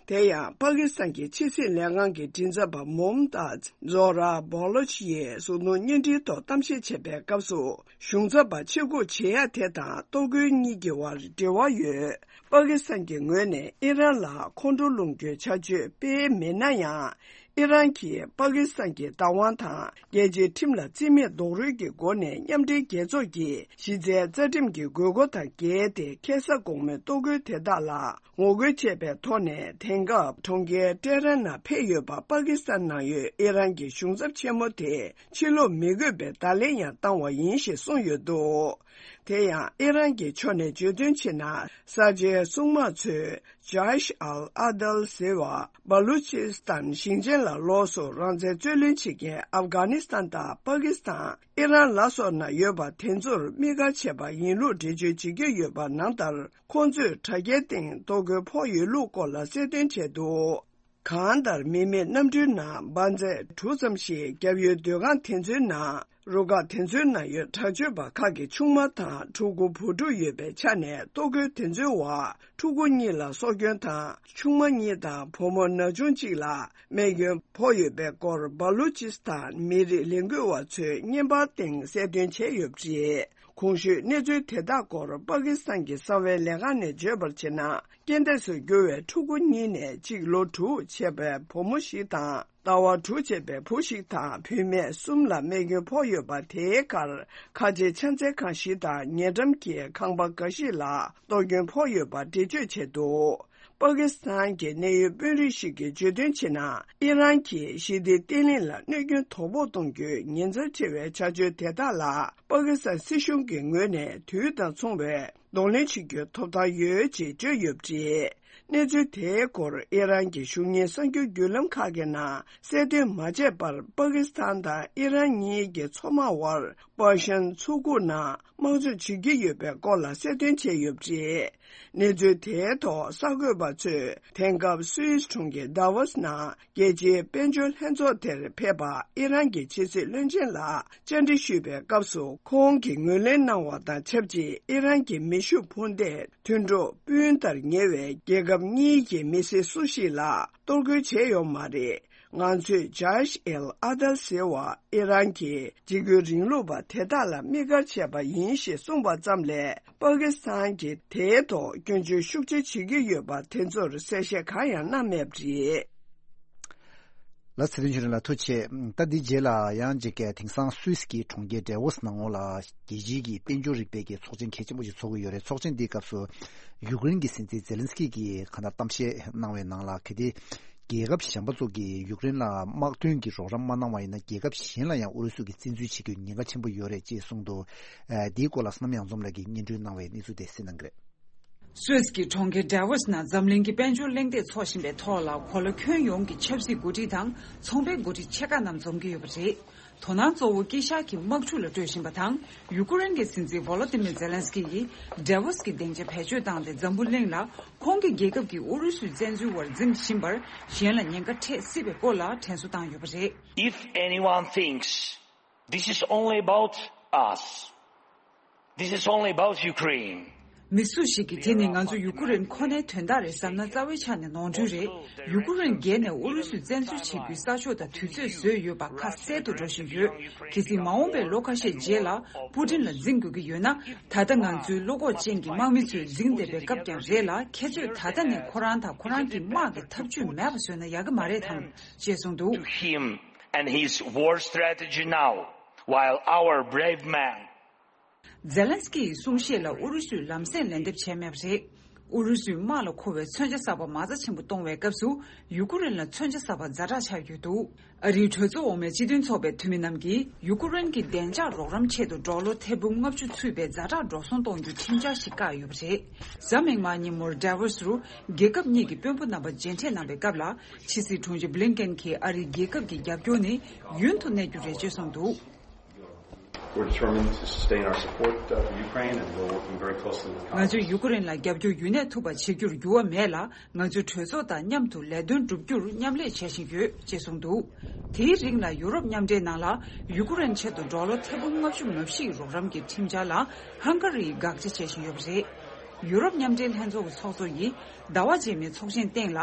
དེ་ཡང་པ་ཀི་སི་ཐན་གྱི་ཕྱི་སྲིད་ལས་ཁང་གི་མགྲིན་ཚབ་པ་མོམ་ཏཱཛ་ཛོ་ར་བྷོ་ལོ་ཆི་ཡིས་གཟུགས་མཐོང་བརྙན་འཕྲིན་ཐོག་གཏམ་བཤད་བྱས་པའི་སྐབས་སུ། གཞུང་ཚབ་པ་ཕྱིར་འབུད་བྱེད་ཡ་དེ་དང་གཏོར་རྒོལ་གཉིས་ཀྱི་བར་འབྲེལ་བ་ཡོད། པ་ཀི་སི་ཐན་གྱི་ངོས་ནས་ཨི་རན་ལ་ཁོང་ཁྲོ་སློང་རྒྱུའི་བྱ་སྤྱོད་སྤེལ་མེད་ན་ཡང་། ཨི་རན་གྱིས་པ་ཀི་སི་ཐན་གྱི་བདག་དབང་དང་རྒྱལ་སྤྱིའི་ཁྲིམས་ལ་རྩིས་མེད་རྡོག་རོལ་གྱི་སྒོ་ནས་མཉམ་འབྲེལ་རྒྱལ་ཚོགས་ཀྱི་གཞི་རྩའི་རྩ་ཁྲིམས་ཀྱི་དགོས་མཁོ་དང་འགལ་ཏེ། ཁ་སང་དགོང་མོའི་གཏོར་རྒོལ་དེ་དག་ལ་ངོ་རྒོལ་བྱས་པའི་ཐོག་ནས། དེང་སྐབས་གྲོང་ཁྱེར་ཏེ་རན་ནང་ཕེབས་ཡོད་པ་པ་ཀི་སི་ཐན་ནང་ཡོད་ཨི་རན་གྱི་གཞུང་ཚབ་ཆེན་མོ་དེ་ཕྱིར་ལོག་མི་དགོས་པའི་བརྡ་ལན་ཡང་བཏང་བ་ཡིན་ཞེས་གསུངས་ཡོད་འདུག་དེ་ཡང་ཨི་རན་གྱི་ཕྱོགས་ནས་བརྗོད་དོན་བྱས་ན། གསར་བརྗེའི་སྲུང་དམག་ཚོས་ཇཱ་ཤ་ཨལ་ཨ་དལ་ཟེར་བ་སྦ་ལུ་ཅི་སི་ཐན་ཞིང་ཆེན་ལ་ལོགས་སུ་རང་བཙན་རྩོད་ལེན་བྱེད་མཁན་ཨབ་གྷ་ནི་སི་ཐན་དང་པ་ཀི་སི་ཐན། ཨི་རན་ལ་སོགས་ན་ཡོད་པ་དེ་ཚོར་དམིགས་བཀར་བྱས་པ་ཡིན་ལུགས་འགྲེལ་བརྗོད་བྱེད་ཀྱི་ཡོད་པ་ནང་ལྟར། ཁོང་ཚོས་དྲ་རྒྱའི་སྟེང་གཏོར་རྒོལ་ཕོག་ཡོད་ལུགས་སྐོར་ལ་གསལ་སྟོན་བྱས་འདུག་གང་ལྟར་མི་མེད་གནམ་གྲུའི་ནང་འབར་རྫས་དྲུག་ཙམ་ཞིག་རྒྱབ་ཡོལ་སྡོད་ཁང་དེ་ཚོའི་ནང་། རུ་ཁག་དེ་ཚོའི་ནང་ཡོད་དྲག་སྤྱོད་པ་ཁག་གི་ཆུང་མ་དང་ཕྲུ་གུ་བུ་ཕྲུག་ཡོད་པའི་ཆ་ནས། གཏོར་རྒོལ་དེ་ཚོའི་འོག་ཕྲུ་གུ་གཉིས་ལ་སྲོག་སྐྱོན་དང་། ཆུང་མ་གཉིས་དང་བུ་མོ་ན་ཆུང་གཅིག་ལ་རྨས་སྐྱོན་ཕོག་ཡོད་པའི་སྐོར་སྦ་ལུ་ཅི་སི་ཐན་མི་རིགས་ལས་འགུལ་བ་ཚོས་བརྙན་པར་སྟེང་གསལ་སྟོན་བྱས་ཡོད་པ་རེད། གོང་ཞུས་གནས་ཚུལ་དེ་དག་སྐོར་པ་ཀི་སི་ཐན་གྱི་གསང་བའི་ལས་ཁང་ནས་བརྗོད་པར་བྱས་ན། རྐྱེན་འདས་སུ་གྱུར་བའི་ཕྲུ་གུ་གཉིས་ནས་གཅིག་ལོ་དྲུག་བྱས་པའི་བུ་མོ་ཞིག་དང་། ཟླ་བ་དྲུག་བྱས་པའི་བུ་ཞིག་དང་བུད་མེད་གསུམ་ལ་རྨས་སྐྱོན་ཕོག་ཡོད་པ། དེའི་ཁར་ཁ་ཆེའི་ཕྱག་འཚལ་ཁང་ཞིག་དང་ཉེ་འགྲམ་གྱི་ཁང་པ་འགའ་ཞིག་ལ་གཏོར་སྐྱོན་ཕོག་ཡོད་པ་འགྲེལ་བརྗོད་བྱས་འདུག་པ་ཀི་སི་ཐན་གྱི་གནད་ཡོད་དཔོན་རིགས་ཤིག་གིས་བརྗོད་དོན་བྱས་ན། ཨི་རན་གྱིས་ཞི་བདེའི་བརྟན་ལྷིང་ལ་གནོད་སྐྱོན་དོ་ཕོག་གཏོང་རྒྱུའི་ཉེན་ཚབས་ཆེ་བའི་བྱ་སྤྱོད་དེ་དག་ལ། པ་ཀི་སི་ཐན་སྲིད་གཞུང་གི་ངོས་ནས་དུས་དང་མཚུངས་པའི་གདོང་ལེན་བྱེད་རྒྱུའི་ཐོབ་ཐང་ཡོད་ཅེས་བརྗོད་ཡོད་པ་རེད། གནས་ཚུལ་དེའི་སྐོར་ཨི་རན་གྱི་གཞུང་གཉེར་གསར་འགྱུར་བརྒྱུད་ལམ་ཁག་གི་ནང་གསལ་སྟོན་མ་བྱས་པར། པ་ཀི་སི་ཐན་དང་ཨི་རན་གཉིས་ཀྱི་མཚོ་དམག་དབར་པར་ཤན་མཚོ་ཁུག་ནང་དམག་འཇོག་བྱེད་ཀྱི་ཡོད་པའི་སྐོར་ལ་གསལ་སྟོན་བྱས་ཡོད་པ་རེད། གནས་ཚུལ་དེའི་ཐོག་གསར་འགོད་པ་ཚོས་དེང་སྐབས་སུད་སི་གྲོང་ཁྱེར་དཱ་ཝོ་སི་ནང་རྒྱལ་སྤྱིའི་དཔལ་འབྱོར་ལྷན་ཚོགས་དེར་ཕེབས་པ་ཨི་རན་གྱི་ཕྱི་སྲིད་བློན་ཆེན་ལ་བཅར་འདྲི་ཞུས་པའི་སྐབས་སུ། ཁོང་གིས་ངོས་ལེན་གནང་བ་དང་ཆབས་ཅིག་ཨི་རན་གྱི་མེ་ཤུགས་འཕུར་མདེལ་དུད་འགྲོ་སྤུན་ལྟར་ཉེ་བའི་རྒྱལ་ཁབ་གཉིས་ཀྱི་མི་སེར་སུ་ཞིག་ལ་གཏོར་རྒོལ་བྱས་ཡོད་མ་རེད། ང་ཚོས་ཇཱ་ཤ་ཨེལ་ཨ་དལ་ཟེར་བ་ཨི་རན་གྱི་འཇིགས་སྐུལ་རིང་ལུགས་པ་དེ་དག་ལ་དམིགས་བཀར་བྱས་པ་ཡིན་ཞེས་གསུངས་པ་ཙམ་ལས། པ་ཀི་སི་ཐན་གྱིས་དེའི་ཐོག་སྐྱོན་བརྗོད་ཤུགས་ཆེ་བྱེད་ཀྱི་ཡོད་པ་དེ་ཚོར་གསལ་བཤད་གང་ཡང་གནང་མེད་པ་རེད། ལགས། ཚེ་རིང་ཆོས་སྒྲོན་ལགས་ཐུགས་རྗེ་ཆེ། ད་འདི་རྗེས་ལ་ཡང་ཅིག་གིས་དེང་སང་སུད་སི་གི་གྲོང་ཁྱེར་ཌེ་ཝོ་སི་ནང་ལོགས་ལ་རྒྱལ་སྤྱིའི་གི་དཔལ་འབྱོར་རིག་པའི་གི་ཚོགས་ཆེན་གལ་ཆེན་པོ་ཞིག་ཚོགས་ཀྱི་ཡོད་རེད། ཚོགས་ཆེན་འདིའི་སྐབས་སུ་ཡུཀ་རེན་གྱི་སྲིད་འཛིན་ཛེ་ལན་སི་ཀི་གིས་གང་ལྟར་གཏམ་བཤད་གནང་བའི་ནང་ལ། གལ་ཏེ་རྒྱལ་ཁབ་གཞན་པ་ཚོ་གིས་ཡུཀ་རེན་ལ་དམག་དོན་གྱི་རོགས་རམ་མ་གནང་བ་ཡིན་ན། རྒྱལ་ཁབ་གཞན་ལ་ཡང་ཨུ་རུ་སུ་གིས་བཙན་འཛུལ་བྱེད་རྒྱུའི་ཉེན་ཁ་ཆེན་པོ་ཡོད་རེད་ཅེས་གསུངས་འདུག་ཨ། འདིའི་སྐོར་ལ་བསོད་ནམས་གཡང་འཛོམས་ལགས་ཀྱིས་སྙན་སྒྲོན་གནང་བའི་གནས་ཚུལ་དེ་གསན་གནང་གི་རེད། སུད་སི་གི་གྲོང་ཁྱེར་ཌེ་ཝོ་སི་ནང་འཛམ་གླིང་གི་དཔལ་འབྱོར་གླེང་སྟེགས་འཚོགས་བཞིན་པའི་ཐོག་ལ། གོ་ལ་ཁྱོན་ཡོངས་ཀྱི་ཆབ་སྲིད་འགོ་ཁྲིད་དང་ཚོང་པའི་འགོ་ཁྲིད་ཆེ་ཁག་རྣམས་འཛོམས་ཀྱི་ཡོད་པ་རེད། དོ་སྣང་གཙོ་བོ་དཀྱིལ་ཤར་གྱི་དམག་འཁྲུག་ལ་སྤྲོད་བཞིན་པ་དང་། ཡུ་ཀེ་རེན་གྱི་སྲིད་འཛིན་ཝོ་ལོ་ཏི་མིར་ཛེ་ལན་སི་ཀི་ཡིས་ཌེ་ཝོ་སི་གི་སྡིངས་ཆ་བེད་སྤྱོད་བཏང་སྟེ། འཛམ་བུ་གླིང་ལ་ཁོང་གི་རྒྱལ་ཁབ་ཀྱིས་ཨུ་རུ་སུའི་བཙན་འཛུལ་བར་འཛིང་བཞིན་པར་གཞན་ལ་ཉེན་ཁ་འཕྲད་སྲིད་པའི་སྐོར་ལ་དྲན་གསོ་བཏང་ཡོད་པ་རེད། If anyone thinks this is only about us, this is only about Ukraine. མི་སུ་ཞིག་གིས་དེ་ནི་ང་ཚོ་ཡུ་ཀེ་རེན་ཁོ་ནའི་དོན་དག་རེད་བསམ་ན། རྩ་བའི་ཆ་ནས་ནོར་འཁྲུལ་རེད། ཡུ་ཀེ་རེན་བརྒལ་ནས་ཨུ་རུ་སུས་བཙན་འཛུལ་བྱེད་རྒྱུའི་ས་ཕྱོགས་དང་དུས་ཚོད་བཟོས་ཡོད་པ་ཁ་གསལ་དུ་འགྲོ་བཞིན་ཡོད། གལ་སྲིད་མ་འོངས་པའི་ལོ་ཁ་ཤས་རྗེས་ལ་པུ་ཏིན་ལ་འཛིང་དགོས་ཀྱི་ཡོད་ན། ད་ལྟ་ང་ཚོའི་བློ་ཁོག་ཅན་གྱི་དམག་མི་ཚོས་འཛིང་བསྡད་པའི་སྐབས་ཀྱང་རེད་ལ། ཁྱེད་ཚོས་ད་ལྟ་ནས་ཁོ་རང་དང་ཁོ་རང་གི་དམག་གི་ཐབས་ཇུས་མེད་པ་བཟོས་ན་ཡག་གི་མ་རེད་དམ། ཅེས་གསུངས་འདུག To him, and his war strategy now, while our brave men. ཛེ་ལན་སི་ཀི་ཡི་གསུང་བཤད་ལ་ཨུ་རུ་སུས་ལམ་སེང་ལན་འདེབས་བྱས་མེད་པ་རེད། ཨུ་རུ་སུས་དམག་ལ་མཁོ་བའི་མཚོན་ཆ་གསར་པ་མ་རྩ་ཆེན་པོ་གཏོང་བའི་སྐབས་སུ་ཡུ་ཀེ་རེན་ལ་མཚོན་ཆ་གསར་པ་ཛ་དྲག་ཆགས་ཡོད་འདུག་ཨ་རིའི་གྲོས་ཚོགས་འོག་མའི་སྤྱི་མཐུན་ཚོགས་པའི་འཐུས་མི་རྣམས་ཀྱིས་ཡུ་ཀེ་རེན་གྱི་བདེ་འཇགས་རོགས་རམ་ཆེད་དུ་ཌོ་ལར་ཐེར་འབུམ་ལྔ་བཅུ་ཚུད་པའི་ཛ་དྲག་འགྲོ་སོང་གཏོང་རྒྱུའི་ཁྲིམས་འཆར་ཞིག་བཀག་ཡོད་པ་རེད། གཟའ་མིག་དམར་ཉིན་མོར་ཌ་ཝོ་སི་རུ་རྒྱལ་ཁབ་གཉིས་ཀྱི་དཔོན་པོ་རྣམ་པ་མཇལ་འཕྲད་གནང་བའི་སྐབས་ལ། ཕྱི་སྲིད་དྲུང་ཆེ་བྷི་ལིན་ཀེན་གྱིས་ཨ་རིའི་རྒྱལ་ཁབ་ཀྱི་རྒྱབ་སྐྱོར་ནི་ཡུན་དུ་གནས་རྒྱུ་རེད་ཅེས་གསུངས་འདུག We're determined to sustain our support, uh, for Ukraine, and we're working very closely with the Congress. ང་ཚོས་ཡུ་ཀེ་རེན་ལ་རྒྱབ་སྐྱོར་ཡུན་གནས་ཐུབ་པ་བྱེད་རྒྱུར་འགྱུར་བ་མེད་ལ། ང་ཚོས་གྲོས་ཚོགས་དང་མཉམ་དུ་ལས་དོན་བསྒྲུབ་རྒྱུར་མཉམ་ལས་བྱེད་བཞིན་ཡོད་ཅེས་གསུངས་འདུག་དེའི་རིང་ལ་ཡུ་རོབ་མཉམ་འབྲེལ་ནང་ལ་ཡུ་ཀེ་རེན་ཆེད་དུ་ཌོ་ལར་ཐེར་འབུམ་ལྔ་བཅུ་ང་བཞི་ཡི་རོགས་རམ་གྱི་ཁྲིམས་འཆར་ལ་ཧང་ག་རིས་དགག་བྱ་བྱེད་བཞིན་ཡོད་པ་རེད། ཡུ་རོབ་མཉམ་འབྲེལ་ལྷན་ཚོགས་ཀྱི་ཚོགས་གཙོ་ཡིས་ཟླ་བ་རྗེས་མའི་ཚོགས་ཆེན་སྟེང་ལ་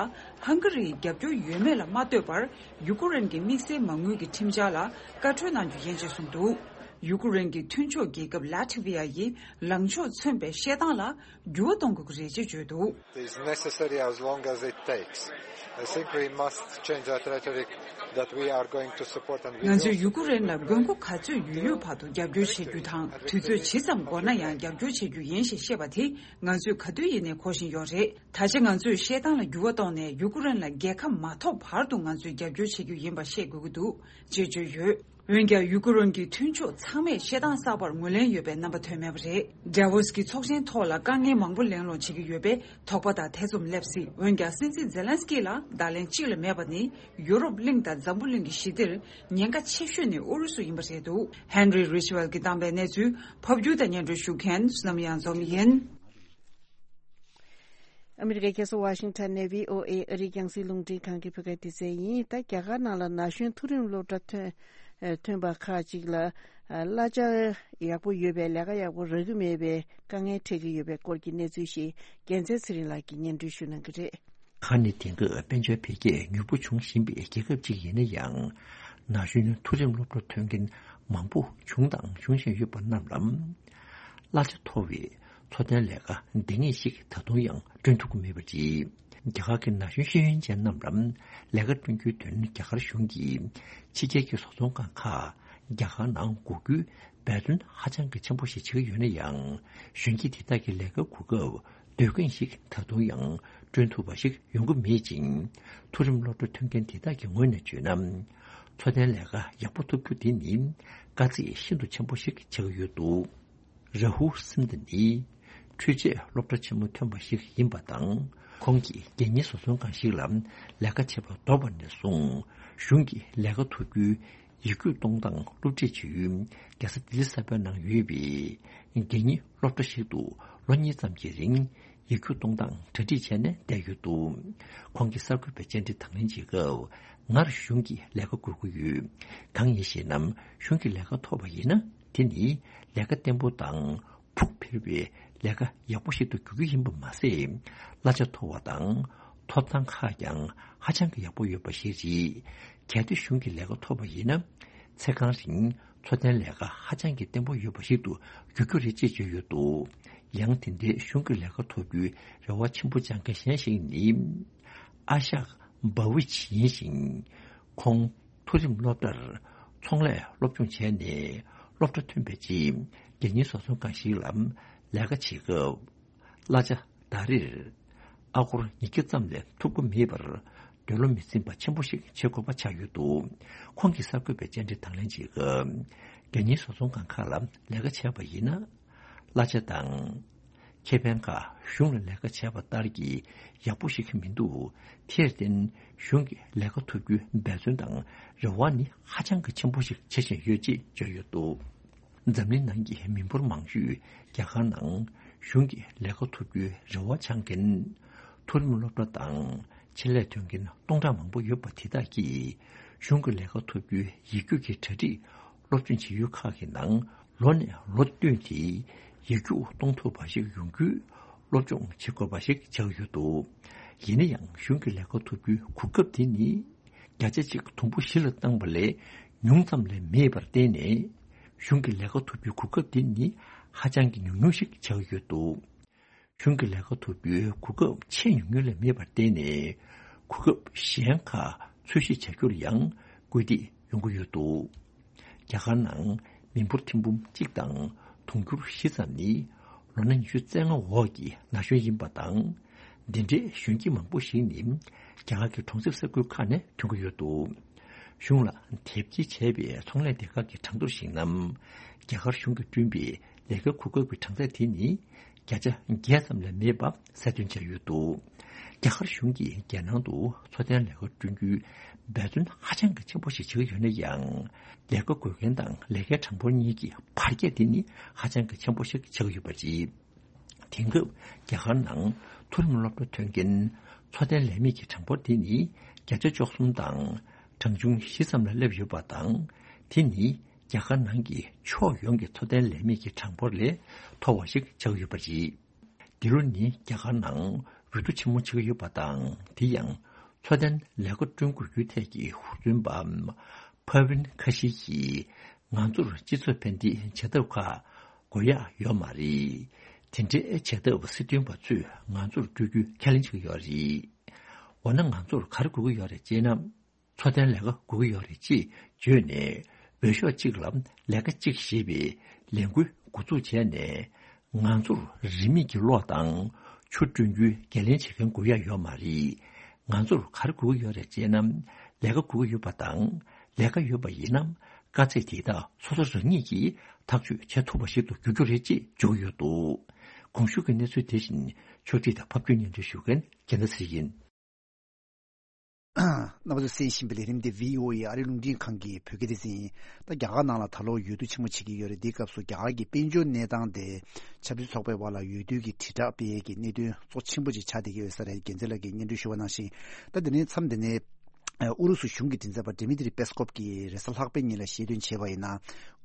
ཧང་ག་རིའི་རྒྱབ་སྐྱོར་ཡོད་མེད་ལ་མ་ལྟོས་པར། ཡུ་ཀེ་རེན་གྱི་དམིགས་བསལ་མ་དངུལ་གྱི་ཁྲིམས་འཆར་ལ་བཀའ་འཁྲོལ་གནང་རྒྱུ་ཡིན་ཅེས་གསུངས་འདུག་ཡུ་ཀེ་རེན་གྱི་མཐུན་ཕྱོགས་རྒྱལ་ཁབ་ལ་ཐི་བྷི་ཡ་ཡིས་ལངས་ཕྱོགས་མཚོན་པའི་བཤད་སྟངས་ལ་འགྱུར་བ་གཏོང་དགོས་ཀྱི་རེད་ཅེས་བརྗོད་འདུག It is necessary as long as it takes. I think we must change that rhetoric that we are going to support and we ང་ཚོས་ཡུ་ཀེ་རེན་ལ་དགོས་མཁོ་ག་ཚོད་ཡོད་ཡོད་བར་དུ་རྒྱབ་སྐྱོར་བྱེད་རྒྱུ་དང་། དུས་ཚོད་ཇི་ཙམ་འགོར་ན་ཡང་རྒྱབ་སྐྱོར་བྱེད་རྒྱུ་ཡིན་ཞེས་བཤད་པ་དེ་ང་ཚོས་ག་དུས་ཡིན་ནའི་གོ་བཞིན་ཡོད་རེད། ད་ཆ་ང་ཚོས་བཤད་སྟངས་ལ་འགྱུར་བ་གཏོང་ནས་ཡུ་ཀེ་རེན་ལ་རྒྱལ་ཁ་མ་ཐོབ་བར་དུ་ང་ཚོས་རྒྱབ་སྐྱོར་བྱེད་རྒྱུ་ཡིན་པ་བཤད་དགོས་ཀྱི་འདུག་ཅེས་བརྗོད་ཡོད། འོན་ཀྱང་ཡུ་ཀེ་རེན་གྱི་མཐུན་ཕྱོགས་ཚང་མས་བཤད་སྟངས་གསར་པར་ངོས་ལེན་ཡོད་པའི་རྣམ་པ་ཐོན་མེད་པ་རེད། ཌ་ཝོ་སི་ཀྱི་ཚོགས་ཆེན་ཐོག་ལ་དཀའ་ངལ་མང་པོ་གླེང་སློང་བྱེད་ཀྱི་ཡོད་པས་དོགས་པ་དང་ཐེ་ཚོམ་སླེབས་སྲིད། འོན་ཀྱང་སྲིད་འཛིན་ཛེ་ལན་སི་ཀི་ལ་བརྡ་ལན་གཅིག་ལས་མེད་པ་ནི་ཡུ་རོབ་གླིང་དང་འཛམ་བུ་གླིང་གི་ཞི་བདེར་ཉེན་ཁ་ཆེ་ཤོས་ནི་ཨུ་རུ་སུ་ཡིན་པ་རེད་འདུག་ཧན་རི་རི་ཆི་ཝེལ་གྱིས་བཏང་པའི་གནས་ཚུལ་ཕབ་སྒྱུར་དང་སྙན་སྒྲོན་ཞུ་མཁན་བསོད་ནམས་གཡང་འཛོམས་ཡིན། ཨ་མི་རི་ཀའི་རྒྱལ་ས་ཝ་ཤིང་ཊོན་ནས་བྷི་ཨོ་ཨེ་ཨ་རིའི་རྒྱང་སྲིང་རླུང་འཕྲིན་ཁང་གི་བོད་སྐད་སྡེ་ཚན་ཡིན། ད་རྒྱ་གར་ནང་ལ་ན་གཞོན་མཐོ་རིམ་སློབ་གྲྭ་ཐོན་ཨ་ཐོན་པ་ཁག་ཅིག་ལ་ཨ་གླ་ཆ་ཡག་པོ་ཡོད་པའི་ལས་ཀ་ཡག་པོ་རག་གི་མེད་པའི་དཀའ་ངལ་འཕྲད་ཀྱི་ཡོད་པའི་སྐོར་གྱི་གནས་ཚུལ་ཞིག་རྒྱལ་མཚན་ཚེ་རིང་ལགས་ཀྱིས་སྙན་སྒྲོན་ཞུ་གནང་གི་རེད། ཁ་ནི་དེང་སྐབས་དཔལ་འབྱོར་འཕེལ་རྒྱས་མྱུར་པོ་འབྱུང་བཞིན་པའི་རྒྱལ་ཁབ་ཅིག་ཡིན་ན་ཡང་། ན་གཞོན་མཐོ་རིམ་སློབ་གྲྭ་ཐོན་མཁན་མང་པོ་བྱུང་དང་འབྱུང་བཞིན་ཡོད་པ་རྣམས་ལ། གླ་ཆ་མཐོ་བའི་འཚོ་རྟེན་ལས་ཀ་འདང་ངེས་ཤིག་ད་དུང་ཡང་བསྐྲུན་ཐུབ་ཀྱི་མེད་པ་རེད། རྒྱ་གར་གྱི་ན་གཞོན་ཤེས་ཡོན་ཅན་རྣམས་ལ་ལས་ཀ་བསྐྲུན་རྒྱུའི་དོན་རྒྱ་གར་གཞུང་གིས་ཕྱི་རྒྱལ་གྱི་བཟོ་ཚོང་ཁང་ཁག་རྒྱ་གར་ནང་སྒོ་རྒྱུའི་འབད་བརྩོན་ཧ་ཅང་གི་ཆེན་པོ་ཞིག་བྱེད་ཀྱི་ཡོད་ན་ཡང་། གཞོན་སྐྱེས་དེ་དག་གི་ལས་ཀའི་གོ་སྐབས་དུས་གང་ཞིག་ད་དུང་ཡང་བསྐྲུན་ཐུབ་པ་ཞིག་ཡོང་གི་མེད་ཅིང་། མཐོ་རིམ་སློབ་གྲྭ་ཐོན་མཁན་དེ་དག་གི་ངོས་ནས་བརྗོད་ན། འཚོ་རྟེན་ལས་ཀ་ཡག་པོ་ཐོབ་རྒྱུ་དེ་ནི་དཀའ་ཚེགས་ཤིན་ཏུ་ཆེན་པོ་ཞིག་ཆགས་ཀྱི་ཡོད་འདུག་ར་ཧུལ་སིན་དྷ་ནི་འཕྲུལ་ཆས་སློབ་གྲྭ་ཆེན་མོ་ཐོན་པ་ཞིག་ཡིན་པ་དང་། ཁོང་གིས་རྒྱལ་གཉེར་བཟོ་ཚོང་ཁང་ཞིག་ལ་ལས་ཀ་བྱེད་པར་དོར་བ་ནས་བཟུང་། གཞུང་གི་ལས་ཀ་ཐོབ་རྒྱུའི་ཡིག་རྒྱུགས་གཏོང་སྟངས་སློབ་ཁྲིད་བྱེད་ཡུལ་རྒྱལ་ས་ལྡི་ལི་གསར་པའི་ནང་ཡོད་པའི་རྒྱལ་གཉེར་སློབ་གྲྭ་ཞིག་ཏུ་ལོ་གཉིས་ཙམ་གྱི་རིང་ཡིག་རྒྱུགས་གཏོང་སྟངས་གྲ་སྒྲིག་བྱས་ནས་བསྡད་ཡོད་འདུག་ཁོང་གིས་གསར་འགོད་པའི་བཅར་འདྲི་དང་ལེན་བྱེད་སྐབས། ངར་གཞུང་གི་ལས་ཀ་དགོས་ཀྱི་ཡོད། གང་ཡིན་ཞེ་ན། གཞུང་གི་ལས་ཀ་ཐོབ་པ་ཡིན་ན། དེ་ནི་ལས་ཀ་བརྟན་པོ་དང་ཕུགས་འཕེར་བའི་ལས་ཀ་ཡག་པོ་ཞིག་ཏུ་འགྱུར་རྒྱུ་ཡིན་པ་མ་ཟད། གླ་ཆ་མཐོ་བ་དང་ཐོབ་ཐང་ཁག་ཀྱང་ཧ་ཅང་གི་ཡག་པོ་ཡོད་པ་ཞིག་རེད། གལ་ཏེ་གཞུང་གི་ལས་ཀ་ཐོབ་པ་ཡིན་ན། ཚེ་གང་རིང་འཚོ་རྟེན་ལས་ཀ་ཧ་ཅང་གི་བརྟན་པོ་ཡོད་པ་ཞིག་ཏུ་འགྱུར་རྒྱུ་རེད་ཅེས་བརྗོད་ཡོད་འདུག་ཡང་དེ་འདྲའི་གཞུང་གི་ལས་ཀ་ཐོབ་རྒྱུའི་རེ་བ་ཆེན་པོ་བཅངས་མཁན་གཞན་ཞིག་ནི། ཨ་ཤག་བྷ་ཝིཆ་ཡིན་ཞིང་། ཁོང་མཐོ་རིམ་སློབ་གྲྭར་ཚོང་ལས་སློབ་སྦྱོང་བྱས་ནས་སློབ་གྲྭ་ཐོན་པའི་རྗེས་རྒྱལ་གཉེར་བཟོ་ཚོང་ཁང་ཞིག་ལ་ལས་ཀ་བྱེད་སྐབས། གླ་ཆ་ཟླ་རེར་ཨ་སྒོར་ཉིས་བརྒྱ་ཙམ་ལས་ཐོབ་ཀྱི་མེད་པར་འདོད་བློ་མི་འཛིན་པ་ཆེན་པོ་ཞིག་བྱེད་དགོས་པ་ཆགས་ཡོད་འདུག་ཁོང་གིས་གསར་འགོད་པའི་བཅར་འདྲི་དང་ལེན་བྱེད་སྐབས། རྒྱལ་གཉེར་བཟོ་ཚོང་ཁང་ཁག་ལ་ལས་ཀ་བྱས་པ་ཡིན་ན། གླ་ཆ་དང་། ཁེ་ཕན་ཁག་གཞུང་ལ་ལས་ཀ་བྱས་པ་ལྟར་གྱི་ཡག་པོ་ཞིག་མི་འདུག་དེར་བརྟེན་གཞུང་གི་ལས་ཀ་ཐོབ་རྒྱུའི་འབད་བརྩོན་དང་རེ་བ་ནི་ཧ་ཅང་གི་ཆེན་པོ་ཞིག་བྱེད་བཞིན་ཡོད་ཅེས་བརྗོད་ཡོད་འདུག་འཛམ་གླིང་ནང་གི་མི་འབོར་མང་ཤོས་རྒྱ་གར་ནང་གཞུང་གི་ལས་ཀ་ཐོབ་རྒྱུའི་རེ་བ་འཆང་མཁན་མཐོ་རིམ་སློབ་གྲྭ་དང་ཆེད་ལས་ཐོན་མཁན་སྟོང་ཕྲག་མང་པོ་ཡོད་པ་དེ་དག་གིས་གཞུང་གི་ལས་ཀ་ཐོབ་རྒྱུའི་ཡིག་རྒྱུགས་ཀྱི་གྲ་སྒྲིག་སློབ་སྦྱོང་བྱེད་ཡུལ་ཁག་གི་ནང་ལོ་ནས་ལོ་བསྟུད་དེ་ཡིག་རྒྱུགས་གཏོང་ཐུབ་པ་ཞིག་ཡོང་རྒྱུའི་སློབ་སྦྱོང་བྱེད་དགོས་པ་ཞིག་ཆགས་ཡོད་འདུག་ཡིན་ན་ཡང་གཞུང་གི་ལས་ཀ་ཐོབ་རྒྱུའི་གོ་སྐབས་དེ་ནི་བརྒྱ་ཆ་གཅིག་དུམ་བུ་བཞི་ལ་བཏང་པ་ལས་ཉུང་ཙམ་ལས་མེད་པར་བརྟེན་ནས། གཞུང་གི་ལས་ཀ་ཐོབ་རྒྱུའི་གོ་སྐབས་དེ་ནི་ཧ་ཅང་གི་ཉུང་ཉུང་ཞིག་ཆགས་ཡོད་འདུག་གཞུང་གི་ལས་ཀ་ཐོབ་རྒྱུའི་གོ་སྐབས་ཆེས་ཉུང་ཉུང་ལས་མེད་པར་བརྟེན་ནས། གོ་སྐབས་གཞན་ཁག་འཚོལ་ཞིབ་བྱ་རྒྱུར་ཡང་སྐུལ་འདེད་ ཡོང་གི་ཡོད་འདུག་རྒྱ་གར་ནང་མི་འབོར་ཐེར་འབུམ་གཅིག་དང་དུང་ཕྱུར་བཞི་ཙམ་ནི་ལོ་ན་ཉི་ཤུ་རྩ་ལྔ་འོག་གི་ན་གཞོན་ཡིན་པ་དང་། འདི་འདྲའི་གཞོན་སྐྱེས་མང་པོ་ཞིག་ནི་རྒྱ་གར་གྱི་གྲོང་གསེབ་ས་ཁུལ་ཁག་ནས་ཐོན་གྱི་ཡོད་འདུག་གཞུང་ལ་དེབ་སྐྱེལ་བྱས་པའི་ཚོང་ལས་སྡེ་ཁག་གི་གྲངས་ཐོར་གཞིགས་ན། རྒྱ་གར་གཞུང་གིས་བསྐྲུན་པའི་ལས་ཀ་གོ་སྐབས་ཀྱི་གྲངས་ཚད་དེ་ནི་བརྒྱ་ཆ་བརྒྱད་ཙམ་ལས་མེད་པ་གསལ་སྟོན་བྱས་ཡོད་འདུག་རྒྱ་གར་གཞུང་གིས་རྒྱལ་ནང་དུ་འཚོ་རྟེན་ལས་ཀ་བསྐྲུན་རྒྱུའི་འབད་བརྩོན་ཧ་ཅང་གི་ཆེན་པོ་ཞིག་བྱེད་ཀྱི་ཡོད་ན་ཡང་། ལས་ཀ་དགོས་མཁན་དང་ལས་ཀའི་གྲངས་འབོར་གཉིས་ཀྱི་བར་ཁྱད་དེ་ནི་ཧ་ཅང་གི་ཆེན་པོ་ཞིག་ཆགས་ཀྱི་ཡོད་པ་རེད། དེང་སྐབས་རྒྱ་གར་ནང་མཐོ་རིམ་སློབ་གྲྭ་ཐོན་མཁན་འཚོ་རྟེན་ལས་མེད་ཀྱི་གྲངས་འབོར་དེ་ནི་བརྒྱ་ཆ་བཅུ་གསུམ་དང་གྲངས་ཆུང་བཞི་ཙམ་ལ་སླེབས་ཡོད་པ་དང་། དེ་ནི་རྒྱ་གར་ནང་གི་ཕྱོགས་ཡོངས་ཀྱི་འཚོ་རྟེན་ལས་མེད་ཀྱི་གྲངས་འབོར་ལས་མཐོ་བ་ཞིག་ཆགས་ཡོད་པ་རེད། འདི་ལོ་ནི་རྒྱ་གར་ནང་འོས་བསྡུ་ཆེན་མོ་ཆགས་ཡོད་པ་དང་། དེ་ཡང་འཚོ་རྟེན་ལས་ཀ་བསྐྲུན་དགོས་རྒྱུའི་ཐད་ཀྱི་ཧུར་བརྩོན་པ་ཕ་ཝིན་ཁ་ཤི་གིས་ང་ཚོར་སྤྱི་ཚོགས་ཕན་བདེའི་བྱ་ཐབས་ཁག་དགོས་ཡག་ཡོད་མ་རེད། དེ་འདྲའི་བྱ་ཐབས་སྲིད་དོན་པ་ཚོས་ང་ཚོར་སྤྲོད་རྒྱུ་ཁས་ལེན་བྱེད་ཀྱི་ཡོད་རེད། འོ་ན་ང་ཚོར་ག་རེ་དགོས་ཀྱི་ཡོད་རེད་ཅེ་ན། འཚོ་རྟེན་ལས་ཀ་དགོས་ཀྱི་ཡོད་རེད་ཅེས་བརྗོད་ནས། འོས་ཤོག་གཅིག་ལ་ལས་ཀ་གཅིག་ཞེས་པའི་ལས་འགུལ་འགོ་འཛུགས་བྱས་ནས། ང་ཚོར་རིན་མེད་ཀྱི་གློག་དང་ཆུ་བསྐྲུན་རྒྱུའི་འགན་ལེན་བྱེད་མཁན་དགོས་ཡ་ཡོད་མ་རེད། ང་ཚོར་ག་རེ་དགོས་ཀྱི་ཡོད་རེད་ཅེ་ན། ལས་ཀ་དགོས་ཀྱི་ཡོད་པ་དང་། ལས་ཀ་ཡོད་པ་ཡིན་ན། དཀའ་ཚེགས་དེ་དག་སོ་སོ་རང་ཉིད་ཀྱིས་ཐག་གཅོད་བྱེད་ཐུབ་པ་ཞིག་ཏུ་འགྱུར་རྒྱུ་རེད་ཅེས་བརྗོད་ཀྱི་ཡོད་འདུག་གོང་ཞུས་ཀྱི་གནས་ཚུལ་དེ་བཞིན་ཕྱོགས་སྒྲིག་དང་ཕབ་སྒྱུར་སྙན་སྒྲོན་ཞུ་མཁན་རྒྱལ་མཚན་ཚེ་རིང་ཡིན། རྣམ་པ་ཚོས་གསན་བཞིན་པའི་ལས་རིམ་དེ་བྷི་ཨོ་ཨེ་ཨ་རིའི་རླུང་འཕྲིན་ཁང་གི་བོད་སྐད་སྡེ་ཚན་ཡིན། ད་རྒྱ་གར་ནང་ལ་ད་ལོ་འོས་བསྡུ་ཆེན་མོ་བྱེད་ཀྱི་ཡོད་རེད། འདིའི་སྐབས་སུ་རྒྱ་གར་གྱི་དཔལ་འབྱོར་གནས་སྟངས་དེ་ཆབ་སྲིད་ཚོགས་པའི་བར་ལ་འོས་བསྡུ་གི་དྲིལ་བསྒྲགས་སྤེལ་ཡས་ཀྱི་གནད་དོན་གཙོ་ཆེན་པོ་ཅིག་ཆགས་བསྡད་ཀྱི་ཡོད་ས་རེད། རྒྱལ་མཚན་ལགས་ཀྱིས་སྙན་སྒྲོན་ཞུ་བ་ནང་བཞིན། ད་དེ་ནས་མཚམས་དེ་ནས་ཨུ་རུ་སུ་གཞུང་གི་མགྲིན་ཚབ་པ་ཌི་མི་ཏྲི་པེས་ཀོབ་ཀྱིས་རེས་གཟའ་ལྷག་པའི་ཉིན་ལ་བཤད་དོན་བྱས་པ་ཡིན་ན།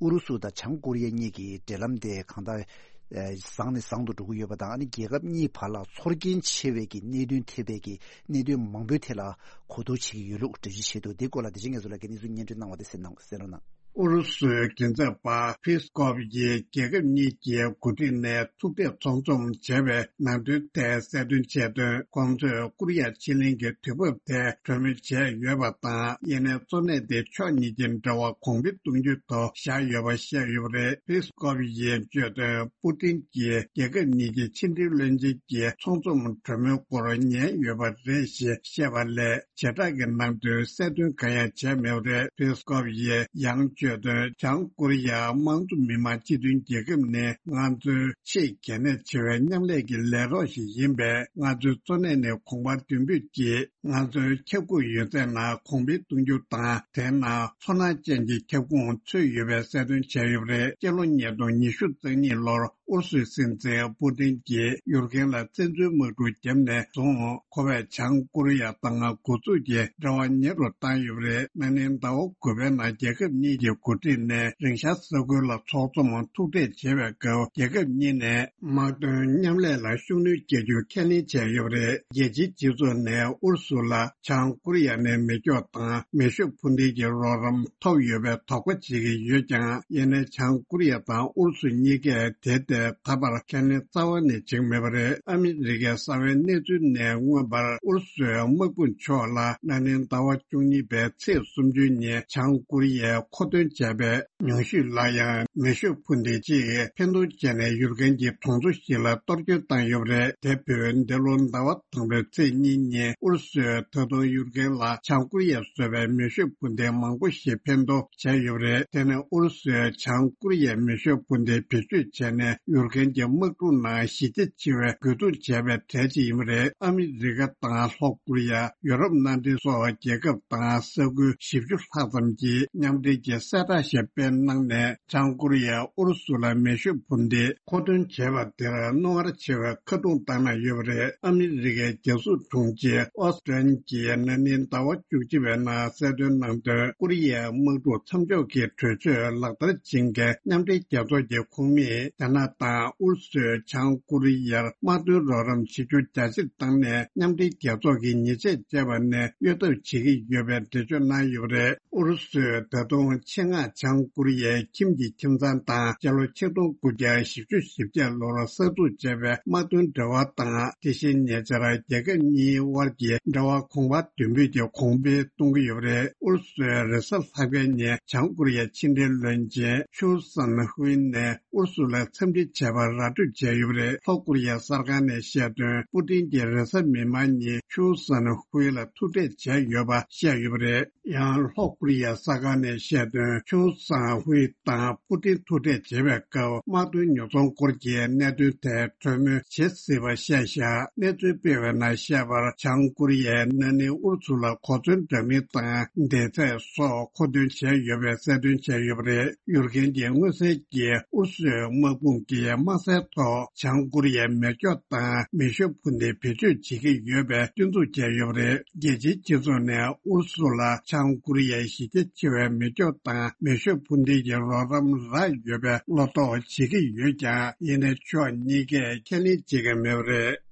ཨུ་རུ་སུ་དང་བྱང་ཀོ་རི་ཡ་གཉིས་ཀྱི་འབྲེལ་ལམ་དེ་གང་ལྟར་བཟང་ནས་བཟང་དུ་འགྲོ་གི་ཡོད་པ་དང་། ཨ་ནི་རྒྱལ་ཁབ་གཉིས་བར་ལ་ཚོར་སྐྱེན་ཆེ་བའི་གི་གནད་དོན་ཐེབས་པའི་གི་གནད་དོན་མང་པོའི་ཐད་ལ་གོ་བསྡུར་བྱེད་ཀྱི་ཡོད་ལུགས་འགྲེལ་བརྗོད་བྱས་འདུག་འདི་སྐོར་ལ་དེ་རིང་ང་ཚོ་ལ་གི་གནས་ཚུལ་སྙན་སྒྲོན་གནང་བ་དེ་གསན་གནང་གསན་རོགས་གནང་། ཨུ་རུ་སུའི་མགྲིན་ཚབ་པ་ཕིས་ཀོབ་ཀྱིས་རྒྱལ་ཁབ་གཉིས་ཀྱི་འགོ་ཁྲིད་ནས་ཐུག་འཕྲད་ཚོགས་འཛོམས་བྱས་པའི་ནང་དོན་ཐད་གསལ་སྟོན་བྱས་དོན། ཁོང་ཚོས་ཀོ་རི་ཡ་ཕྱེད་གླིང་གི་དུས་བབ་ཐད་གྲོས་མོལ་བྱས་ཡོད་པ་དང་། དབྱེ་གནས་གཙོ་གནད་དེ་ཕྱོགས་གཉིས་ཀྱི་འབྲེལ་བ་གོང་འཕེལ་གཏོང་རྒྱུའི་ཐོག་བཞག་ཡོད་པ་བཤད་ཡོད་པ་རེད། ཕིས་ཀོབ་ཡིས་བརྗོད་དོན། པུ་ཏིན་གྱིས་རྒྱལ་ཁབ་གཉིས་ཀྱི་ཕྱི་འབྲེལ་བློན་ཆེན་གྱི་ཚོགས་འཛོམས་གྲོས་མོལ་སྐོར་ཉན་ཡོད་པ་རེད་ཞེས་བཤད་པ་ལས། བྱེ་བྲག་གི་ནང་དོན་གསལ་སྟོན་གང་ཡང་བྱས་མེད་པ་རེད། ཕིས་ཀོབ་ཡིས་ཡང་བརྗོད་དོན། བྱང་ཀོ་རི་ཡ་དམངས་གཙོ་མི་དམངས་སྤྱི་མཐུན་རྒྱལ་ཁབ་ནི་ང་ཚོའི་ཆེས་གལ་གནད་ཆེ་བའི་མཉམ་ལས་ཀྱི་ལས་རོགས་ཤིག་ཡིན་པས། ང་ཚོའི་གཙོ་གནད་ནི་གོང་འཕེལ་མདུན་སྤོས་ཀྱིས་ང་ཚོའི་ཁྱབ་ཁོངས་ཡོད་ཚད་ནང་གོང་འཕེལ་གཏོང་རྒྱུ་དང་། དེ་ནང་ཚོར་སྣང་ཅན་གྱི་ཁྱབ་ཁོངས་ཚུད་ཡོད་པའི་གསལ་སྟོན་བྱས་ཡོད་པ་རེད། སྤྱི་ལོ་ཉིས་སྟོང་ཉི་ཤུ་རྩ་གཉིས་ལོར་ཨུ་རུ་སུའི་སྲིད་འཛིན་པུ་ཏིན་གྱིས་ཡུཀ་རེན་ལ་བཙན་འཛུལ་དམག་འཁྲུག་བརྒྱབ་ནས་བཟུང་། ཁོ་པས་བྱང་ཀོ་རི་ཡ་དང་འགོ་འཛུགས་ཀྱི་འབྲེལ་བ་ཉེ་རུ་བཏང་ཡོད་པ་རེད། ན་ནིང་ཟླ་བ་དགུ་པའི་ནང་རྒྱལ་ཁབ་གཉིས་ཀྱི་འགོ་ཁྲིད་ནས་རིང་ཤར་ས་ཁུལ་ལ་ཚོགས་འཛོམས་ཐུག་འཕྲད་བྱེད་པའི་སྐབས། རྒྱལ་ཁབ་གཉིས་ནས་དམག་དོན་མཉམ་ལས་ལ་ཤུགས་སྣོན་བསྐྱེད་རྒྱུ་ཁས་ལེན་བྱས་ཡོད་པ་རེད། རྒྱལ་སྤྱིའི་སྤྱི་ཚོགས་ནས་ཨུ་རུ་སུ་ལ་བྱང་ཀོ་རི་ཡ་ནས་མེ་སྒྱོགས་དང་མེ་ཤུགས་འཕུར་མདེལ་གྱི་རོགས་རམ་ཐོབ་ཡོད་པའི་དོགས་པ་བྱེད་ཀྱི་ཡོད་ཀྱང་། ཡིན་ནའི་བྱང་ཀོ་རི་ཡ་དང་ཨུ་རུ་སུ་གཉིས་ཀས་དེ་ལྟར་ད་བར་ཁས་ལེན་རྩ་བ་ནས་བྱེད་ཀྱི་མེད་པ་རེད། ཨ་མི་རི་ཀའི་གསང་བའི་གནས་ཚུལ་ནས་མངོན་པར། ཨུ་རུ་སུའི་དམག་དཔུང་མཆོག་ལ་ན་ནིང་ཟླ་བ་བཅུ་གཉིས་པའི་ཚེས་སུམ་ཅུ་ཉིན་བྱང་ཀོ་རི་ཡས་མཁོ་འདོན་བྱས་པའི་ཉུང་ཤོས་ལ་ཡང་མེ་ཤུགས་འཕུར་མདེལ་གཅིག་འཕེན་གཏོང་བྱས་ནས་ཡུཀ་རེན་གྱི་གྲོང་ཚོ་ཞིག་ལ་གཏོར་སྐྱོན་བཏང་ཡོད་པ་རེད། དེ་བོད་འདི་ལོ་ཟླ་བ་དང་པོའི་ཚེས་གཉིས་ཉིན་ཨུ་རུ་སུས་ད་དུང་ཡུཀ་རེན་ལ་བྱང་ཀོ་རི་ཡས་བཟོས་པའི་མེ་ཤུགས་འཕུར་མདེལ་མང་པོ་ཞིག་འཕེན་གཏོང་བྱས་ཡོད་པ་རེད། དེ་ནི་ཨུ་རུ་སུས་བྱང་ཀོ་རི་ཡའི་མེ་ཤུགས་འཕུར་མདེལ་བེད་སྤྱོད་བྱས་ནས་ཡུཀ་རེན་གྱི་དམག་འཁྲུག་ནང་གཞི་རྒྱ་ཆེ་བའི་རྒོལ་རྡུང་བྱས་པའི་གྲས་ཤིག་ཡིན་པ་རེད། ཨ་མི་རི་ཀ་དང་ལྷོ་ཀོ་རི་ཡ། ཡོ་རོབ་མནའ་འབྲེལ་སོགས་རྒྱལ་ཁབ་དང་ས་ཁུལ་བཞི་བཅུ་ལྷག་ཙམ་གྱིས་མཉམ་འབྲེལ་གྱིས་གསལ་བསྒྲགས་ཤིག་སྤེལ་གནང་ནས། བྱང་ཀོ་རི་ཡས་ཨུ་རུ་སུ་ལ་མེ་ཤུགས་འཕུར་མདེལ་མཁོ་འདོན་བྱས་པ་དེར་རྣོ་ངར་ཆེ་བའི་ཁ་རྡུང་བཏང་གནང་ཡོད་པ་རེད། ཨ་མི་རི་ཀའི་རྒྱལ་སྲུང་དྲུང་ཆེ་ཨོ་སི་ཊན་གྱིས་ན་ནིང་ཟླ་བ་བཅུ་གཅིག་པའི་ནང་གསལ་སྟོན་གནང་དོན། ཀོ་རི་ཡའི་དམག་འཁྲུག་མཚམས་འཇོག་གི་གྲོས་ཆོད་ལག་བསྟར་བྱེད་མཁན་མཉམ་འབྲེལ་རྒྱལ་ཚོགས་ཀྱི་ཁོངས་མིས་རྒྱ་ནག་ དང་ཨུ་རུ་སུས་བྱང་ཀོ་རི་ཡར་དམག་དོན་རོགས་རམ་ཞིབ་ཕྱོགས་རྒྱ་ཆེར་བཏང་ནས་མཉམ་འབྲེལ་རྒྱལ་ཚོགས་ཀྱི་ཉེས་ཆད་བཅད་པ་ནས་གཡོལ་ཐབས་བྱེད་ཀྱི་ཡོད་པའི་འགྲེལ་བརྗོད་གནང་ཡོད་པ་རེད། ཨུ་རུ་སུས་ད་དུང་ཆེད་མངགས་བྱང་ཀོ་རི་ཡའི་ཁྱིམ་གྱི་ཁྱིམ་ཚང་དང་སྤྱི་ལོ་ཆིག་སྟོང་དགུ་བརྒྱ་བཞི་བཅུ་ཞེ་བརྒྱད་ལོར་གསར་འཛུགས་བྱས་པའི་དམག་དོན་འབྲེལ་བ་དང་། དེ་བཞིན་ཉེ་ཆར་རྒྱལ་ཁབ་གཉིས་དབར་གྱི་འབྲེལ་བ་གོང་འཕེལ་དོད་པོས་ཀྱང་གོང་འཕེལ་གཏོང་གི་ཡོད་པ་རེད། ཨུ་རུ་སུའི་རེས་གཟའ་ལྷག་པའི་ཉིན་བྱང་ཀོ་རི་ཡའི་ཕྱི་འབྲེལ་བློན་ཆེན་ཆུའུ་སན་ཧུའེ་ནས་ཨུ་རུ་སུ་ལ་འཚམས་འདྲི་བྱས་པར་ར་སྤྲོད་བྱས་ཡོད་པ་རེད། ལྷོ་ཀོ་རི་ཡ་གསར་ཁང་ནས་བཤད་དོན། པུ་ཏིན་གྱིས་རེས་གཟའ་མིག་དམར་ཉིན་ཆུའུ་སན་ཧུའེ་ལ་ཐུག་འཕྲད་བྱས་ཡོད་པ་བཤད་ཡོད་པ་རེད། ཡང་ལྷོ་ཀོ་རི་ཡ་གསར་ཁང་ནས་བཤད་དོན། ཆུའུ་སན་ཧུའེ་དང་པུ་ཏིན་ཐུག་འཕྲད་བྱེད་པའི་སྐབས་དམག་དོན་ཉོ་ཚོང་སྐོར་གྱི་གནད་དོན་ཐད་གྲོས་མོལ་བྱེད་སྲིད་པ་བཤད་བཞག་གནས་ཚུལ་སྤེལ་བའི་ནང་བཤད་པར། བྱང་ཀོ་རི་ཡས་ན་ནིང་ཨུ་རུ་སུ་ལ་གོ་མཚོན་འདྲ་མིན་དང་མདེལ་ཚད་སོགས་མཁོ་འདོན་བྱས་ཡོད་པའི་གསལ་སྟོན་བྱས་ཡོད་པ་རེད། ཡུལ་མཁན་གྱིས་མངོན་གསལ་གྱིས་ཨུ་རུ་སུའི་དམག་དཔུང་གིས་དམག་སའི་ཐོག་བྱང་ཀོ་རི་ཡའི་མེ་སྒྱོགས་དང་མེ་ཤུགས་འཕུར་མདེལ་བེད་སྤྱོད་བྱེད་ཀྱི་ཡོད་པའི་སྐྱོན་འཛུགས་བྱས་ཡོད་པ་རེད། རྒྱལ་སྤྱིའི་སྤྱི་ཚོགས་ནས་ཨུ་རུ་སུ་ལ་བྱང་ཀོ་རི་ཡའི་གཞི་རྒྱ་ཆེ་བའི་མེ་སྒྱོགས་དང་མེ་ཤུགས་འཕུར་མདེལ་གྱི་རོགས་རམ་རག་ཡོད་པའི་བློ་དོགས་བྱེད་ཀྱི་ཡོད་ཀྱང་། ཡིན་ནའི་ཕྱོགས་གཉིས་ཀས་ཁས་ལེན་བྱེད་ཀྱི་མེད་པ་རེད།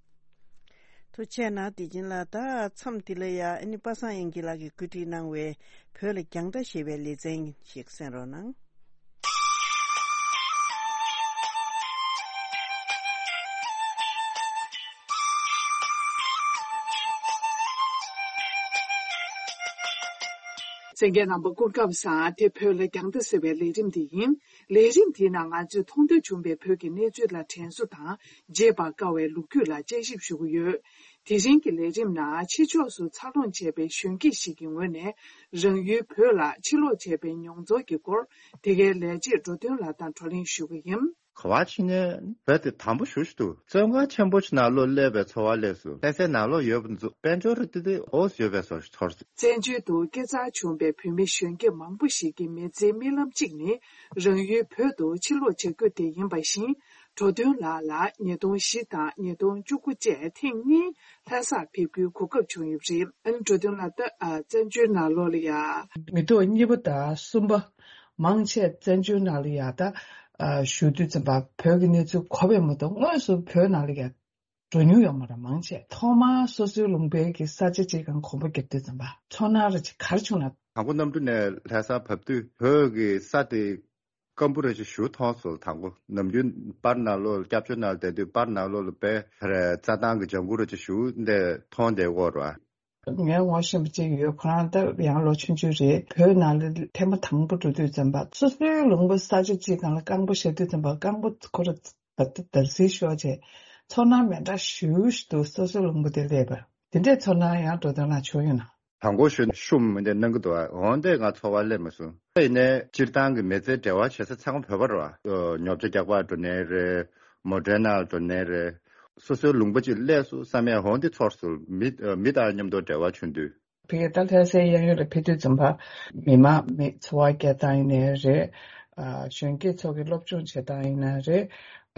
ཐུགས་རྗེ་གནང་། དེ་བཞིན་ལ་ད་མཚམས་འདི་ལ་ཡ་ཨ་ནི་པ་སངས་དབྱངས་སྐྱིད་ལགས་ཀྱིས་བཀོད་སྒྲིག་གནང་བའི་བོད་ལ་རྒྱང་ལྟ་ཞེས་པའི་ལེ་ཚན་ཞིག་གསན་རོགས་གནང་། གསན་མཁན་རྣམ་པ་སྐུ་ཁམས་བཟང་། དེ་བོད་ལ་རྒྱང་ལྟ་ཟེར་བའི་ལས་རིམ་དེ་ཡིན། ལས་རིམ་དེའི་ནང་ང་ཚོས་མཐོང་ཐོས་བྱུང་བའི་བོད་ཀྱི་གནས་ཚུལ་ལ་དྲན་གསོ་དང་བརྗེད་པར་དཀའ་བའི་ལོ་རྒྱུས་ལ་དཔྱད་ཞིབ་ཞུ་གི་ཡོད། དེ་རིང་གི་ལས་རིམ་ནང་ཕྱི་ཕྱོགས་སུ་འཚར་ལོངས་བྱས་པའི་གཞོན་སྐྱེས་ཤིག་གི་ངོས་ནས་རང་ཡུལ་བོད་ལ་ཕྱིར་ལོག་བྱས་པའི་མྱོང་ཚོར་གྱི་སྐོར་དེ་གའི་ལས་བྱེད་འགྲོ་དོན་ལགས་དང་བགྲོ་གླེང་ཞུ་གི་ཡིན། ག་བ་ཕྱིན་ནས་བོད་དེ་དམ་པོ་ཞེ་པོ་ཅིག་འདུག་བཙོན་ཁང་ཆེན་པོ་ཅིག་ནང་ལོགས་སླེབས་པའི་ཚོར་བ་སླེབས་སོང་། ལྷ་སའི་ནང་ལོགས་ཡོད་པ་འདུག་དཔལ་འབྱོར་རེ་ཏི་ཏི་འོ་ཡོད་པའི་བཟོ་ཞིག་ཚོར་སོང་། བཙན་བྱོལ་དུ་སྐྱེས་འཚར་བྱུང་བའི་བོད་མི་གཞོན་སྐྱེས་མང་པོ་ཞིག་གི་མི་ཚེའི་རྨི་ལམ་གཅིག་ནི་རང་ཡུལ་བོད་དུ་ཕྱིར་ལོག་བྱ་རྒྱུ་དེ་ཡིན་པ་བཞིན། འགྲོ་དོན་ལགས་ལ་ཉིས་སྟོང་བཞི་དང་ཉིས་སྟོང་བཅུ་དགུ་བཅས་ཐེངས་གཉིས་ལྷ་སར་ཕེབས་རྒྱུའི་གོ་སྐབས་བྱུང་ཡོད་པ་རེད། ཨ་ནི་འགྲོ་དོན་ལགས་ད་ཨ་བཙན་བྱོལ་ནང་ལོགས་ལ་ཡ། མི་ཐོག་གཉིས་པ་དང་གསུམ་པ་མང་ཆེ་བཙན་བྱོལ་ནང་ལ་ཡ་ད་ཨ་བཞུགས་དུས་ཙམ་པ་བོད་ཀྱི་གནས་ཚུལ་གོ་བས་མ་གཏོགས་དངོས་སུ་བོད་ནང་ལ་ཡ་འགྲོ་མྱོང་ཡོད་མ་རེད་མང་ཆེ། ཐོག་མར་སོ་སོའི་ལུང་པའི་གི་ས་ཆ་གཅིག་གང་གོམ་པ་བརྒྱབ་དུས་ཙམ་པ་ཚོར་སྣང་རེ་ཅིག་ག་རེ་བྱུང་ན། དང་པོ་གནམ་གྲུ་ནས་ལྷ་སར་བབས་དུས་བོད་ཀྱི་ས་དེ་སྐམ་པོ་རེ་ཅིག་ཞེ་པོ་མཐོང་སོང་། དང་པོ་ནམ་རྒྱུན་པར་ནང་ལོགས་ལ་སྐྱབས་བཅོལ་ནང་ལ་བསྡད་དུས་པར་ནང་ལོགས་ལ་དཔེ་རེ་རྩྭ་ཐང་གི་ལྗང་གུ་རེ་ཅིག་ཞེ་པོ་འདི་མཐོང་བསྡད་ཡོད་རེད་བ། ངའི་ངོ་ཤེས་པ་གཅིག་ཡོད། ཁོ་རང་ད་ཡང་ལོ་ཆུང་ཆུང་རེད། བོད་ནང་ལ་ཐེངས་མ་དང་པོ་འགྲོ་དུས་ཙམ་པ་སོ་སོའི་ལུང་པ་ས་ཆ་གཅིག་སྒང་ལ་རྐང་པ་བཞག་དུས་ཙམ་པ་རྐང་པ་ཁོ་ར་བ་ད་འདར་སིལ་ཤོར་བྱས་ཚོར་སྣང་མེ་འདྲ་ཞེ་པོ་ཞིག་འདུག་སོ་སོའི་ལུང་པ་དེ་སླེབས་པ་དེ་འདྲའི་ཚོར་སྣང་ཡང་འགྲོ་དོན་ལ་བྱུང་ཡོད་ན། དང་པོ་ཞུ་ཤུམ་མི་འདྲ་གནང་གི་འདུག་ཨ། འོན་ཏེ་ང་ཚོར་བ་སླེབས་མ་སོང་། ཡིན་ནའི་སྤྱིར་བཏང་གི་མི་ཚེ་འབྲེལ་བ་བྱེད་ས་ཚང་མ་བོད་པ་རེད་བ། ཉོ་ཆ་རྒྱག་པར་འགྲོ་ནའི་རེད། མོ་ཊའི་ནང་འགྲོ་ནའི་རེད། སོ་སོའི་ལུང་པ་ཅིག་སླེབས་སོང་བསམ་ཡས་འོན་ཏེ་ཚོར་སོང་། མི་མི་དང་མཉམ་དུ་འབྲེལ་བ་བྱུང་དུས། ཕ་གི་ད་ལྷ་སའི་གཡས་གཡོན་ལ་ཕེབས་དུས་ཙམ་པ་མི་མང་མི་འཚོ་བ་སྐྱེལ་སྟངས་ཡིན་ནའི་རེད། ཨ་གཞོན་སྐྱེས་ཚོ་གི་སློབ་སྦྱོང་བྱེད་སྟངས་ཡིན་ནའི་རེད།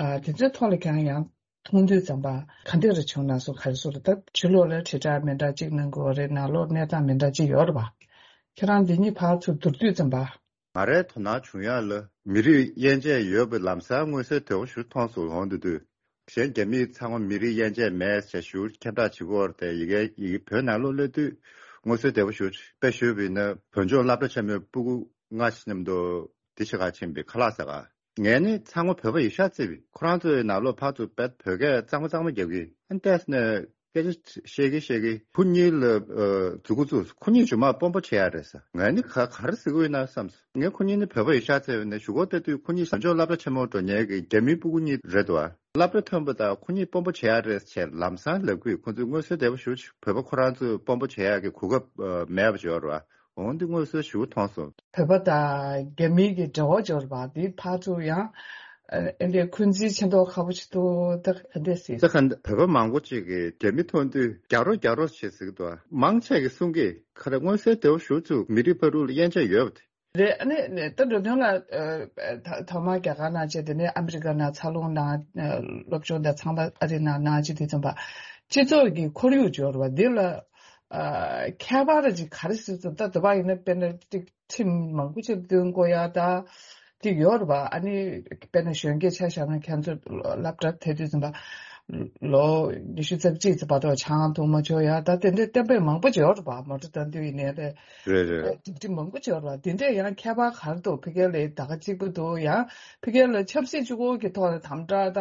ཨ་དེ་ཚོའི་ཐོག་ལ་ཀྱང་ཡང་མཐོང་དུས་ཙམ་པ་ག་འདྲ་རེ་བྱུང་ན་སོ་ག་རེ་སོ་རེད། ད་ཕྱི་ལོགས་ལ་དྲིལ་བསྒྲགས་མི་འདྲ་གཅིག་གནང་དགོས་རེད། ནང་ལོགས་གནས་སྟངས་མི་འདྲ་གཅིག་ཡོད་རེད་པ། ཁྱེད་རང་འདི་གཉིས་ཕར་ཚུར་བསྡུར་དུས་ཙམ་པ། ང་རའི་དོ་སྣང་བྱུང་ཡག་ལ་མི་རིགས་དབྱེ་འབྱེད་ཡོད་པའི་ལམ་སང་མངོན་གསལ་དོད་པོ་ཞིག་མཐོང་སོང་། འོང་དུས་དུས་གཞན་རྒྱ་མི་ཚང་མ་མི་རིགས་དབྱེ་འབྱེད་མེད་ཟེར་ཞུ་ཁྱབ་བསྒྲགས་བྱེད་ཀྱི་ཡོད་རེད་དེ། ཡི་གེ་ཡི་གེ་བོད་ནང་ལོགས་སླེབས་དུས་མངོན་གསལ་དོད་པོ་ཞིག་དཔེ་ཞུས་པ་ཡིན་ན་བོད་ལྗོངས་སློབ་གྲྭ་ཆེན་མོའི་སྤུ་གུ་ལྔ་ཞིག་མཉམ་དུ་དེ་ཕྱི་ཁར་ཕྱིན་པའི་ཁ་ལག་ཟ་ག་ངས་ནི་ཚང་མ་བོད་པ་ཡིན་ཤག་བརྩིས་པས། ཁོ་རང་ཚོའི་ནང་ལོགས་ཕར་ཚུར་བོད་སྐད་གཙང་མ་གཙང་མ་རྒྱག་གི་ཨ་ནི་བལྟས་ནས་སྐད་ཆ་བཤད་གི་བཤད་གི་ཁོ་གཉིས་ལ་མཛུ་གུ་བཙུགས། ཁོ་གཉིས་རྗེས་མ་དཔོན་པོ་བྱེད་ཡག་རེད་ཟེར། ངས་ནི་ག་ག་རེ་ཟེར་གི་ཡོད་ན་བསམས། ངས་ཁོ་གཉིས་ནི་བོད་པ་ཡིན་ཤག་བརྩིས་པས་ནས་གཞུག་གུ་བལྟས་དུས་ཁོ་གཉིས་བཟང་ཕྱོགས་སློབ་གྲྭ་ཆེན་མོ་འགྲོ་མཁན་གྱི་རྒྱ་མིའི་སྤུ་གུ་གཉིས་རེད་འདུག་ཨ། སློབ་གྲྭ་ཐོན་པ་དང་ཁོ་གཉིས་དཔོན་པོ་བྱེད་ཡག་རེད་ཟེར་ལམ་སང་ལབ་གི་ཁོ་ཚོས་མངོན་གསལ་དོད་པོ་ཞུ་བོད་པ་ཁོ་རང་ཚོས་དཔོན་པོ་བྱེད་ཡག་གི་གོ་སྐབས་མེད་པ་བྱོས་ར། འོང་འདི་དངོས་སུ་ཞུ་མཐོང་སོང་། བོད་པ་དང་རྒྱ་མིའི་གི་འབྲེལ་བ་འབྱོར་བ་འདི་ཕར་ཚུར་ཡང་ཨེ་འདི་འཁོན་འཛིན་ཆེ་མདོག་ཁ་པོ་ཞིག་འདུག་ད་ག་འདྲས་ཟེར། ད་ག་འདི་བོད་པ་མང་པོ་ཅིག་གིས་རྒྱ་མི་མཐོང་དུས་རྒྱག་རོགས་རྒྱག་རོགས་བྱེད་ཟེར་གི་འདུག་མང་ཆེ་གིས་གསུང་གི་ཁ་ར་མངོན་གསལ་དོད་པོ་ཞུ་ཚུགས་མི་རིགས་བར་དུ་ལ་དབྱེ་འབྱེད་ཡོད་པ་དེ། རེད། ཨ་ནི་ད་འགྲོ་དོན་ལ་ཐོག་མར་རྒྱ་གར་ནང་བྱས་དེ་ནས་ཨ་མི་རི་ཀ་ནང་འཚར་ལོངས་གནང་སློབ་སྦྱོང་དང་ཚང་མ་ཨ་རི་ནང་གནང་བྱས་དུས་ཙམ་པ་སྤྱི་ཚོགས་ཀྱི་ཁོར་ཡུག་འབྱོར་བ་འདི་ལ། ཨ་ཁྱད་པར་ཅིག་ག་རེ་ཟེར་ཙམ་ད་དུ་བ་ཡིན་ན་དཔེར་ན་ཅིག་ཁྲིམས་མང་པོ་ཅིག་བཏོན་དགོས་ཡ་ད་ ཅིག་ཡོད་རེད་པ། ཨ་ནི་དཔེར་ན་གཞོན་སྐྱེས་ཆ་བཞག་ན་ཁྱེད་ཚོ་སློབ་གྲྭ་དེ་དུས་ཙམ་པ་ལོ་ཉི་ཤུ་རྩ་གཅིག་ཙམ་བར་དུ་ཆང་འཐུང་མ་ཆོག་ཡ། ད་དེ་འདྲའི་གཏན་འབེབས་མང་པོ་ཅིག་ཡོད་རེད་པ། མོ་ཊ་བཏང་དུས་ཡིན་ནའི་རེད། རེད་རེད། སྒྲིག་སྒྲིག་མང་པོ་ཅིག་ཡོད་རེད་པ། དེ་འདྲས་ཡང་ཁྱད་པར་ག་རེ་འདུག་ཕ་གི་ལ་ད་ག་གཅིག་པ་འདུག་ཡང་ཕ་གི་ལ་ཆབ་སྲིད་གཅིག་པོ་གི་ཐོག་ནས་དམ་དྲག་ད་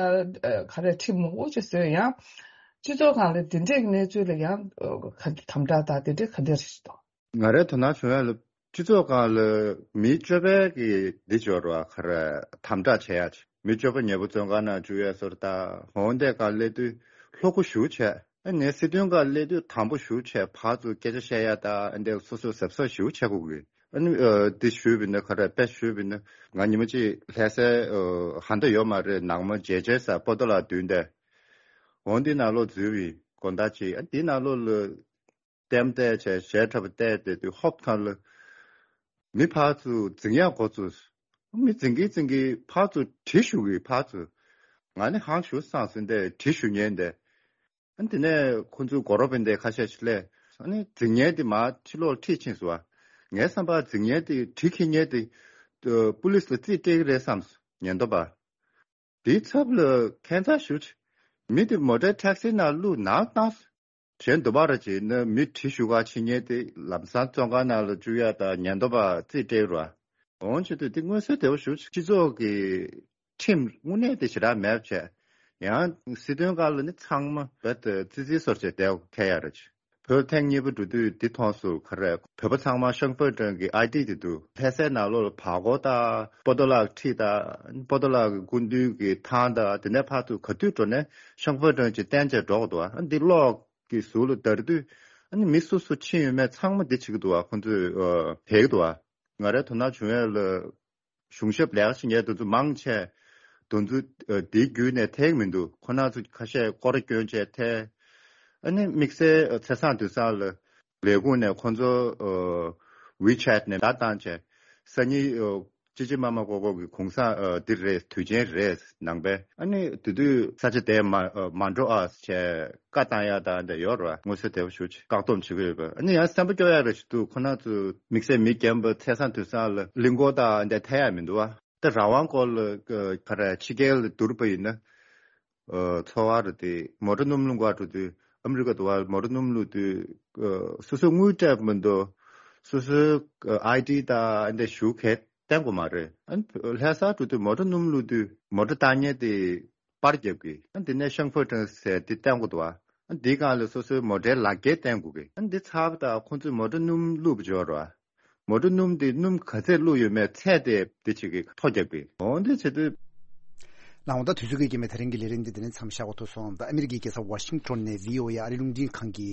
ག་རེ་ཁྲིམས་མང་པོ་ཅིག་བཟོས་ཡང་། སྤྱི་ཚོགས་སྒང་ལ་དེ་འདྲས་ཀྱི་གནས་ཚུལ་ལ་ཡང་ག་དམ་དྲག་དང་དེ་འདྲས་ག་འདྲས་རེད་འདུག་ང་རའི་དོ་སྣང་བྱུང་ཡ་ལ། སྤྱི་ཚོགས་སྒང་ལ་མི་སྤྱོད་པའི་གི་འདི་སྦྱོར་བ་ག་རེ་དམ་དྲག་བྱེད་ཡ་ཅིག་མི་སྤྱོད་པ་ཉེ་པོ་བཙོན་ཁང་ནང་བཅུག་ཡ་སོར་ད་འོང་དེ་ག་སླེབས་དུས་ལྷོ་ཁུ་ཞུ་བྱས། ཨ་ནི་སྲིད་དོན་སྒང་སླེབས་དུས་དམ་པོ་ཞུ་བྱས། ཕར་ཚུར་སྐད་ཆ་བཤད་ཡ་ད་ཨ་འདི་སོ་སོ་གཟབ་གཟབ་ཞུ་བྱེད་དགོས་གི་ཨ་ནི་འདི་ཞུས་པ་ཡིན་ན་ག་རེ་དཔེ་ཞུས་པ་ཡིན་ན་ང་ཉི་མ་གཅིག་ལྷ་སའི་ཧ་འདི་ཡོད་མ་རེད། ནང་མ་རྗེས་བྱས་ས་པོ་ཏོ་ལ་བསྡུས་འདས། འོང་འདི་ནང་ལོགས་འཛུལ་བའི་དགོང་དག་ཅིག་ཨ་འདི་ནང་ལོགས་ལ། ལྟད་མོ་བལྟས་བྱས་གཞས་འཁྲབ་པ་བལྟས་བསྡད་དུས་ཧོབ་ཐང་ལ། མི་ཕར་ཚུར་འཛིང་ཡག་འགོ་བཙུགས། མི་འཛིང་གིན་འཛིང་གིན་ཕར་ཚུར་གྲི་ཞུ་གི་ཕར་ཚུར། ང་ནི་ཧང་ཞུ་སང་ཟིན་ཏེ་གྲི་ཞུ་ཉན་ཏེ། ཨ་དེ་ནས་ཁོ་ཚོའི་སྒོ་རོ་པན་དེ་ཁ་ཤས་ཤིག་སླེབས། ཨ་ནི་འཛིང་ཉན་དེ་མར་ཕྱི་ལོགས་ཁྲིད་ཕྱིན་སོང་བ། ངའི་བསམ་པར་འཛིང་ཉན་དེ་གྲི་འཁྱེར་ཉན་དེ། པུ་ལིས་ལ་རྩིས་སྤྲད་ཀྱི་རེད་བསམས། ཉན་དོ་པ། དེའི་ཚབ་ལ་ཁྱད་མཚར་ཞུ་ཆེ། མི་དེ་མོ་ཊའི་ཊེག་སི་ནང་བླུགས་ནང་བཏང་། གཞན་དུ་བར་བྱས་ན་མི་གྲི་ཞུ་ག་ཕྱིན་ཉེན་དེ་ལམ་སང་བཙོན་ཁང་ནང་ལ་བཅུག་ཡ་དང་ཉེན་རྟོག་པ་རྩིས་སྤྲད་རོགས། འོང་བྱེད་དུས་དེ་མངོན་གསལ་དོད་པོ་ཞུ་ཆེ། སྤྱི་ཚོགས་ཀྱི་ཁྲིམས་དངོས་གནས་དེ་ཞེ་དྲག་མེད་བྱས། ཡང་སྲིད་དོན་སྒང་ལ་ནི་ཚང་མ་རྦད་དེ་ཙི་ཙི་སོར་བྱས་བསྡད་ཁེལ་ཡ་རེད། བོད་ཐེངས་གཉིས་པ་འགྲོ་དུས་འདི་མཐོང་སོང་ག་རེ། བོད་པ་ཚང་མ་ཤང་ཧྥེ་ཀྲང་གི་ཨའི་ཌི་དེ་འདུག་ལྷ་སའི་ནང་ལོགས་ལ་བར་སྐོར་དང་པོ་ཏོ་ལག་ཁྲིད་དང་པོ་ཏོ་ལག་གི་སྐུ་མདུན་གྱི་ཐང་དང་དེ་ནས་ཕར་ཚུར་ག་དུས་འགྲོ་ནས་ཤང་ཧྥེ་ཀྲང་ཅིག་བསྟན་བྱས་འགྲོ་གི་འདུག་ཨ་འདི་གློག་གི་ཟུར་ལ་བརྡར་དུས་ཨ་ནི་མི་སུ་སུ་ཕྱིན་ཡོད་མེད་ཚང་མ་འདི་བྱེད་ཀྱི་འདུག་ཁོང་ཚོས་ཨ་དེད་ཀྱི་འདུག་ང་རའི་དོ་སྣང་བྱུང་ཡས་ལ། གཞུང་ཞབས་ལས་ཀ་བྱེད་མཁན་དེ་ཚོ་མང་ཆེ། དེ་ཚོ་ཨ་དེའི་བརྒྱུད་ནས་ཐེག་མི་འདུག་ཁོ་རང་ཚོ་ཁ་ཤས་སྐོར་ར་སྐྱོན་བྱས་ཐལ། ཨ་ནི་དམིགས་བསལ་ཨ་ཚེས་བཟང་དུས་བཟང་ལ་ལས་ཁུངས་ནས་ཁོ་ཚོ་ཨ་ཝི་ཆེ་ཊི་ནས་བརྡ་བཏང་བྱས། སང་ཉིན་ཨ་ཅི་ཅི་མ་མ་ཀོ་ཀོ་གི་གུང་སེང་ཨ་འདི་རེད། དུས་ཆེན་རེད་ནང་པའི། ཨ་ནི་དེ་དུས་ས་ཆ་དེ་མ་ཨ་མ་འགྲོ་ཨ་བྱས། བཀའ་བཏང་ཡག་དང་འདྲ་ཡོད་རེད་བ། མངོན་གསལ་དོད་པོ་ཞུ་ཆེ། བཀག་སྡོམ་བྱེད་ཀྱི་ཡོད་པ། ཨ་ནི་ཡང་སེམས་པ་སྐྱོ་ཡག་རེ་ཞིག་འདུག་ཁོ་རང་ཚོ་དམིགས་བསལ་མི་རྒན་པ་ཚེས་བཟང་དུས་བཟང་ལ་གླིང་སྐོར་དང་འདྲ་ཐད་ཡག་མི་འདུག་བ། ད་རང་དབང་སྐོར་ལ་ག་རེ་ཕྱི་རྒྱལ་ལ་བསྡུར་བ་ཡིན་ན། ཨ་ཚོར་བ་རེ་དེ་མོ་ཊ་སྣུམ་བླུགས་ག་འགྲོ་དུས་ཨ་མི་རི་ཀ་དུ་བ་མོ་ཊ་སྣུམ་བླུགས་དུས་ཨ་སོ་སོའི་དངུལ་སྤྲད་མི་འདུག་སོ་སོའི་ཨ་ཨའི་ཌི་དང་འདྲ་ཞུ་གས་བསྟན་དགོས་མ་རེད། ཨ་ལྷ་ས་འགྲོ་དུས་མོ་ཊ་སྣུམ་བླུགས་དུས་མོ་ཊ་བཏང་མཁན་དེ། པར་རྒྱབ་ཀྱི། ཨ་འདི་ནས་ཤང་ཧྥེ་ཀྲང་ཟེར་འདི་བསྟན་དགོས་འདུག་བ། ཨ་འདིའི་སྒང་ལ་སོ་སོའི་མོ་ཊའི་ལག་འཁྱེར་བསྟན་དགོས་ཀྱི། ཨ་འདི་ཚར་བ་དང་ཁོང་ཚོས་མོ་ཊ་སྣུམ་བླུགས་པ་འབྱོར་བ། མོ་ཊ་སྣུམ་འདི་སྣུམ་ག་ཚད་བླུགས་ཡོད་མེད་ཚད་དེ་འདི་བྱེད་ཀྱི་ཐོ་རྒྱབ་ཀྱི། འོ་འདི་བྱེད་དུས། ལགས་འོང་། ད་དུས་ཚོད་ཀྱིས་ཀྱི་མེད། དེ་རིང་གི་ལས་རིམ་འདི་འདི་ནས་མཚམས་བཞག་དགོས་ཐུག་སོང་། ད་ཨ་མི་རི་ཀའི་རྒྱལ་ས་ཝ་ཤིང་ཊོན་ནས་བྷི་ཨོ་ཨེ་ཨ་རིའི་རླུང་འཕྲིན་ཁང་གི་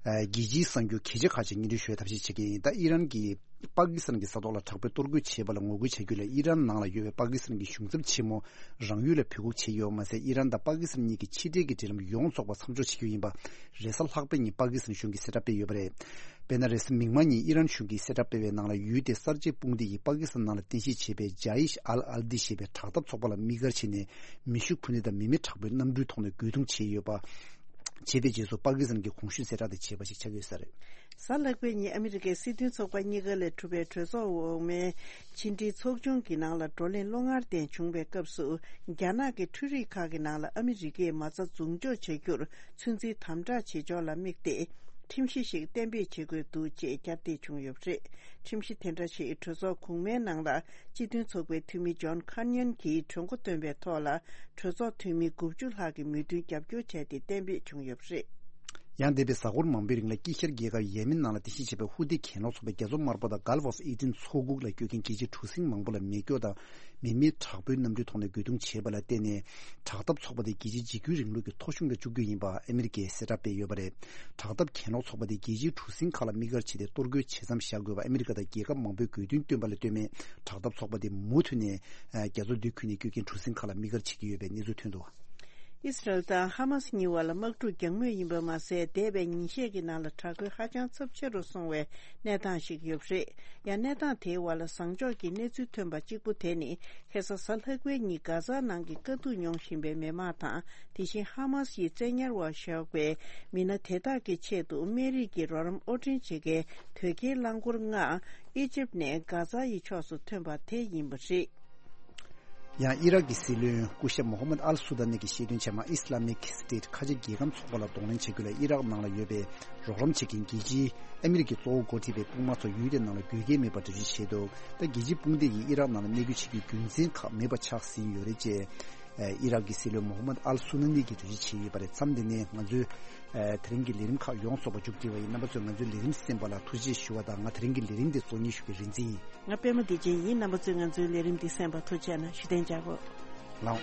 ཨ་རྒྱལ་སྤྱིའི་གསར་འགྱུར་གལ་ཆེ་ཁག་ཅིག་སྙན་སྒྲོན་ཞུ་བའི་ཐབས་ཤེས་བྱེད་ཀྱི་ཡིན། ད་ཨི་རན་གྱིས་པ་ཀི་སི་ཐན་གྱི་ས་ཐོག་ལ་དྲག་པོའི་གཏོར་རྒོལ་བྱས་པ་ལ་ངོ་རྒོལ་བྱ་རྒྱུ་ལ་ཨི་རན་ནང་ལ་ཡོད་པའི་པ་ཀི་སི་ཐན་གྱི་གཞུང་ཚབ་ཆེན་མོ་རང་ཡུལ་ལ་འབོད་འགུག་བྱས་ཡོད་པ་མ་ཟད། ཨི་རན་དང་པ་ཀི་སི་ཐན་གཉིས་ཀྱི་ཕྱི་འབྲེལ་གྱི་འབྲེལ་ལམ་ཡོངས་རྫོགས་པ་མཚམས་འཇོག་བྱེད་རྒྱུ་ཡིན་པ་རེས་གཟའ་ལྷག་པའི་ཉིན་པ་ཀི་སི་ཐན་གཞུང་གིས་གསལ་བསྒྲགས་སྤེལ་ཡོད་པ་རེད། དཔེར་ན། རེས་གཟའ་མིག་དམར་ཉིན་ཨི་རན་གཞུང་གིས་གསལ་བསྒྲགས་སྤེལ་བའི་ནང་ལ་ཡུལ་དེའི་གསར་བརྗེའི་དཔུང་སྡེ་ཡིས་པ་ཀི་སི་ཐན་ནང་ལ་རྟེན་གཞི་བྱས་པའི་ཇཱ་ཡིཤ་ཨལ་ཨལ་དི་ཞེས་པའི་དྲག་འཐབ་ཚོགས་པ་ལ་དམིགས་བཀར་བྱས་ནས་མེ་ཤུགས་འཕུར་མདེལ་དང་མི་མེད་དྲག་པོའི་གནམ་གྲུའི་ཐོག་ནས་རྒོལ་རྡུང་བྱས་ཡོད་པ། བྱས་པའི་རྗེས་སུ་པ་ཀི་སི་ཐན་གྱི་གོང་ཞུས་གསལ་བསྒྲགས་དེ་བྱས་པ་ཞིག་ཆགས་ཡོད་ས་རེད། གཟའ་ལྷག་པའི་ཉིན་ཨ་མི་རི་ཀའི་སྲིད་དོན་ཚོགས་པ་གཉིས་ཀ་ལས་གྲུབ་པའི་གྲོས་ཚོགས་འོག་མའི་ཕྱི་འབྲེལ་ཚོགས་ཆུང་གི་ནང་ལ་བགྲོ་གླེང་བློ་ངར་ལྡན་བྱུང་བའི་སྐབས་སུ། རྒྱ་ནག་གི་འཕྲུལ་རིག་ཁག་གི་ནང་ལ་ཨ་མི་རི་ཀས་མ་རྩ་འཛུགས་འཇོག་བྱ་རྒྱུར་ཚོད་འཛིན་དམ་དྲག་བྱེད་ཕྱོགས་ལ་དམིགས་ཏེ། ཁྲིམས་གཞི་ཞིག་གཏན་འབེབས་བྱེད་དགོས་འདུག་ཅེས་བསྐྱར་ཟློས་བྱུང་ཡོད་པ་རེད། ཁྲིམས་གཞི་དེ་འདྲ་ཞིག་གྲོས་ཚོགས་གོང་མའི་ནང་ལ་སྤྱི་མཐུན་ཚོགས་པའི་འཐུས་མི་ཇོན་ཁཱར་ཉན་གྱིས་གྲོས་འགོ་བཏོན་པའི་ཐོག་ལ། གྲོས་ཚོགས་འཐུས་མི་དགུ་བཅུ་ལྷག་གིས་མོས་མཐུན་རྒྱབ་སྐྱོར་བྱས་ཏེ་གཏན་འབེབས་བྱུང་ཡོད་པ་རེད། ཡང་འདས་པའི་གཟའ་འཁོར་མང་པོའི་རིང་ལ་དཀྱིལ་ཤར་རྒྱལ་ཁབ་ཡེ་མེན་ནང་ལ་རྟེན་གཞི་བྱས་པའི་ཧུ་ཏི་གྱེན་ལོག་ཚོགས་པའི་རྒྱལ་ཚོགས་དམར་པོ་དང་Gulf of Aden ཚོགས་འགུགས་ལ་སྐྱོད་མཁན་རྒྱལ་སྤྱིའི་གྲུ་གཟིངས་མང་པོ་ལ་མེ་སྒྱོགས་དང་མི་མེད་དྲག་པོའི་གནམ་གྲུའི་ཐོག་ནས་རྒོལ་རྡུང་བྱས་པ་ལ་བརྟེན་ནས། དྲག་འཐབ་ཚོགས་པ་དེ་རྒྱལ་སྤྱིའི་འཇིགས་སྐུལ་རིང་ལུགས་ཀྱི་ཐོ་གཞུང་ལ་བཅུག་རྒྱུ་ཡིན་པ་ཨ་མི་རི་ཀས་གསལ་བསྒྲགས་སྤེལ་ཡོད་པ་རེད། དྲག་འཐབ་གྱེན་ལོག་ཚོགས་པ་དེ་རྒྱལ་སྤྱིའི་གྲུ་གཟིངས་ཁག་ལ་དམིགས་བཀར་བྱས་ཏེ་གཏོར་རྒོལ་བྱེད་མཚམས་བཞག་དགོས་པ་ཨ་མི་རི་ཀ་དང་རྒྱལ་ཁབ་མང་པོས་དགོས་འདུན་བཏོན་པ་ལ་ལྟོས་མེད། དྲག་འཐབ་ཚོགས་པ་དེ་མུ་མཐུད་ནས་རྒྱ་མཚོ་མདོ་ཁུལ་ནས་སྐྱོད་མཁན་གྲུ་གཟིངས་ཁག་ལ་དམིགས་བཀར་བྱེད་ཀྱི་ཡོད་པའི་གནས་ཚུལ་ཐོན་འདུག། ཨི་སི་རལ་དང་ཧ་མ་སི་གཉིས་བར་ལ་དམག་འཁྲུག་རྒྱག་མུས་ཡིན་པ་མ་ཟད། འདས་པའི་ཉིན་ཤས་ཀྱི་ནང་ལ་དྲག་རྒོལ་ཧ་ཅང་ཚབས་ཆེ་རུ་སོང་བའི་གནས་སྟངས་ཤིག་ཡོད་པ་རེད། ཡང་གནས་སྟངས་དེའི་བར་ལ་བཟང་ཕྱོགས་ཀྱི་གནས་ཚུལ་ཐོན་པ་གཅིག་པུ་དེ་ནི། ཁ་སང་གཟའ་ལྷག་པའི་ཉིན་གྷ་ཛ་ནང་གི་དཀའ་སྡུག་མྱོང་བཞིན་པའི་མི་མང་དང་། དེ་བཞིན་ཧ་མ་སི་ཡི་བཙན་ཉར་འོག་བཞག་པའི་མི་སྣ་དེ་དག་གི་ཆེད་དུ་སྨན་རིགས་ཀྱི་རོགས་རམ་དབོར་འདྲེན་བྱེད་མཁན་དོས་སྐྱེལ་རླངས་འཁོར་ལྔ་ཨི་ཇིབ་ནས་གྷ་ཛ་ཡི་ཕྱོགས་སུ་ཐོན་པ་དེ་ཡིན་པ་རེད། ཡང་ཨི་རག་གི་སྲིད་བློན་སྐུ་ཞབས་མོ་ཧམ་མད་ཨལ་སུ་དཱ་ནི་གི་བཤད་དོན་ཆེད་མ་ཨི་སི་ལ་མིག་སི་ཊེཊ་ཁ་ཆེ་རྒྱལ་ཁམས་ཚོགས་པ་ལ་གདོང་ལེན་བྱེད་རྒྱུ་ལ་ཨི་རག་ནང་ལ་ཡོད་པའི་རོགས་རམ་བྱེད་མཁན་རྒྱལ་སྤྱིའི་ཨ་མི་རི་ཀའི་གཙོ་བོ་འགོ་ཁྲིད་པའི་དཔུང་དམག་ཚོ་ཡུལ་དེ་ནང་ལ་དགོས་གལ་མེད་པར་འགྲེལ་བརྗོད་བྱས་འདུག་ད་རྒྱལ་སྤྱིའི་དཔུང་སྡེ་ཡིས་ཨི་རག་ནང་ལ་གནས་སྐྱོད་བྱེད་རྒྱུའི་རྒྱུ་མཚན་ཁག་མེད་པ་ཆགས་ཟིན་ཡོད་རེད་ཅེས། ཨི་རག་གི་སྲིད་བློན་མོ་ཧམ་མད་ཨལ་སུ་ནི་གིས་འགྲེལ་བརྗོད་བྱས་ཡོད་པ་རེད། མཚམས་འདི་ནས་ང་ཚོའི་དེ་རིང་གི་ལས་རིམ་ཁག་ཡོངས་རྫོགས་པ་མཇུག་སྒྲིལ་བ་ཡིན། རྣམ་པ་ཚོས་ང་ཚོའི་ལས་རིམ་གསན་པ་ལ་ཐུགས་རྗེ་ཆེ་ཞུ་བ་དང་། ང་དེ་རིང་གི་ལས་རིམ་འདི་གཙོ་གཉེར་ཞུ་མཁན་རིན་ཆེན་ཡིན། ང་པད་མ་བདེ་ཆེན་ཡིན། རྣམ་པ་ཚོས་ང་ཚོའི་ལས་རིམ་འདི་གསན་པར་ཐུགས་རྗེ་གནང་། ཞུ་བདེ་འཇགས་པོ། ལགས།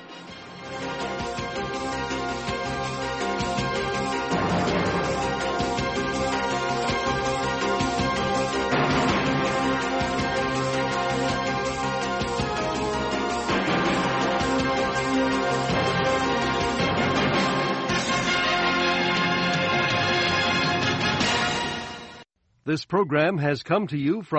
This program has come to you from